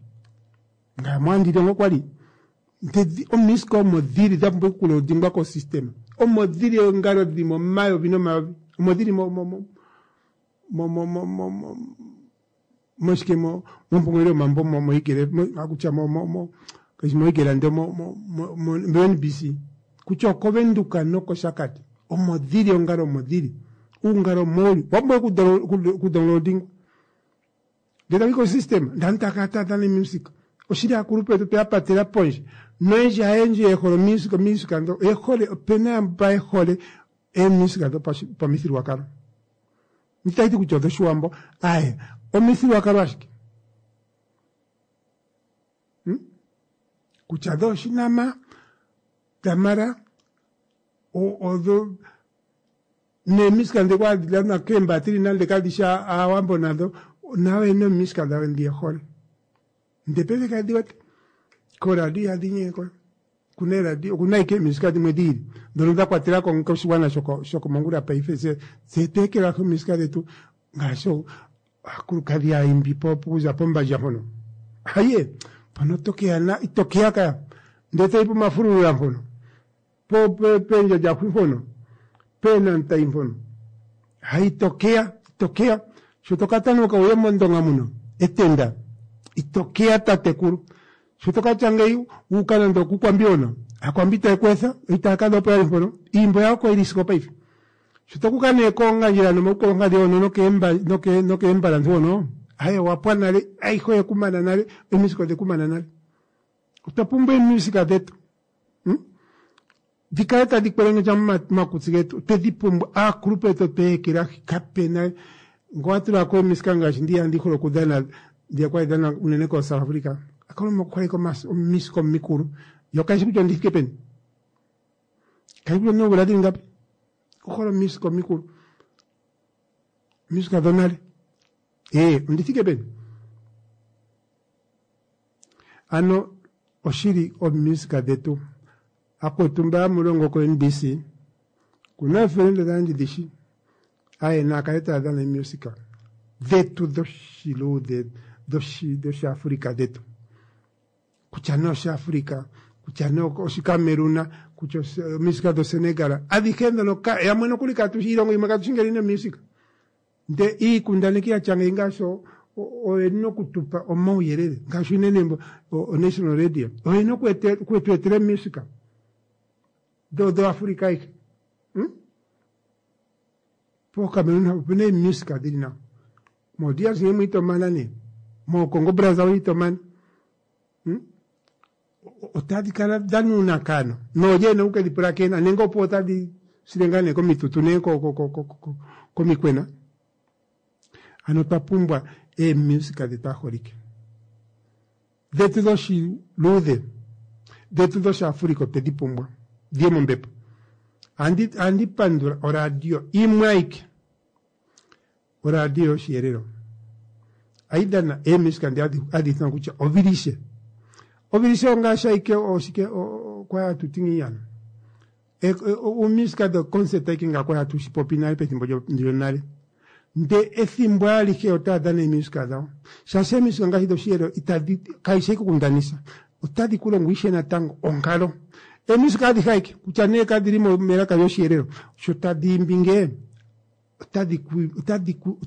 Ngame ohandi longo kwali. Ndele omisika omo dhili dha pumbwa okuloadingwa kosystema. Omo dhili oongalo dhili momayovi nomayovi. Omo dhili mo mo mo mo mo mo mo mo moshike mo mompungulilo yomambo mo moigele akutya mo mo mo kashi moigela ndele mo mo mo mo NBC kutya okoVenduka nokOshakati omo dhili oongalo omo dhili uungalo omo uli wa pumbwa okudownloadingwa ndele tayi kosystema ndele aantu taya kala taya dhana omusika oshili aakulupe yetu tweya patela pondje noyendji hayendji ye hole omusika omusika ndo oye hole opena yamba ye hole eemusika dhopamithigululwakalo itayi ti kutya odhoshiwambo aye omithigululwakalo ashike hmm? Kutya dhoshinama damara odho neemisika ndhi kwa dhanwa keembatili nande kadhi shi aawambo nadho nayo oyena omisika dhawo ndhi ye hole ndele paife kadhi wete koradio ihadhi nyengeko kuna eradio okuna ashike eemisika dhimwe dhiili ndhono dha kwatela ko koshigwana shokomongula paife tse tweekelahi omisika dhetu ngaashi aakulukadhi aayimbi po okuza pombandja mpono haye mpono tokeya na itokeya kaya ndele toyi pomafululula mpono po pendjandjaxwi mpono peenantai mpono hayi itokeya itokeya sho tokatanuka uye mondonga muno etenda itokeya tatekulu sho tokatya ngeyi wuuka nande okukwambi hono akwambi taye ku etha itaya kadha opo yali mpono iimbo yawo oko yili sigo paife sho tokuka nee koongandjela nomaukolongadhi hono nokeembalantu hono aye owapwa nale ayihe oyekumana nale emisika odhekumana nale otwa pumbwa eemusika dhetu hmm? Dhi kale tadhi kwelengendja momakutsi getu otwedhi pumbwa aakulupe yetu otwe ekelahi kapena ngo wa tulako emisika ngaashi ndiya ndi hole okudhana ndiya kwali dhana unene ko South Africa akaloma okuholeka omisika omikulu yo kayishi kutya ondithike peni kayishi kutya oomvula dhili ngapi okuhola omisika omikulu omisika dhonale ee ondithike peni ano oshili omisika dhetu akwetu mba hamulongo ko NBC kuna eefelende dhandje dhishi aye naakale taya dhana eemusika dhetu dhoshiluudhe dhoshiafrika dhetu kutya nee oshiafrika kutya nee oshikameruna kutya omisika dhosenegal adhihe ndhono yamwe nokuli katushi iilongo yimwe katushi ngele ina omusika nde iikundaneki yatya ngeyi ngaashi oyena okutupa omauyelele ngaashi unene oNational Radio oyena okutu etela eemusika dhoAfrika ayihe hmm? PoCameroon opena eemusika dhili nawa moDRC mwiitomana nee moCongo Brazzaville itomana hmm? Otadhi kala dhanuunakano noolye ena okukedhi pulakena nenge opo otadhi sile ngaa nee komitutu nee komikwena ano otwa pumbwa eemusika dhetu aaholike dhetu dhoshiluudhe dhetu dhoshiafrika otwedhi pumbwa dhiye mombepo andi pandula oradio imwe ayike oradio yoshiyelelo ayi dhana eemusika ndi hadhi ithanwa kutya ovilishe ovilishe ongaashi ayike oshike kwa hatu ti ngiini uumusika dho concert ayike nga kwa hatu shipopi nale pethimbo lyonale nde ethimbo alihe otaya dhana eemusika dhawo shaashi eemusika ngaashi dhoshiyelelo itadhi kayishi ashike okundanisa otadhi ku longo ishe natango onkalo eemusika adhihe ayike kutya nee kadhili melaka lyoshiyelelo sho tadhi imbi ngee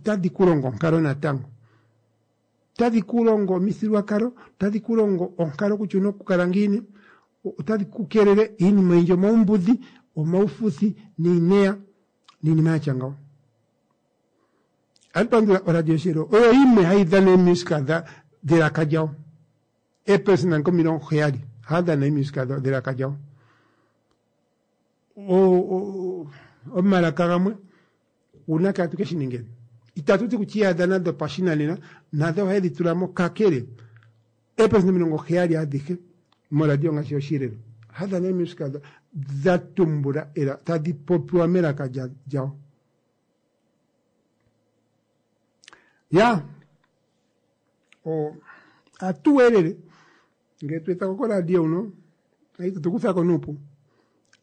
otadhi ku longo onkalo natango otadhi ku longo omithigululwakalo otadhi ku longo onkalo kutya owuna okukala ngiini otadhi ku keelele iinima oyindji omaumbudhi omaufuthi niineya niinima yatya ngawo andi pandula oradio yoshiyelelo oyo yimwe hayi dhana eemusika dhelaka lyawo eepelesenda 70 haya dhana eemusika dhelaka lyawo. Omalaka gamwe uunake hatu ke shi ningeni? Itatu ti kutya ihadha nadho pashinanena, nadho ohaye dhi tula mo kakele eepelesenda 70 adhihe moradio ngaashi yOshilelo ohadhi dhana eemusika dha tumbula ela tadhi popiwa melaka lyawo. Ya, ohatu welele ngele tu eta ko koradio huno itatu kutha ko nuupu.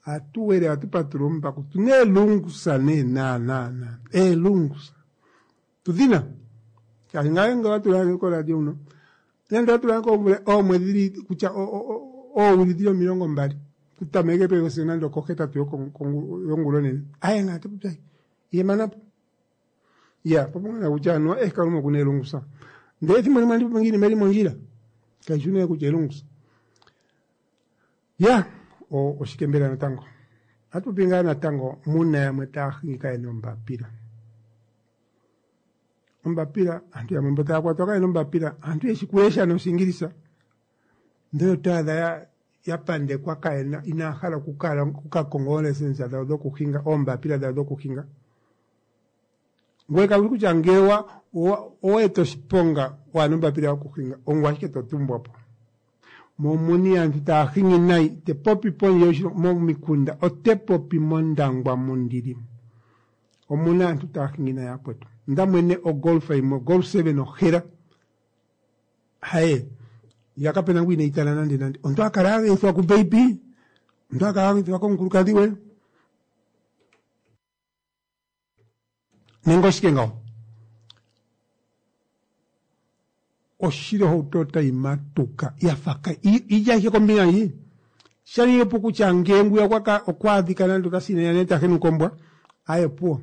Ohatu wele, ohatu patulula omumbaku tuna eelungusa nee naana eelungusa tudhina shaashi ngaye ngele owa tula koradio huno nande owa tula ko oomwedhi dhili kutya oowili dhili 20 kutameke pe sigo nande okohetatu yongula onene aye ngaa topopi ashike ihemanapo. Ya popongana kutya anuwa eh Kalunga okuna elungusa ndele ethimbo limwe andi popi ngiini meli mondjila kaishi nee kutya elungusa. Ya oshike mbela natango ohatu popi ngaa natango muna yamwe taya hingi kayena ombapila. Ombapila aantu yamwe mbo taya kwatwa kayena ombapila aantu yeshi kulesha noshingilisa ndele oto adha ya pandekwa kayena inaya hala okukala okukakonga oolesensa dhawo dhokuhinga oombapila dhawo dhokuhinga. Ngoye kauli kutya ngele owa eta oshiponga waana ombapila yokuhinga ongoye ashike to tumbwa po. Momuni aantu taya hingi nayi te popi pondje yoshilongo momikunda ote popi mOndangwa mundili omuna aantu taya hingi nayi yakwetu. Onda mwene ogolfa yimwe ogolf 7 ohela haye ya kapena ngu ineyi tala nande nande omuntu a kala a geyithwa ku baby omuntu a kala a geyithwa komukulukadhi gwe nenge oshike ngawo oshili ohauto otayi matuka ya fa ka ija ashike kombinga ndji shali opo kutya ngee ngwiya okwa adhika nande okasinene nande ta henuka ombwa aye opuwo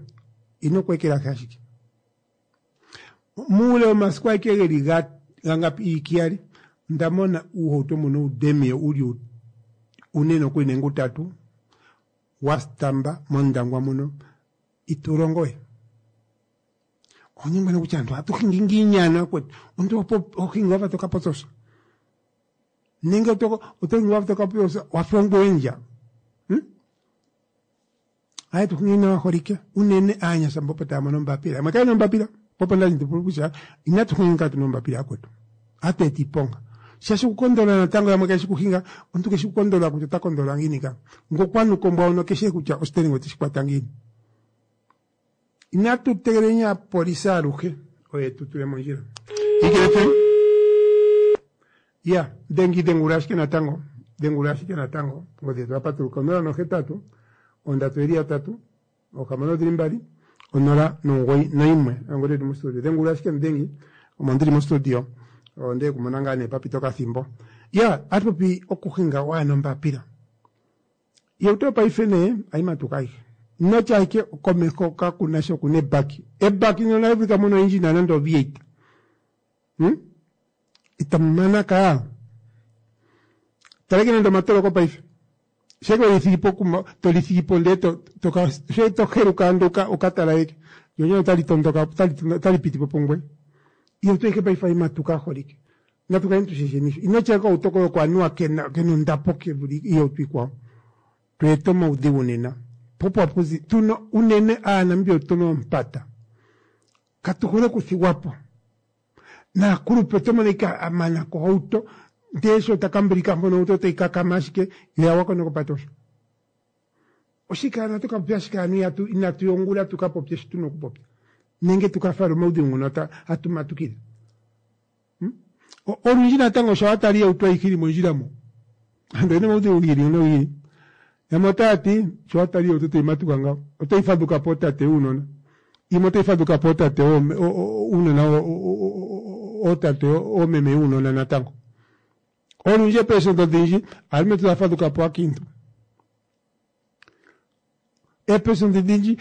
ino kweekelahi ashike muule womasiku aike geli gangapi iikiyali onda mona uuhauto mbuno uudemie uli une nokuli nenge utatu wa stamba mOndangwa muno itu longo we. Onyengwa kutya aantu ohatu hingi ngiini ano yakwetu omuntu oho hingi wafa toka potsosa nenge oto hingi wafa toka potsosa wafa ongoye ndja Aye tu hingi nawa holike unene aanyasha mboka taya mono ombapila yamwe kaye na ombapila popo ndali ndi kutya inatu hinga katu na ombapila yakwetu ohatu eta iiponga shaashi okukondola natango yamwe kayeshi kuhinga omuntu keshi kukondola kutya ota kondola ngiini ka ngokwanuka ombwa hono keshi kutya ositelinga oteshi kwata ngiini. Inatu tegeleleni aapolisi aluhe oye tu tule mondjila. Ikele ya dhengi dhengula ashike natango dhengula ashike natango ongodhi yetu yapatuluka 0 nohetatu ondatu eli yatatu oohamano odhili mbali onola nomugoyi noyimwe ongodhi yetu mostudio dhengula ashike mudhengi omo ndili mostudio onde kumona ngaa nee papita okathimbo ya atu popi okuhinga waana ombapila Iihauto yopaife nee ayi matuka ayihe. Notya ashike komeho kakuna sha okuna ebaki. Ebaki ndyono ohali vulika muna oindjina nande o V8. Itamu mana kaa. Taleke nande omatoloko paife. Sheke weli thigi pokuma toli thigi po ndee to toka she to heluka ando uka uka talaleke. Lyo lyene otali tondoka otali piti po pungweye. Iihauto ayihe paife ayi matuka aholike. Natu kaleni tu shisheni sho. Ino tya okahauto koye oko anuwa kena kena ondapo ke vule iihauto iikwawo. Tu eta omaudhigu nena. Po opo hapu zi tuna unene aaNamibia otuna oompata. Katu hole okuthigwa po. Naakulupe oto mono ike a mana ko ohauto ndee sho ta kambulika mpono ohauto otayi kakama ashike yo ya gwako nokopate osho. Oshike ano ohatu ka popya ashike ano ihatu inatu ya ongula tu ka popye shi tuna okupopya nenge tu ka fale omaudhigu ngono hatu matukile. Olundji natango sho wa tala iihauto ayihe ili mondjila mo, aantu oyena omaudhigu gi ili nogi ili. Yamwe otaya ti sho wa tala iihauto tayi matuka ngawo otayi fadhuka po ootate yuunona, yimwe otayi fadhuka po ootate uunona ootate oomeme yuunona natango. Olundji eepelesenda odhindji aalumentu taya fadhuka po aakiintu. Eepelesenda odhindji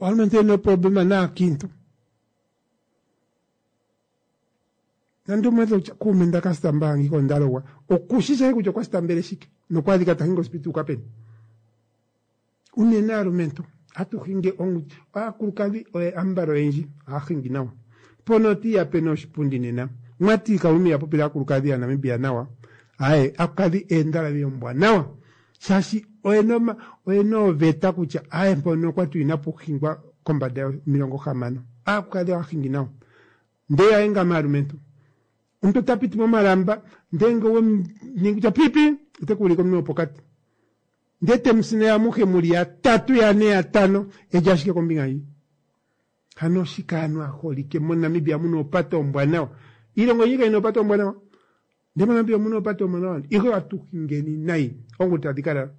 aalumentu yena ooproblema naakiintu. Nande umwe kutya kuume nda ka stamba ngika onda logwa okushi shike kutya okwa stambele shike nokwa adhika ta hingi osipiti uka peni. Unene aalumentu hatu hingi aakulukadhi oye ambala oyendji ohaya hingi nawa. Mpono otiiya peni oshipundi nena mwati Kalunga iha popile aakulukadhi yaNamibia nawa aaye aakulukadhi eendalavi ombwanawa shaashi oyena oyena ooveta kutya aye mpono okwati inapu hingwa kombanda yo 60 aakulukadhi ohaya hingi nawa ndee yaye ngame aalumentu omuntu ota piti momalamba ndee nge owemu ningi kutya pipi ote ku ulike omunwe wopokati ndee temu sineya amuhe muli yatatu yane yatano eli ashike kombinga ndji. Hano oshike aantu aaholike moNamibia muna oopate oombwanawa iilongo oyindji kayina oopate oombwanawa ndee moNamibia omuna oopate oombwanawa ihe ohatu hingeni nayi oongulu tadhi ka lala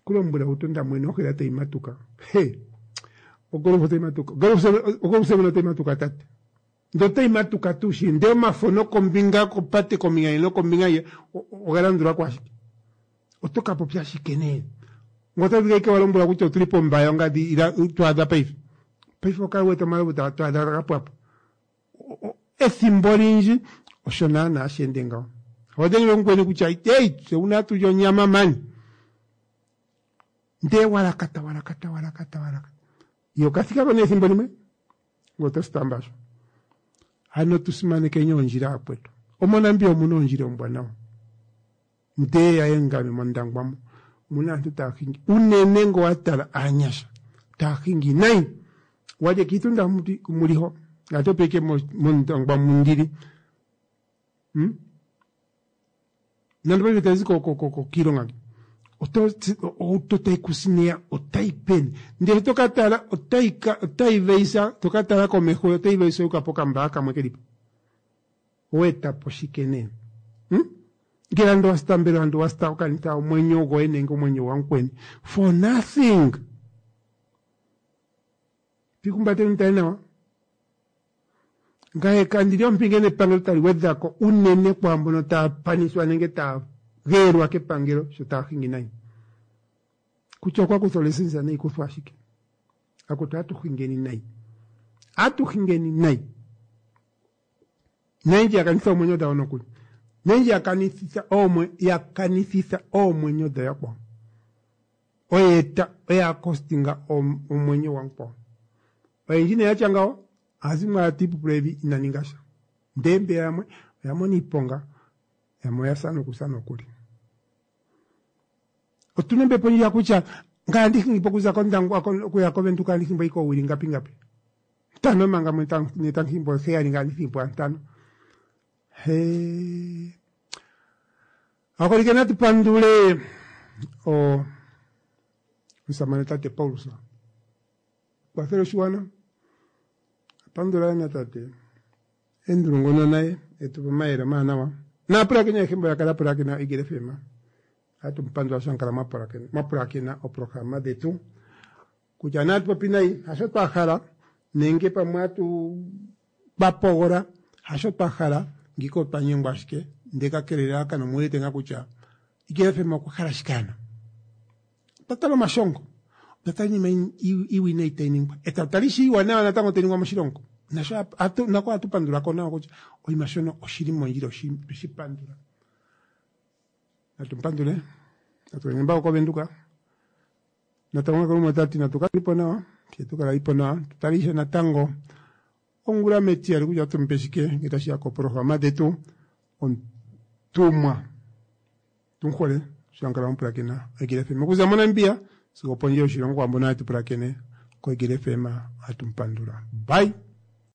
kulombwela utonda mwene ohela tayi matuka he ogolf otayi matuka ogolf seven otayi matuka tate ndee otayi matuka tuu shili ndee omafo nokombinga kopate kombinga ndji nokombinga ndji oga landulako ashike oto ka popya shike nee ngo ota vulu ike wa lombwela kutya otuli pombaya ongadhi ila twaadha paife paife okala wete omalovu twaadha ga pwapo ethimbo olindji osho naana hashi ende ngawo oho dhengele mukweni kutya ei tse una hatu li onyama mani ndee walakata walakata walakata walakata ye okathikako nee ethimbo limwe ngoye oto sitamba sho ano tu simanekeni oondjila yakwetu omonamibia omuna oondjila oombwanawa ndee yaye ngame mondangwa mo omuna aantu taya hingi unene ngo wa tala aanyasha taya hingi nayi walye kiitunda muliho ngate opeke mondangwa mundili hmm? nando paife tazi kiilonga ohauto tayi kusineya otayi peni ndele to ka tala otayi veisa to ka tala komeho otayi veisa yuka pokambaa kamwe kelipo oweeta po shike nee hmm? Ngele ando wa sita mbela ando wa sita okanitha omwenyo goye nenge omwenyo gwamukweni for nothing. Twiihumbateni mutale nawa. Ngaye kandi li ompinge nepangelo tali gwedha ko unene kwaambono taya panithwa nenge taya geelwa kepangelo sho taya hingi nayi. Kutya okwa kutha olesensa nayi kuthwa ashike. Akutu atu hingeni nayi. Atu hingeni nayi. Noyendji ya kanitha oomwenyo dhawo nokuli. Noyendji ya kanithitha oomwe ya kanithitha oomwenyo dhayakwawo. Oye eta oya kostinga omwenyo gwamukwawo. Oyendji nee yatya ngawo aazimwe owala tiipupula evi ina ninga sha. Ndee mbeya yamwe oya mona iiponga yamwe oya sa nokusa nokuli. Otuna ombepo ndjiya kutya ngaye andi hingi po okuza kOndangwa okuya kOvenduka andi hingi po ike oowili ngapi ngapi. Ntano manga ne tamu hingi po heyali ngaye andi thigi po ntano. Hee. Aholike natu pandule o omusamane tate Paulus. Kwathele oshiwana. Pandula na tate Andrew ngono naye etu pa omayele omawanawa. Naapulakeni ayehe mbo ya kala pulakena Eagle FM. Ohatu mu pandula sho mwa kala mwa pulakena oprograma dhetu. Kutya nee atu popi nayi hasho twa hala nenge pamwe atu twa pogola hasho twa hala ngiika otwa nyengwa ashike ndee kakele elalakano omu wete ngaa kutya Eagle FM okwa hala shike ano. Otwa tala omashongo, otwa tala iinima iiwinayi tayi ningwa, e tatu tala ishewe iiwanawa natango tayi ningwa moshilongo. Nasho nako ohatu pandula ko nawa kutya oshinima shono oshili mondjila otweshi pandula. Natu mu pandule, natu yeni mbako koVenduka. Natango Kalunga ota ti natu kalipo nawa, fye tu kalaipo nawa, tu tale ishewe natango ongula metiyali kutya otu mupe shike ngele tashi ya koprograma dhetu omutumwa tumuhole sho ankala mupulakena Eagle FM okuza moNamibia sigo opondje yoshilongo kwaambono hatu pulakene koEagle FM ohatu mu pandula. Bye.